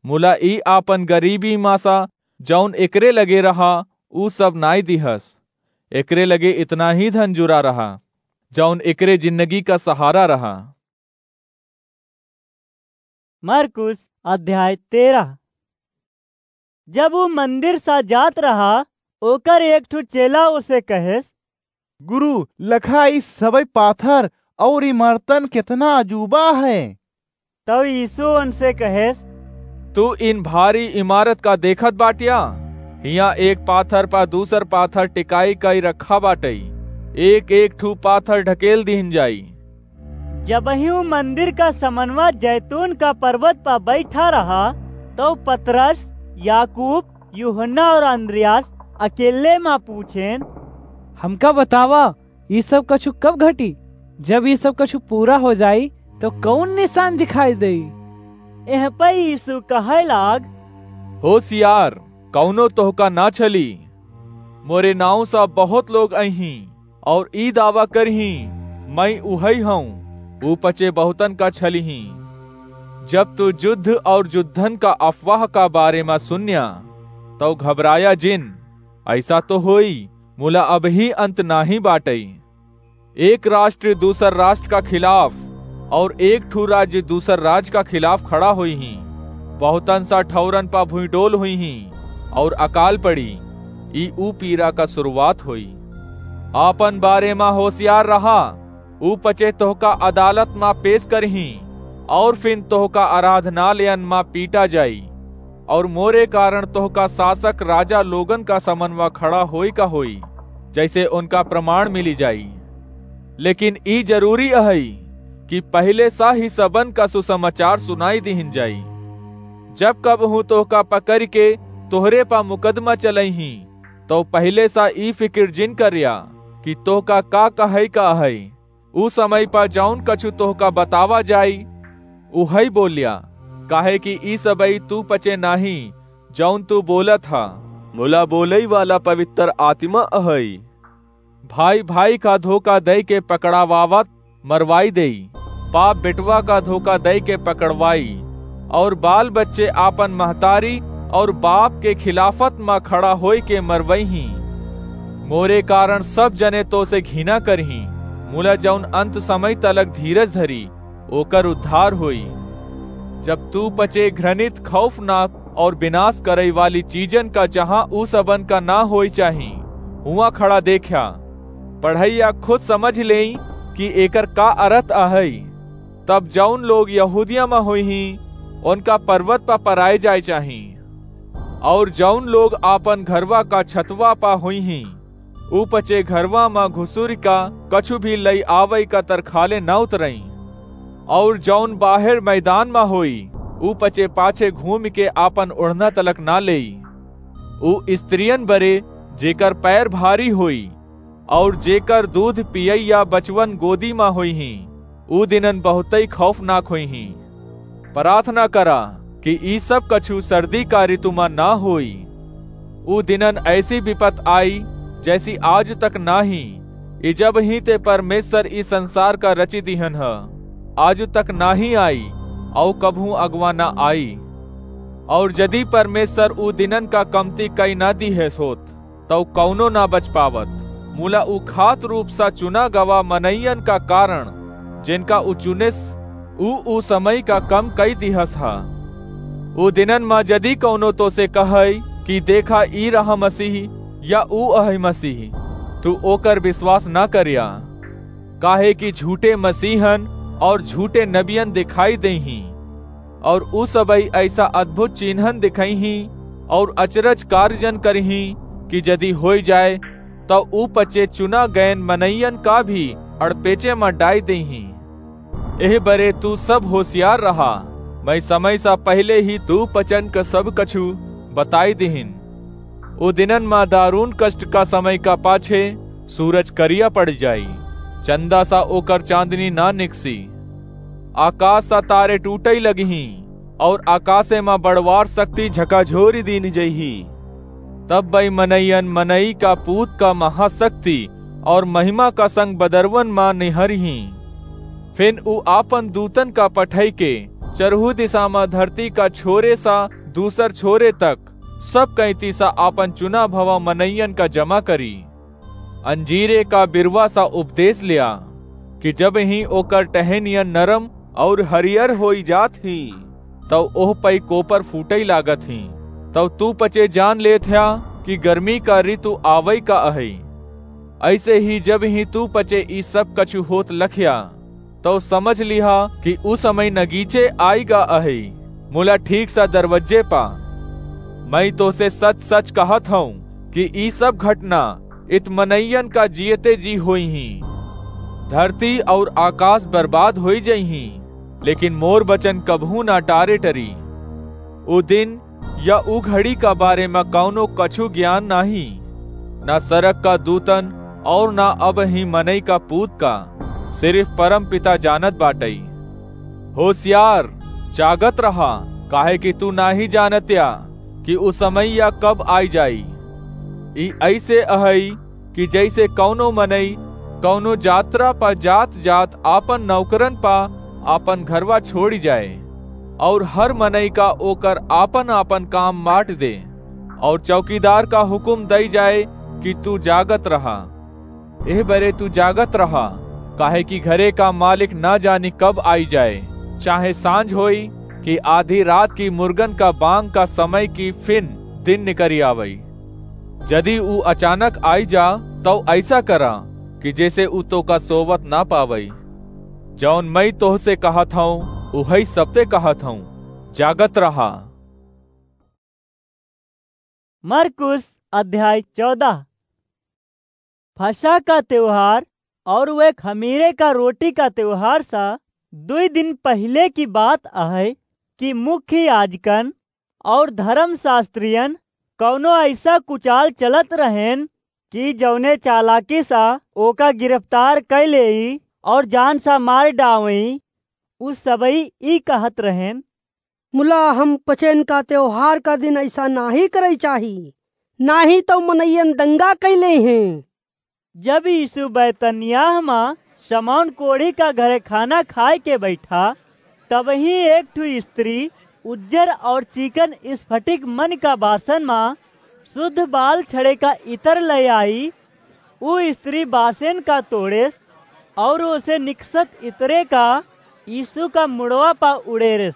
मुला ई आपन गरीबी मा सा जौन एकरे लगे रहा, ऊ सब नाई दिहस। एकरे लगे इतना ही धन जुरा रहा, जौन एकरे जिंदगी का सहारा रहा।" मरकुस अध्याय तेरह। जब ऊ मंदिर सा जात रहा, ओकर एक ठो चेला ओसे कहेस, "गुरु, लखा ई सबई पाथर और इमारतन केतना अजूबा है।" तब यीशु उनसे कहेस, "तू इन भारी इमारत का देखत बाटिया? हियां एक पाथर पा दूसर पाथर टिकाई कई रखा बाटई, एक एक ठू पाथर ढकेल दीन जाई।" जबहिं उ मंदिर का समनवा जैतून का पर्वत पा बैठा रहा, तब पतरस, याकूब, यूहन्ना और अंद्रियास अकेले मा पूछेन, "हमका बतावा, ई सब कछु कब घटी? जब ई सब कछु पूरा हो जाई, तो कौन निशान दिखाई देई?" एह पे यीशु कहे लाग, "होशियार, कौनो तोहका ना छली। मोरे नाव सा बहुत लोग अइहीं और ई दावा करहीं, 'मैं उहई हूँ,' ऊ पचे बहुतन का छलिहीं। जब तू युद्ध और युद्धन का अफवाह का बारे मा सुन्या, तौ घबराया जिन। ऐसा तो होई, मुला अबही अंत नाही बाटई। एक राष्ट्र दूसर राष्ट्र का खिलाफ और एक ठू राज्य दूसर राज्य का खिलाफ खड़ा होइहीं। बहुतन सा ठौरन पा भुइंडोल होइहीं और अकाल पड़ी। ई ऊ पीरा का शुरुआत होई। आपन बारे मा होशियार रहा, ऊ पचे तोहका अदालत मा पेश करहीं और फिन तोहका आराधनालयन मा पीटा जाई।" और मोरे कारण तोहका शासक राजा लोगन का समनवा खड़ा होई का होई, जैसे उनका प्रमाण मिली जाई। लेकिन ई जरूरी अहई कि पहिले सा ही सबन का सुसमाचार सुनाई दिहिन जाई। जब कबहूँ तोहका पकड़ के तोहरे पा मुकदमा चलइहीं, तो पहिले सा ई फिकिर जिन करिया कि तोहका का कहई का अहई। ऊ समय पा जौन कछु तोहका बतावा जाई, उहई बोल्या, काहे कि ई सबई तू पचे नाही, जौन तू बोलत हा, मुला बोलई वाला पवित्र आत्मा अहई। भाई भाई का धोखा दई के पकड़ावावत मरवाई देई, बाप बेटवा का धोखा दई के पकड़वाई, और बाल बच्चे आपन महतारी और बाप के खिलाफत मा खड़ा होई के मरवइहीं। मोरे कारण सब जने तो से घिना करहीं, मुला जौन अंत समय तलक धीरज धरी, ओकर उद्धार होई। जब तू पचे घृणित, खौफनाक और विनाश करई वाली चीजन का जहाँ ऊ सबन का ना होई चाही, हुआं खड़ा देख्या। पढ़ैया खुद समझ लेई कि एकर का अर्थ अहई। तब जौन लोग यहूदिया मा होइहीं, उनका पर्वत पा पराए जाए चाही, और जौन लोग आपन घरवा का छतवा पा होइहीं, ऊ पचे घरवा मा घुसुर का कछु भी लई आवई का तरखाले ना उतरई। और जौन बाहर मैदान मा होई, ऊ पचे पाछे घूम के आपन ओढ़ना तलक ना लेई। ऊ स्त्रियन बरे, जेकर पैर भारी होई, और जेकर दूध पियैया बचवन गोदी मा होइहीं, ऊ दिनन बहुतई खौफनाक होइहीं। प्रार्थना करा कि ई सब कछु सर्दी का ऋतु मा ना होई। ऊ दिनन ऐसी विपत आई, जैसी आज तक नाही, इजब ही ते परमेश्वर ई संसार का रची दिहन ह। आज तक नाही आई, औ कबहूँ अगवा ना आई। और यदि परमेश्वर ऊ दिनन का कमती कई ना दिहेस होत, तौ कौनो ना बच पावत। मुला ऊ खात रूप सा चुना गवा मनइयन का कारण, जिनका ऊ चुनिस, ऊ, ऊ समय का कम कई दिहस हा। ऊ दिनन मा जदि कौनो तो से कहई कि देखा, ई रहा मसीह या ऊ अहई मसीह, तू ओकर विश्वास ना करिया, काहे कि झूठे मसीहन और झूठे नबियन दिखाई देहीं। और उ सबई ऐसा अद्भुत चिन्हन दिखइहीं और अचरज कार्यन करिहीं कि यदि होइ जाए, तउ उ पचे चुना गयन मनइयन का भी अड़पेचे म डाइ देइहीं। एह बरे तू सब होसियार रहा, मइँ समय सा पहिले ही तू पचन क सब कछु बताइ दिहिन। ओ दिनन म दारुण कष्ट का समय का पाछे सूरज करिया पड़ि जाई, चंदा सा ओकर चाँदनी न निकसी। आकास सा तारे टूटइ लगिहीं, और आकासे म बड़वार सक्ति झकाझोरि दीन जइही। तब बइ मनइयन मनई का पूत का महासक्ति और महिमा का संग बदरवन म निहरिहीं। फिन उ आपन दूतन का पठइके चरहू दिसा म धरती का छोरे सा दूसर छोरे तक सब कइँती सा आपन चुना भवा मनइयन का जमा करी। अंजीरे का बिरवा सा उपदेस ल्या कि जब ही ओकर टहनियन नरम और हरियर होइ जात ही, तउ ओह पइ कोपर फूटइ लागत ही, तउ तू पचे जान लेत ह्या कि गर्मी का ऋतु आवइ का अहइ। अइसे ही जब ही तू पचे ई सब कछु होत लख्या, तउ समझ लिहा कि उ समय नगीचे आइगा अहइ, मुला ठीक सा दरवज्जे पा। मइँ तोसे सच-सच कहत हउँ कि ई सब घटना इत मनइयन का जियते जी होइहीं। धरती और आकास बर्बाद होइ जइहीं, लेकिन मोर बचन कबहूँ ना टारे टरी। उ दिन या उ घड़ी का बारे म कउनो कछु ज्ञान नाहीं, ना सरग का दूतन और ना अबहीं मनई का पूत का, सिरिफ परम पिता जानत बाटइ। होसियार, जागत रहा, काहे कि तू नाहीं जानत्या कि उ समइया कब आइ जाई। ई अइसे अहइ कि जइसे कउनो मनई कउनो जात्रा प जात-जात आपन नौकरन प आपन घरवा छोड़ि जाए, और हर मनई का ओकर आपन-आपन काम बाँट दे, और चौकीदार का हुकुम दइ जाए कि तू जागत रहा। एह बरे तू जागत रहा, काहे कि घरे का मालिक न जानी कब आइ जाए, चाहे साँझ होई कि आधी रात की मुर्गन का बाँग का समय कि फिन दिन निकरि आवइ। जदि उ अचानक आइ जा, तउ अइसा करा कि जइसे उ तोका सोवत न पावइ। जउन मइँ तोहसे कहत हउँ, उहइ सबते कहत हउँ, जागत रहा। मरकुस अध्याय चौदह। फसह का त्योहार और वे खमीरे का रोटी का त्योहार सा दुइ दिन पहिले की बात अहइ कि मुख्य याजकन और धर्मशास्त्रियन कउनो अइसा कुचाल चलत रहेन कि जउने चालाकी सा ओका गिरफ्तार कइ लेई और जान सा मार डावई। उ सबई ई कहत रहेन, मुला हम पचेन का त्योहार का दिन अइसा नाहीं करइ चाही, नाहीं तउ मनइयन दंगा कइ लेइहें। जब यीशु बैतनियाह मा शमौन कोढ़ी का घरे खाना खाए के बैठा, तबहीं एक ठु स्त्री उज्जर और चीकन स्फटिक मन का बासन मा शुद्ध बाल छड़े का इतर लइ आई। उ स्त्री बासेन का तोड़ेस और ओसे निकसत इतरे का यीशु का मुड़वा पा उड़ेरेस।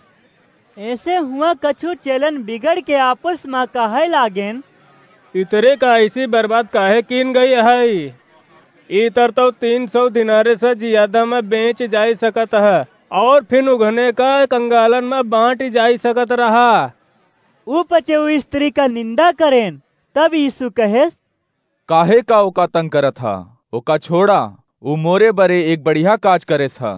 एसे हुआँ कछु चेलन बिगड़ के आपस मा कहइ लागेन, इतरे का अइसी बर्बाद काहे कीन गइ अहइ? इतर तउ तीन सौ दिनारे से जियादा मा बेंच जाइ सकत ह, और फिन उघने का कंगालन मा बाँटि जाइ सकत रहा। उ पचे उ स्त्री का निंदा करेन। तब यीशु कहेस, काहे का ओका तंग करत ह? ओका छोड़ा, उ मोरे बरे एक बढ़िया काज करेस ह।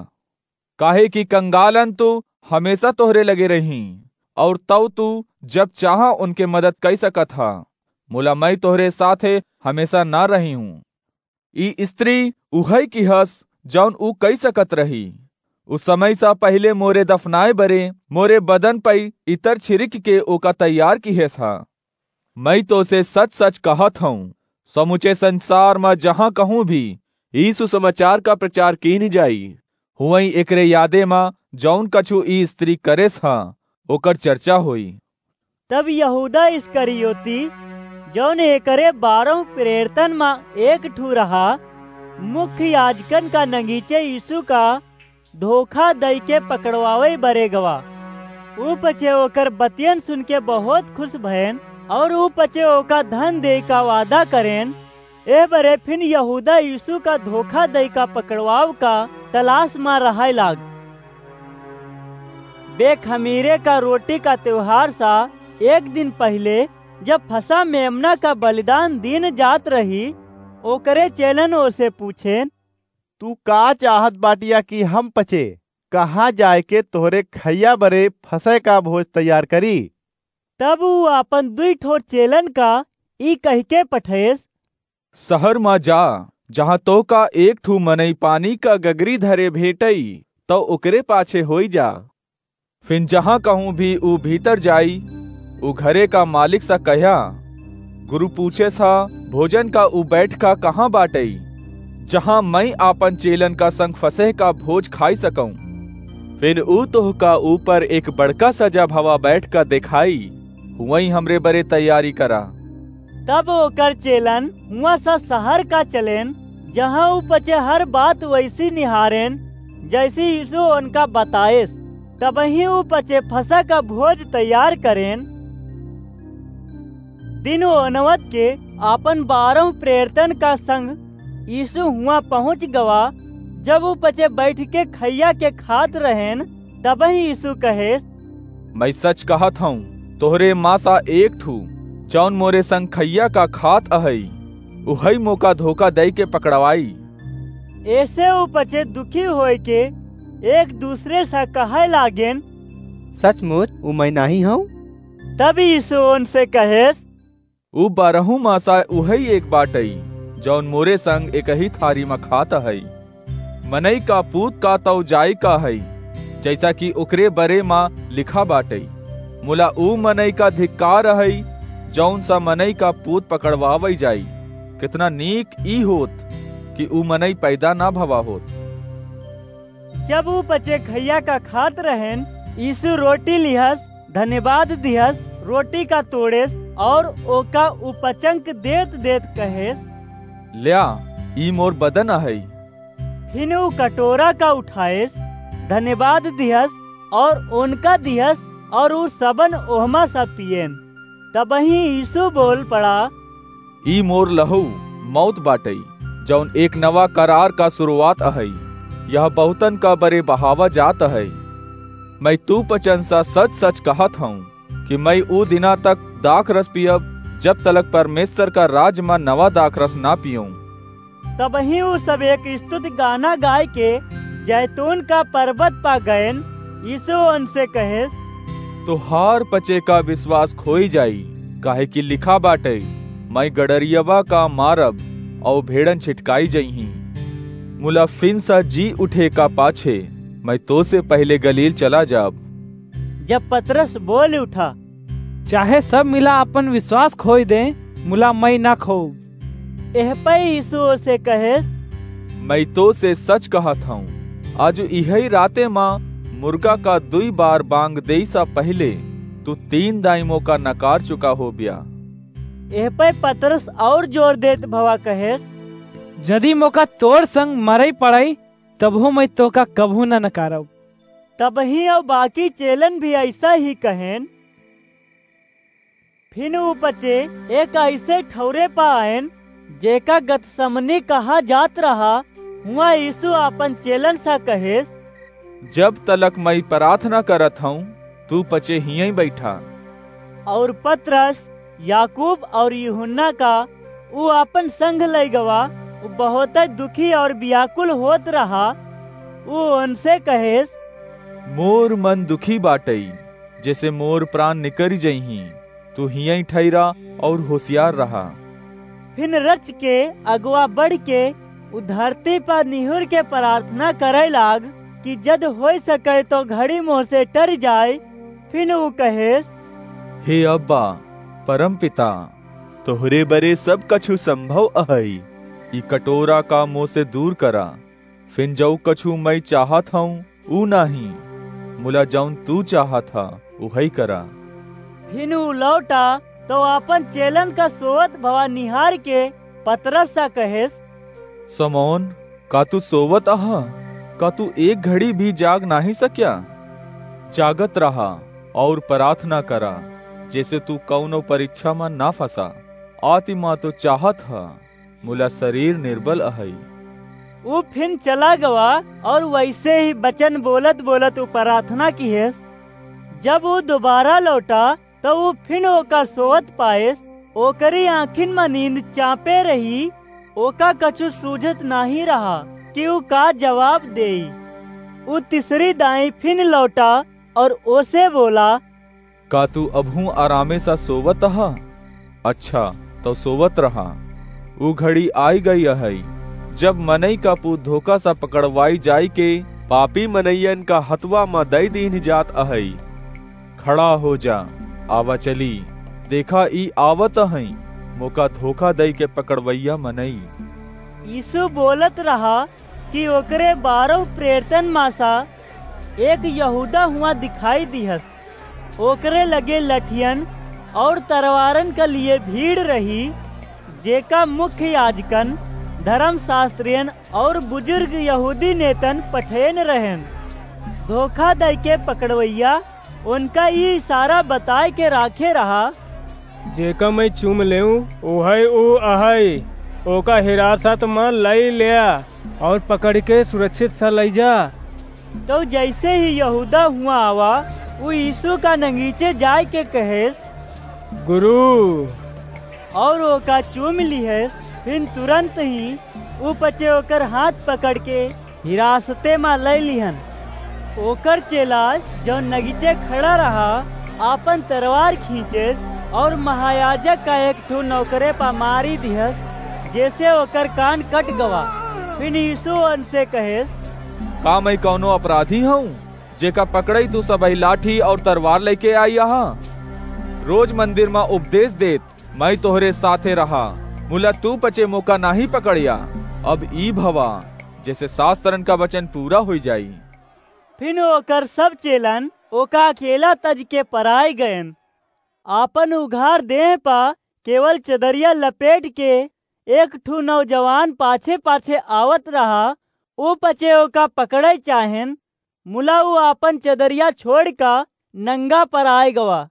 काहे कि कंगालन तउ हमेसा तोहरे लगे रहीं, और तउ तू जब चाहा उनके मदद कइ सकत ह, मुला मइँ तोहरे साथे हमेसा न रही हूँ। ई स्त्री उहइ की हस, जउन उ कइ सकत रही। उ समय सा पहिले मोरे दफनाए बरे मोरे बदन पइ इतर छिरिक के ओका तैयार किहेस ह। मइँ तोसे सच-सच कहत हउँ, समुचे संसार म जहाँ कहूँ भी ई सुसमाचार का प्रचार कीन जाई, हुवइँ एकरे यादे म जउन कछु ई स्त्री करेस ह, ओकर चर्चा होई। तब यहूदा इस्करियोती, जउन एकरे बारह प्रेरितन म एक ठू रहा, मुख्य याजकन का नगीचे यीशु का धोखा दइके पकड़वावइ बरे गवा। ऊ पछे ओकर बतियन सुनके बहुत खुस भएन, अउर ऊ पछे ओका धन देइ का वादा करेन। एह बरे फिन यहूदा यीशु का धोखा दइका पकड़वाव का तलास मा रहइ लाग। बेखमीरे का रोटी का त्योहार सा एक दिन पहिले, जब फसह मेमना का बलिदान दीन जात रही, ओकरे चेलन ओसे पूछेन, "तू का चाहत बाटिया कि हम पचे? कहाँ जाए के तोहरे खइया बरे फसह का भोज तैयार करी?" तब ऊ आपन दुई ठो चेलन का ई कहिके पठेस, "सहर मा जा, जहाँ तोहका एक ठू मनई पानी का गगरी धरे भेटई, तौ ओकरे पाछे होई जा। फिन जहाँ कहूँ भी ऊ भीतर जाई, ऊ घरे का मालिक सा कह्या, 'गुरु पूछेस ह, भोजन का ऊ बैठका कहाँ बाटई, जहाँ मइँ आपन चेलन का संग फसह का भोज खाई सकऊँ?' फिन ऊ तोहका ऊपर एक बड़का सजा भवा बैठका देखाई, हुवइँ हमरे बरे तैयारी करा।" तब ओकर चेलन हुआँ सा सहर का चलेन, जहाँ ऊ पचे हर बात वइसी निहारेन, जइसी यीसू ओनका बताएस। तबहीं ऊ पचे फसह का भोज तैयार करेन। दिन ओनवत के आपन बारह प्रेरितन का संग यीसू हुआँ पहुँच गवा। जब ऊ पचे बैठके खइया के खात रहेन, तबहीं यीसू कहेस, "मइँ सच कहत हऊँ, तोहरे मा सा एक ठू, जौन मोरे संग खइया का खात अहई, उहई मोका धोखा दइके पकड़वाई।" एसे ऊ पचे दुखी होइके एक दूसरे सा कहइ लागेन, "सचमुच ऊ मइँ नाहीं हऊँ?" तब यीसू ओनसे कहेस, "ऊ बारहू मा सा उहई एक बाटई, जौन मोरे संग एकही थारी मा खात अहई। मनई का पूत का तौ जाए का हई, जइसा कि ओकरे बरे मा लिखा बाटई। मुला ऊ मनई का धिक्कार अहई, जौन सा मनई का पूत पकड़वावई जाई। केतना नीक ई होत कि ऊ मनई पैदा ना भवा होत।" जब ऊ पचे खइया का खात रहेन, यीसू रोटी लिहस, धन्यवाद दिहस, रोटी का तोड़ेस और ओका उपचंक देत देत कहेस, "ल्या, ई मोर बदन अहई।" फिन ऊ कटोरा का उठाएस, धन्यवाद दिहस और ओनका दिहस, और ऊ सबन ओहमा सा पिएन। तबहीं यीसू बोल पड़ा, "ई मोर लहू मौत बाटई, जौन एक नवा करार का सुरुवात अहई। यह बहुतन का बरे बहावा जात अहई। मइँ तू पचन सा सच सच कहत हऊँ कि मइँ ऊ दिना तक दाखरस पियब, जब तलक परमेसर का राज मा नवा दाखरस ना पियऊँ।" तबहीं ऊ सब एक स्तुति गाना गाइके जैतून का परबत पा गएन। यीसू ओनसे कहेस, "तोहार पचे का बिसवास खोई जाई, काहे कि लिखा बाटई, 'मइँ गड़रियवा का मारब, अउर भेड़न छिटकाई जइहीं।' मुला फिन सा जी उठे का पाछे, मइँ तोसे पहिले गलील चला जाब।" जब पतरस बोल उठा, "चाहे सब मिला आपन बिसवास खोई दें, मुला मइँ ना खोउब।" एहपै यीसू ओसे कहेस, "मइँ तोसे सच कहत हऊँ, आजु इहई राते मा मुर्गा का दुई बार बाँग देइसा पहिले तू तीन दाईं मोका नकार चुका होब्या।" एहपै पतरस अउर जोर देत भवा कहेस, "जदि मोका तोर संग मरई पड़ई, तबहूँ मइँ तोहका कबहूँ ना नकारब।" तबहीं अउर बाकी चेलन भी अइसा ही कहेन। फिन ऊ पचे एक अइसे ठउरे पा आएन, जेका गतसमनी कहा जात रहा। हुआँ यीसू आपन चेलन सा कहेस, "जब तलक मइँ पराथना करत हऊँ, तू पचे हियईं बइठा।" अउर पतरस, याकूब अउर यूहन्ना का ऊ आपन संग लइ गवा, ऊ बहुतै दुखी अउर बियाकुल होत रहा। ऊ ओनसे कहेस, "मोर मन दुखी बाटई, जेसे मोर प्रान निकरि जइहीं। तू हियईं ठहिरा अउर होसियार रहा।" फिन रचिके अगवा बढ़िके ऊ धरती पा निहुरिके पराथना करइ लाग कि जद होइ सकइ तौ घड़ी मोसे टरि जाइ। फिन ऊ कहेस, "हे अब्बा, परमपिता, तोहरे बरे सब कछु संभव अहइ। ई कटोरा का मोसे दूर करा। फिन जउ कछु मइँ चाहत हऊँ, ऊ नाहीं, मुला जउन तू चाहत ह, उहइ करा।" फिन ऊ लौटा, तौ आपन चेलन का सोवत भवा निहारिके पतरस सा कहेस, "समौन, का तू सोवत अहा? का तू एक घड़ी भी जाग नाहीं सक्या? जागत रहा अउर पराथना करा, जेसे तू कउनो परिच्छा मा ना फँसा। आतिमा तौ चाहत ह, मुला सरीर निरबल अहइ।" ऊ फिन चला गवा अउर वइसे ही बचन बोलत बोलत ऊ पराथना किहेस, जब ऊ दोबारा लौटा, त ऊ फिन ओका सोवत पाएस। ओकरी आँखिन म नींद चाँपे रही। ओका कछु सूझत नाहीं रहा कि ऊ का जवाब देई। ऊ तीसरी दाईं फिन लौटा और ओसे बोला, का तू अबहूँ आरामे सा सोवत अहा? अच्छा, तौ सोवत रहा। ऊ घड़ी आइ गई अहइ, जब मनई का पूत धोखा सा पकड़वाई जाइके पापी मनइयन का हथवा म दइ दीन्ह जात अहइ। खड़ा हो जा, आवा चली। देखा, ई आवत अहइ, मोका धोखा दइके पकड़वइया मनई। यीशु बोलत रहा कि ओकरे बारह प्रेरितन मा सा एक यहूदा हुआँ दिखाई दिहस। ओकरे लगे लठियन और तरवारन क लिए भीड़ रही, जेका मुख्य याजकन, धर्मशास्त्रियन और बुजुर्ग यहूदी नेतन पठेन रहेन। धोखा दइके पकड़वइया उनका ई इशारा बताइके राखे रहा, जेका मइँ चूम लेउँ, ओहइ ऊ अहइ। ओका हिरासत म लइ लेया और पकड़िके सुरक्षित सा लइ जा। तौ जइसे ही यहूदा हुआँ आवा, ऊ यीशु का नगीचे जाइके कहेस, गुरु, और ओका चूम लिहेस। फिन तुरंत ही ऊ पचे ओकर हाथ पकड़िके हिरासते मा लइ लिहन। ओकर चेला, जउन नगीचे खड़ा रहा, आपन तरवार खींचेस और महायाजक का एक ठो नौकरे पा मारी दिहस, जेसे ओकर कान कट गवा। फिन यीशु ओनसे कहेस, का मइँ कउनो अपराधी हउँ, जेका पकड़इ तू सबही लाठी और तरवार लइके आई अहा? रोज मंदिर म उपदेस देत मइँ तोहरे साथे रहा, मुला तू पचे मोका नाहीं पकड़्या। अब ई भवा, जेसे सास्त्रन का बचन पूरा होइ जाई। फिन ओकर सब चेलन ओका अकेला तजिके पराइ गएन। आपन उघार देह पा केवल चदरिया लपेटिके एक ठू नौजवान पाछे-पाछे आवत रहा। ऊ पचे ओका पकड़इ चाहेन, मुला ऊ आपन चदरिया छोड़िका नंगा पराइ गवा।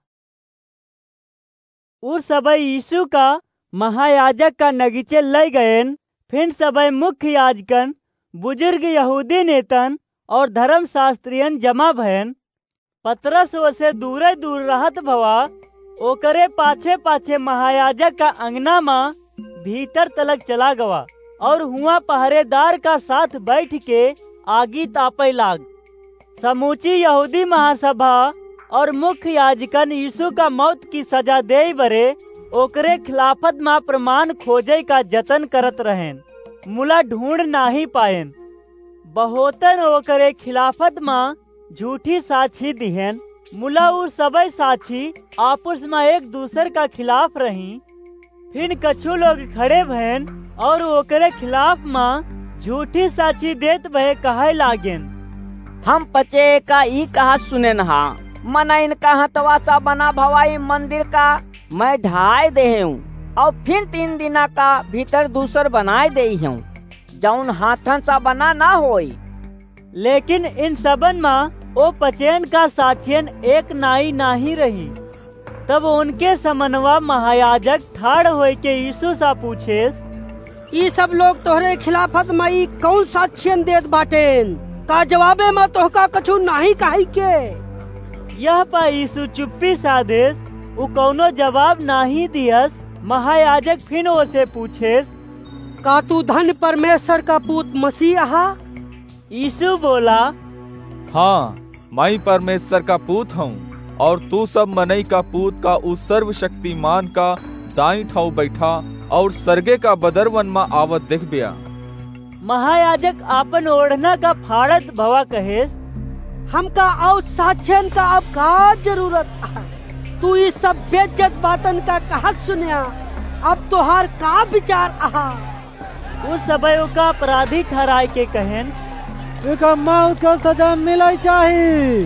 ऊ सबइ यीशु का महायाजक का नगीचे लइ गएन। फिन सबइ मुख्य याजकन, बुजुर्ग यहूदी नेतन और धर्मशास्त्रियन जमा भएन। पतरस ओसे दूरे दूर रहत भवा, ओकरे पाछे-पाछे महायाजक का अंगना मा भीतर तलक चला गवा और हुआँ पहरेदार का साथ बइठिके आगी तापइ लाग। समूची यहूदी महासभा और मुख्य याजकन यीशु का मौत की सजा देइ बरे ओकरे खिलाफत मा प्रमाण खोजइ का जतन करत रहेन, मुला ढूँढ़ नाहीं पाएन। बहुतन ओकरे खिलाफत मा झूठी साक्षी दिहेन, मुला ऊ सबइ साक्षी आपुस मा एक दूसर का खिलाफ रहीं। फिन कछु लोग खड़े भएन और ओकरे खिलाफ मा झूठी साक्षी देत भए कहइ लागेन, हम पचे का ई कहत सुनेन हा, मनइन का हथवा सा बना भवा ई मंदिर का मइँ ढाइ देहेउँ और फिन तीन दिना का भीतर दूसर बनाइ देइहेउँ, जउन हाथन सा बना न होई। लेकिन इन सबन मा ओ पचेन का साक्षियन एक नाई नाहीं रही। तब ओनके समनवा महायाजक ठाड़ होइके यीशु सा पूछेस, ई सब लोग तोहरे खिलाफत मा ई कउन साक्षियन देत बाटेन? का जवाबे मा तोहका कछु नाहीं कहइ के? यह पा यीशु चुप्पी साधेस, ऊ कउनो जवाब नाहीं दियस। महायाजक फिन ओसे पूछेस, का तू धन्य परमेश्वर का पूत मसीह अहा? यीशु बोला, हाँ, मइँ परमेश्वर का पूत हउँ, और तू सब मनई का पूत का ऊ सर्वशक्तिमान का दाईं ठाँव बइठा और सरगे का बदरवन मा आवत देखब्या। महायाजक आपन ओढ़ना का फाड़त भवा कहेस, हमका और साक्षियन का अब का जरूरत है? तू ई सब बेइज्जत बातन का कहत सुन्या, अब तोहार का विचार अहा? उ सबइ ओका अपराधी ठहराइके कहेन, एका मौत का सजा मिलइ चाही।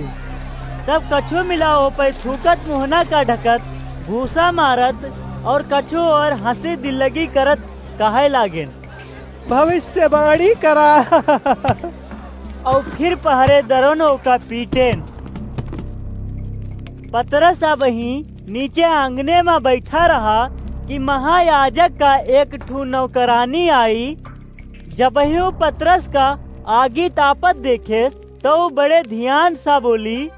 तब कछू मिला ओपइ थूकत, मुहना का ढकत, घूसा मारत और कछू और हँसी दिल्लगी करत कहइ लागेन, भविष्यवाणी करा। और फिर पहरेदारन ओका पीटेन। पतरस अबहीं नीचे आँगने मा बइठा रहा कि महायाजक का एक ठू नौकरानी आई। जबहिं उ पतरस का आगी तापत देखेस, तउ उ बड़े धियान सा बोली,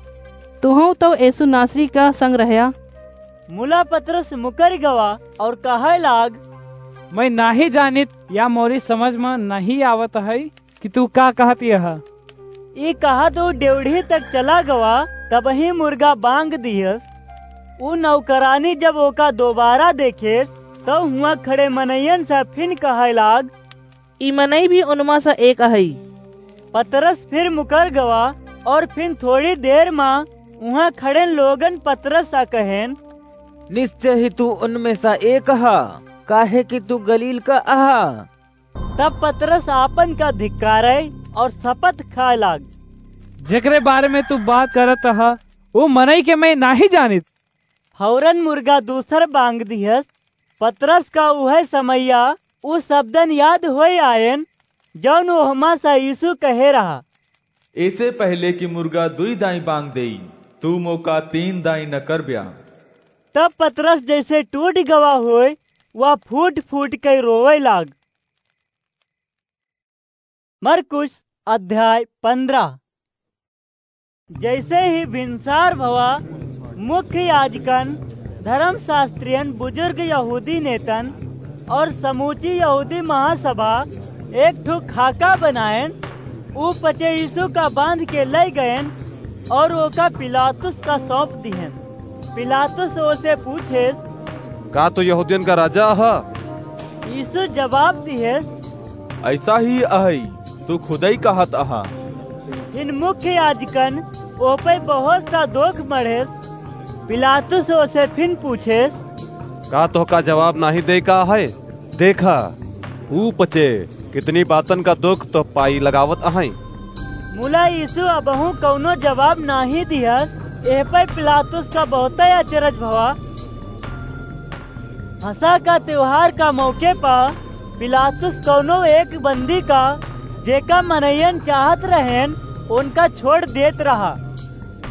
तुहूँ तो यीशु नासरी का संग रहया। मुला पतरस मुकर गवा और कहै लाग, "मैं नाहीं जानित, या मोरी समझ में नाहीं आवत है कि तू का कहत यह।" ई कहत ऊ डेवढ़ी तक चला गवा, तबही मुर्गा बांग दिहस। ऊ नौकरानी जब ओका दोबारा देखेस, तो हुआं खड़े मनइयन से फिन कहै लाग, "ई मनई भी उनमा से एक अहई।" पतरस फिर मुकर गवा और फिन थोड़ी देर मा उहाँ खड़ेन लोगन पतरस से कहेन, "निश्चय ही तू उनमें से एक अहा, काहे कि तू गलील का अहा।" तब पतरस आपन का धिक्कारै और शपथ खाए लाग, "जेकरे बारे में तू बात करत अहा, ऊ मनई के मैं नाहीं जानित।" फौरन मुर्गा दूसर बांग दिहस। पतरस का उहै समैया ऊ शब्दन याद होइ आएन, जौन ओहमा से यीशु कहे रहा, "एसे पहले कि मुर्गा दुई दाई बांग देई, तू मोका तीन दाई न करब्या।" तब पतरस जैसे टूट गवा होय, वह फूट फूट के रोवे लाग। मरकुस अध्याय पन्द्रह। जैसे ही भिनसार भवा, मुख्य याजकन, धर्मशास्त्रियन, बुजुर्ग यहूदी नेतन और समूची यहूदी महासभा एक ठो खाका बनाएन। ऊ पचे यीशु का बांध के लै गएन और ओका पिलातुस का सौंप दिहेन। पिलातुस ओसे पूछेस, "का तू यहूदियन का राजा ह?" यीशु जवाब दिहेस, "ऐसा ही अहई, तू खुदई कहत अहा।" फिन मुख्य याजकन ओह पे बहुत सा दोख मढ़ेस। पिलातुस ओसे फिन पूछेस, "का तोहका जवाब नाहीं दे का है? देखा, ऊ पचे कितनी बातन का दोख तोह पाई लगावत अहई।" मुला यीशु अबहूँ कौनो जवाब नाहीं दिहस। एह पे पिलातुस का बहुतै अचरज भवा। फसह का त्योहार का मौके पा पिलातुस कौनो एक बंदी का, जेका मनइयन चाहत रहेन, उनका छोड़ देत रहा।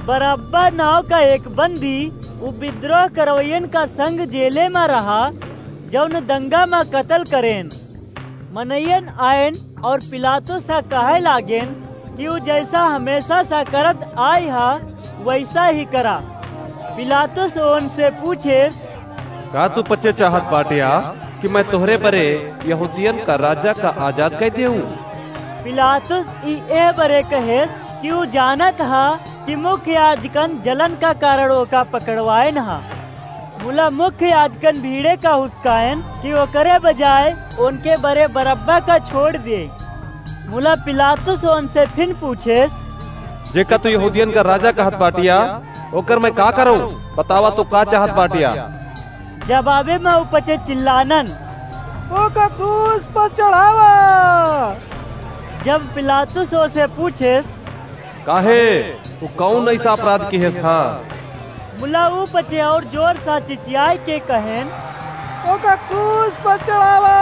बरअब्बा नाव का एक बंदी उ बिद्रोह करवइयन का संग जेले मा रहा, जौन दंगा मा कतल करेन। मनइयन आएन और पिलातुस से कहै लागेन कि उ जैसा हमेशा से करत आइ हा, वैसा ही करा। पिलातुस ओनसे पूछेस, "का तू पचे चाहत बाटिया कि मैं तोहरे बरे यहूदियन का राजा का आजाद कै देऊं?" पिलातुस ई एह बरे कहेस कि उ जानत हा कि मुख्य याजकन जलन का कारण ओका पकड़वाएन हा। मुला मुख्य याजकन भीड़े का हुसकाएन कि ओकरे बजाय ओनके बरे बरब्बा का छोड़ दे। मुला पिलातुस ओनसे फिन पूछेस, "जेका तू यहूदियन का राजा कहत बाटिया, ओकर मैं का करूं? बतावा, तू का चाहत बाटिया?" जवाबे मा उ पचे चिल्लानन, "ओका क्रूस पर चढ़ावा!" जब पिलातुस ओसे पूछेस, "काहे? तू कौन ऐसा अपराध किहेस हा?" मुला उ पचे और जोर सा चिचियाए के कहेन, "ओका क्रूस पर चढ़ावा!"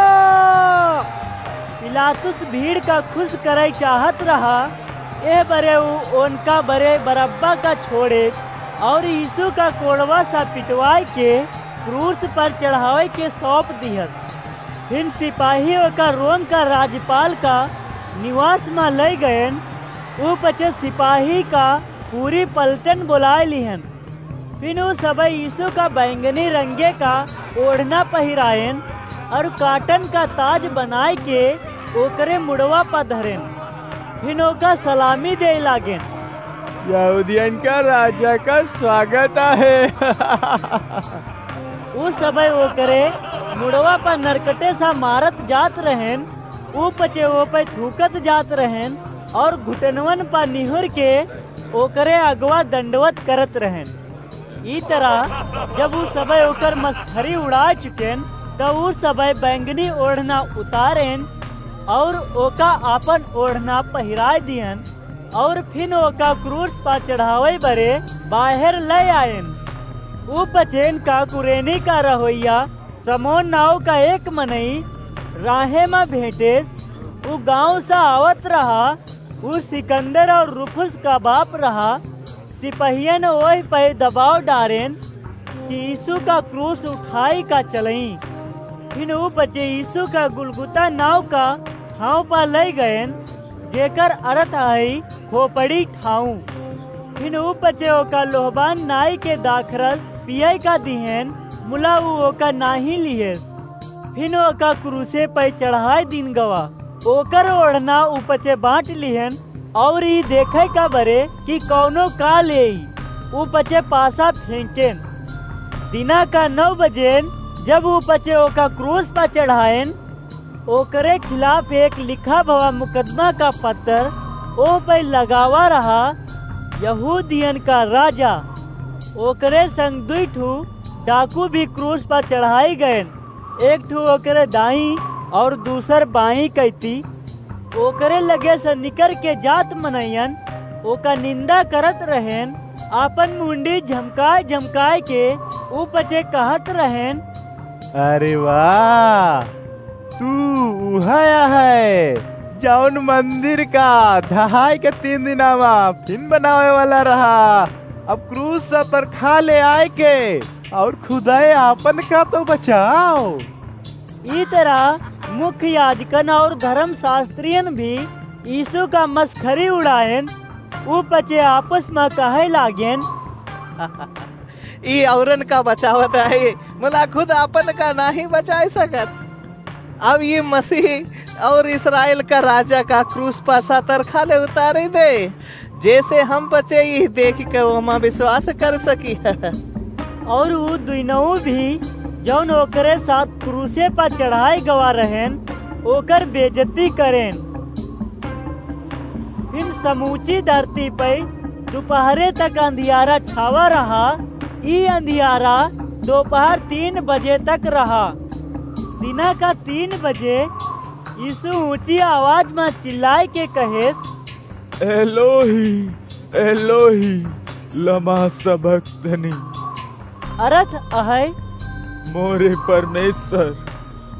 पिलातुस भीड़ का खुश करै चाहत रहा, एह बरे उ ओनका बरे बरब्बा का छोड़े और यीशु का कोड़वा सा पिटवाए के क्रूस पर चढ़ावे के सौंप दिहस। फिन सिपाही ओका रोम का राजपाल का निवास मा लै गएन। उ पचे सिपाही का पूरी पलटन बोलाए लिहन। फिन उ सबई यीशु का बैंगनी रंगे का ओढ़ना पहिराएन और काटन का ताज बनाए के ओकरे मुड़वा पा धरेन। फिन ओका सलामी देइ लागेन, "यहूदियन का राजा का स्वागत आहे।" उ सबई ओकरे मुड़वा पा नरकटे सा मारत जात रहेन, उ पचे ओ पे थूकत जात रहेन और घुटनवन पा निहुर के ओकरे अगवा दंडवत करत रहेन। ई तरह जब उ सबई ओकर मसखरी उड़ा चुकेन, त उ सबई बैंगनी ओढ़ना उतारेन और ओका आपन ओढ़ना पहिराए दिहन और फिन ओका क्रूस पा चढ़ावे बरे बाहेर लै आएन। उ पचेन का कुरेनी का रहोइया समोन नाव का एक मनई राहे मा भेंटेस। उ गांव सा आवत रहा। उ सिकंदर और रूफुस का बाप रहा। सिपहियन ओह पे दबाव डारेन कि यीशु का क्रूस उठाई का चलई। फिन उ पचे यीशु का गुलगुता नाव का ठाव पा लै गएन, जेकर अरथ हई खोपड़ी ठाव। फिन ऊ पचे ओका लोहबान नाई के दाखरस पियै का दिहेन, मुला ऊ ओका नाहीं लिहेस। फिन ओका क्रूसे पै चढ़ाय दीन गवा। ओकर ओढ़ना ऊ पचे बाँट लिहेन, और ई देखै का बरे कि कौनो का लेई, ऊ पचे पासा फेंकेन। दिना का नौ बजेन, जब ऊ पचे ओका क्रूस पा चढ़ाएन, ओकरे खिलाफ एक लिखा भवा मुकदमा का पत्तर ओह पै लगावा रहा, यहूदियन का राजा। ओकरे संग दुई ठू डाकू भी क्रूस पा चढ़ाई गएन, एक ठू ओकरे दाईं और दूसर बाईं कैती। ओकरे लगे से निकर के जात मनैयन ओका निंदा करत रहेन, आपन मुंडी झमकाय झमकाय के ऊ पचे कहत रहेन, "अरे वाह, तू उहै है, जौन मंदिर का ढहाई के तीन दिना मा फिन बनावे वाला रहा। अब क्रूस पर खा ले आय के और खुदाई आपन का तो बचाओ।" ई तरह मुख्य याजकन और धर्मशास्त्रियन भी यीशु का मस्खरी उड़ाएन। ऊ पचे आपस मा कहै लागेन, "ई औरन का बचावत है, मुला खुद आपन का नाहीं बचाय सकत। अब ई मसीह और इस्राएल का राजा का क्रूस पा सातर खा ले उतारी दे, जैसे हम पचे ई देखि के ओमा विश्वास कर सकी।" और ऊ दुइनऊ भी, जौन ओकरे साथ क्रूसे पा चढ़ाई गवा रहेन, ओकर बेइज्जती करेन। फिन समूची धरती पै दुपहरे तक अंधियारा छावा रहा। ई अंधियारा दोपहर तीन बजे तक रहा। दिना का तीन बजे यीशु ऊँची आवाज मा चिल्लाय के कहेस, "एलोही, एलोही, लमा सबक्तनी?" अरथ अहै, "मोरे परमेश्वर,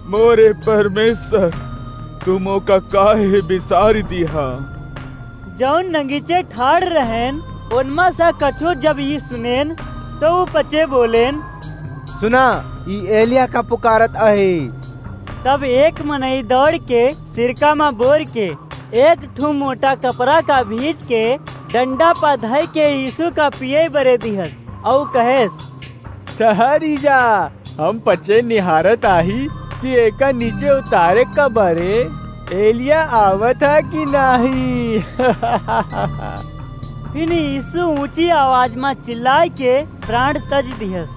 मोरे परमेश्वर, तू मोका काहे बिसारि दिहा?" जौन नगीचे ठाड़ रहेन, ओनमा सा कछो जब ई सुनेन, तो ऊ पचे बोलेन, "सुना, ई एलिया का पुकारत अहै।" तब एक मनई दौड़ के सिरका मा बोर के एक ठू मोटा कपड़ा का भींज के डंडा पा धइ के यीशु का पियै बरे दिहस, अउ कहेस, "ठहरी जा, हम पचे निहारत आही कि एका नीचे उतारे का बरे एलिया आवत है कि नाहीं।" फिन यीशु ऊँची आवाज मा चिल्लाय के प्राण तज दिहस।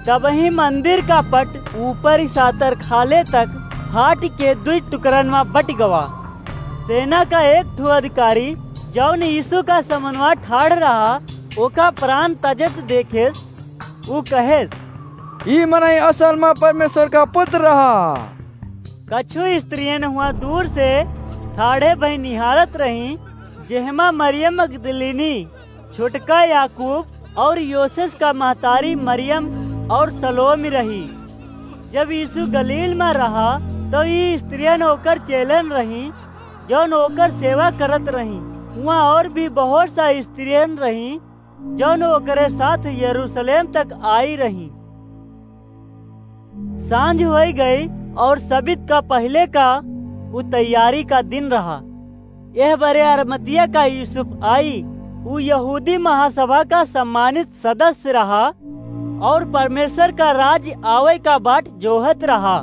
तबही मंदिर का पट ऊपर सातर खाले तक फाट के दुई टुकरन मा बट गवा। सेना का एक ठो अधिकारी, जौन यीशु का समनवा ठाड़ रहा, ओका प्राण तजत देखेस, ऊ कहेस, "ई मनई असल मा परमेश्वर का पुत्र रहा।" कछु स्त्रियन हुआ दूर से ठाड़े भई निहारत रहीं, जेहमा मरियम मगदलिनी, छोटका याकूब और योसेस का महतारी मरियम और सलोमी रही। जब यीशु गलील मा रहा, तो ई स्त्रियन ओकर चेलन रहीं, जौन ओकर सेवा करत रहीं। हुआ और भी बहुत सा स्त्रियन रहीं, जौन ओकरे साथ यरूशलेम तक आई रहीं। सांझ होइ गई और सबित का पहिले का उ तैयारी का दिन रहा। एह बरे अरमतिया का यूसुफ आई, उ यहूदी महासभा का सम्मानित सदस्य रहा और परमेश्वर का राज आवै का बाट जोहत रहा।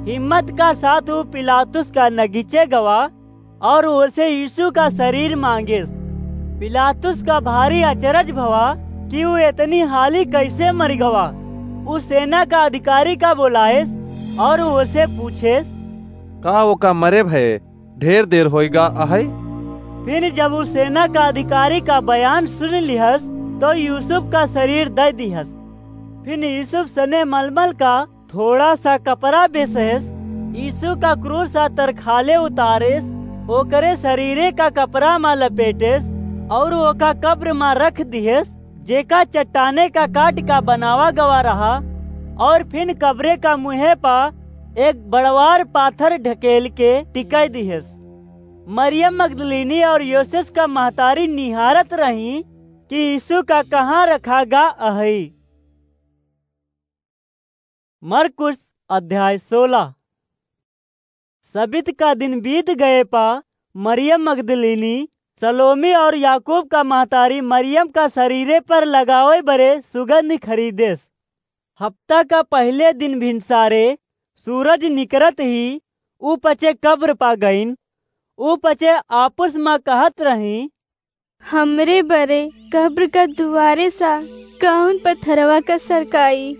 हिम्मत का साथ उ पिलातुस का नगीचे गवा और ओसे यीशु का शरीर मांगेस। पिलातुस का भारी अचरज भवा कि उ एतनी हाली कैसे मरि गवा। उ सेना का अधिकारी का बोलाएस और ओसे पूछेस, "का ओका मरे भये ढेर देर होइगा अहै?" फिर जब उ सेना का अधिकारी का बयान सुन लिहस, तो यूसुफ का शरीर दइ दिहस। फिर यूसुफ सने मलमल का थोड़ा सा कपड़ा बेसेस, यीशु का क्रूस आ तरखाले उतारेस, ओकरे शरीरे का कपड़ा मा लपेटेस और ओका कब्र मा रख दिहेस, जेका चट्टाने का काट का बनावा गवा रहा, और फिन कब्रे का मुँहे पा एक बड़वार पाथर ढकेल के टिकाई दिहेस। मरियम मगदलीनी और योसेस का महतारी निहारत रही कि यीशु का कहाँ रखा गा अहई। मरकुस अध्याय सोलह। सबित का दिन बीत गए पा मरियम मगदलीनी सलोमी और याकूब का महतारी मरियम का शरीरे पर लगावे बरे सुगंध खरीदेस। हफ्ता का पहिले दिन भिनसारे सूरज निकरत ही ऊ पचे कब्र पा गईन। ऊ पचे आपस मा कहत रही, "हमरे बरे कब्र का दुआरे सा कौन पत्थरवा का सरकाई?"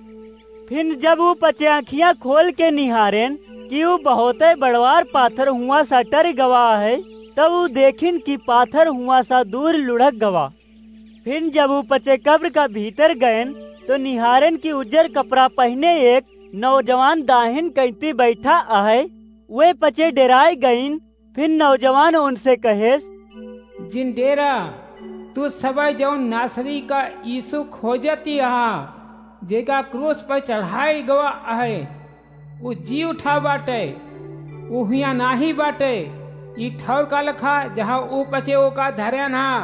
फिन जब ऊ पचे आँखियाँ खोल के निहारेन कि ऊ बहुते बड़वार पाथर हुआ सा टर गवा है, तब ऊ देखिन कि पाथर हुआ सा दूर लुढ़क गवा। फिन जब ऊ पचे कब्र का भीतर गएन, तो निहारेन कि उज्जर कपड़ा पहिने एक नौजवान दाहिन कैंती बैठा आहे। वे पचे डेराए गईन। फिन नौजवान उनसे कहेस, "जिन डेरा, तू सबे जौन नासरी का यीशु खोजत ही अहा, जेका क्रूस पर चढ़ाई गवा आहे, ऊ जी उठा बाटे, ऊ हियाँ नाही बाटे, ई ठौर का लखा जहाँ ऊ पचे ओका धरेन हा।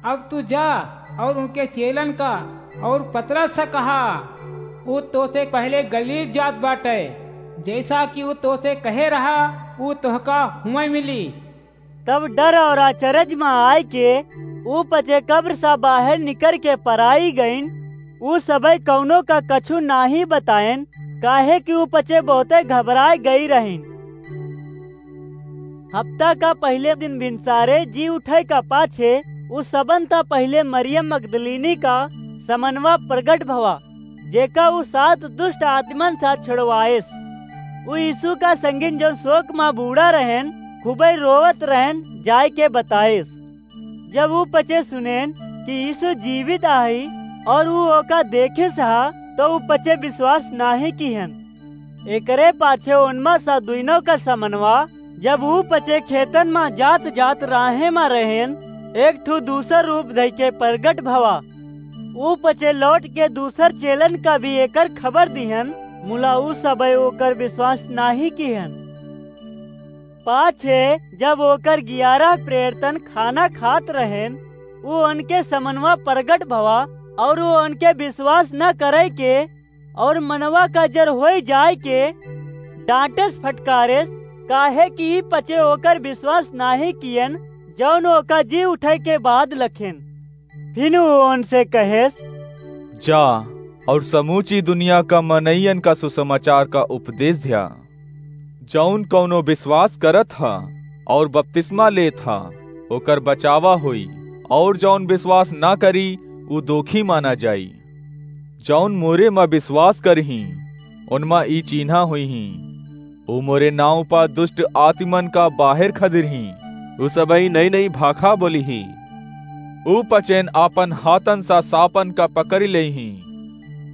अब तू जा और उनके चेलन का और पतरस से कहा, ऊ तोसे पहले गलील जात बाटे, जैसा कि ऊ तोसे कहे रहा, ऊ तोहका हुआं मिली।" तब डर और अचरज मा आय के ऊ पचे कब्र सा बाहर निकर के पराई गईन। ऊ सबे कौनो का कछु नाही बताएन, काहे कि ऊ पचे बहुते घबराए गई रहीन। हफ्ता का पहिले दिन भिनसारे जी उठे का पाछे ऊ सबन ता पहिले मरियम मगदलीनी का समनवा प्रगट भवा, जेका ऊ सात दुष्ट आत्मन सा छुड़वाएस। ऊ यीशु का संगिन जौन शोक मा बूड़ा रहेन, खूबे रोवत रहेन, जाए के बताएस। जब ऊ पचे सुनेन कि यीशु जीवित आही और ऊ ओका देखेस हा, तो ऊ पचे विश्वास नाही किहन। एकरे पाछे ओनमा सा दुइनो का समनवा, जब ऊ पचे खेतन मा जात जात राहे मा रहेन, एक ठू दूसर रूप धइ के प्रगट भवा। ऊ पचे लौट के दूसर चेलन का भी एकर खबर दिहन, मुला ऊ सबे ओकर विश्वास नाही किहन। पाछे जब ओकर ग्यारह प्रेरितन खाना खात रहेन, ऊ उनके समनवा प्रगट भवा और ऊ उनके विश्वास न करे के और मनवा का जर होई जाए के डांटेस फटकारेस, काहे कि ई पचे ओकर विश्वास नाही कियन, जौन ओका जी उठे के बाद लखेन। फिन ऊ उनसे कहेस, "जा और समूची दुनिया का मनइयन का सुसमाचार का उपदेश द्या। जौन कौनो विश्वास करत हा और बपतिस्मा लेत हा, ओकर बचावा होई, और जौन विश्वास ना करी, ऊ दोखी माना जाई। जौन मोरे मा विश्वास करही, उनमा ई चीन्हा होइही, ऊ मोरे नाँव पा दुष्ट आत्मन का बाहर खदिरही, ऊ सबही नई नई भाखा बोलिही, ऊ पचेन आपन हाथन सा साँपन का पकड़ि लेइही,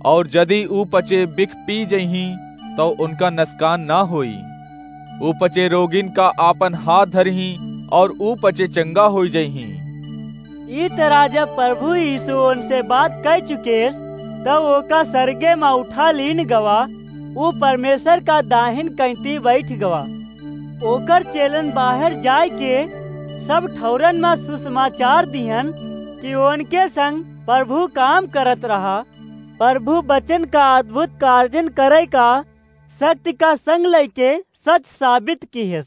और जदि ऊ पचे बिख पी जइही, तौ उनका नसकान ना होई। ऊ पचे रोगिन का आपन हाथ धरही, और ऊ पचे चंगा होई जइही।" ई तरह जब प्रभु यीशु उनसे बात कह चुकेस, तब ओका सरगे मा उठा लीन गवा, ऊ परमेश्वर का दाहिन कैंती बैठ गवा। ओकर चेलन बाहर जाए के सब ठौरन मा सुसमाचार दिहन कि उनके संग प्रभु काम करत रहा। प्रभु वचन का अद्भुत कार्यन करे का शक्ति का संग लइके सच साबित किहेस।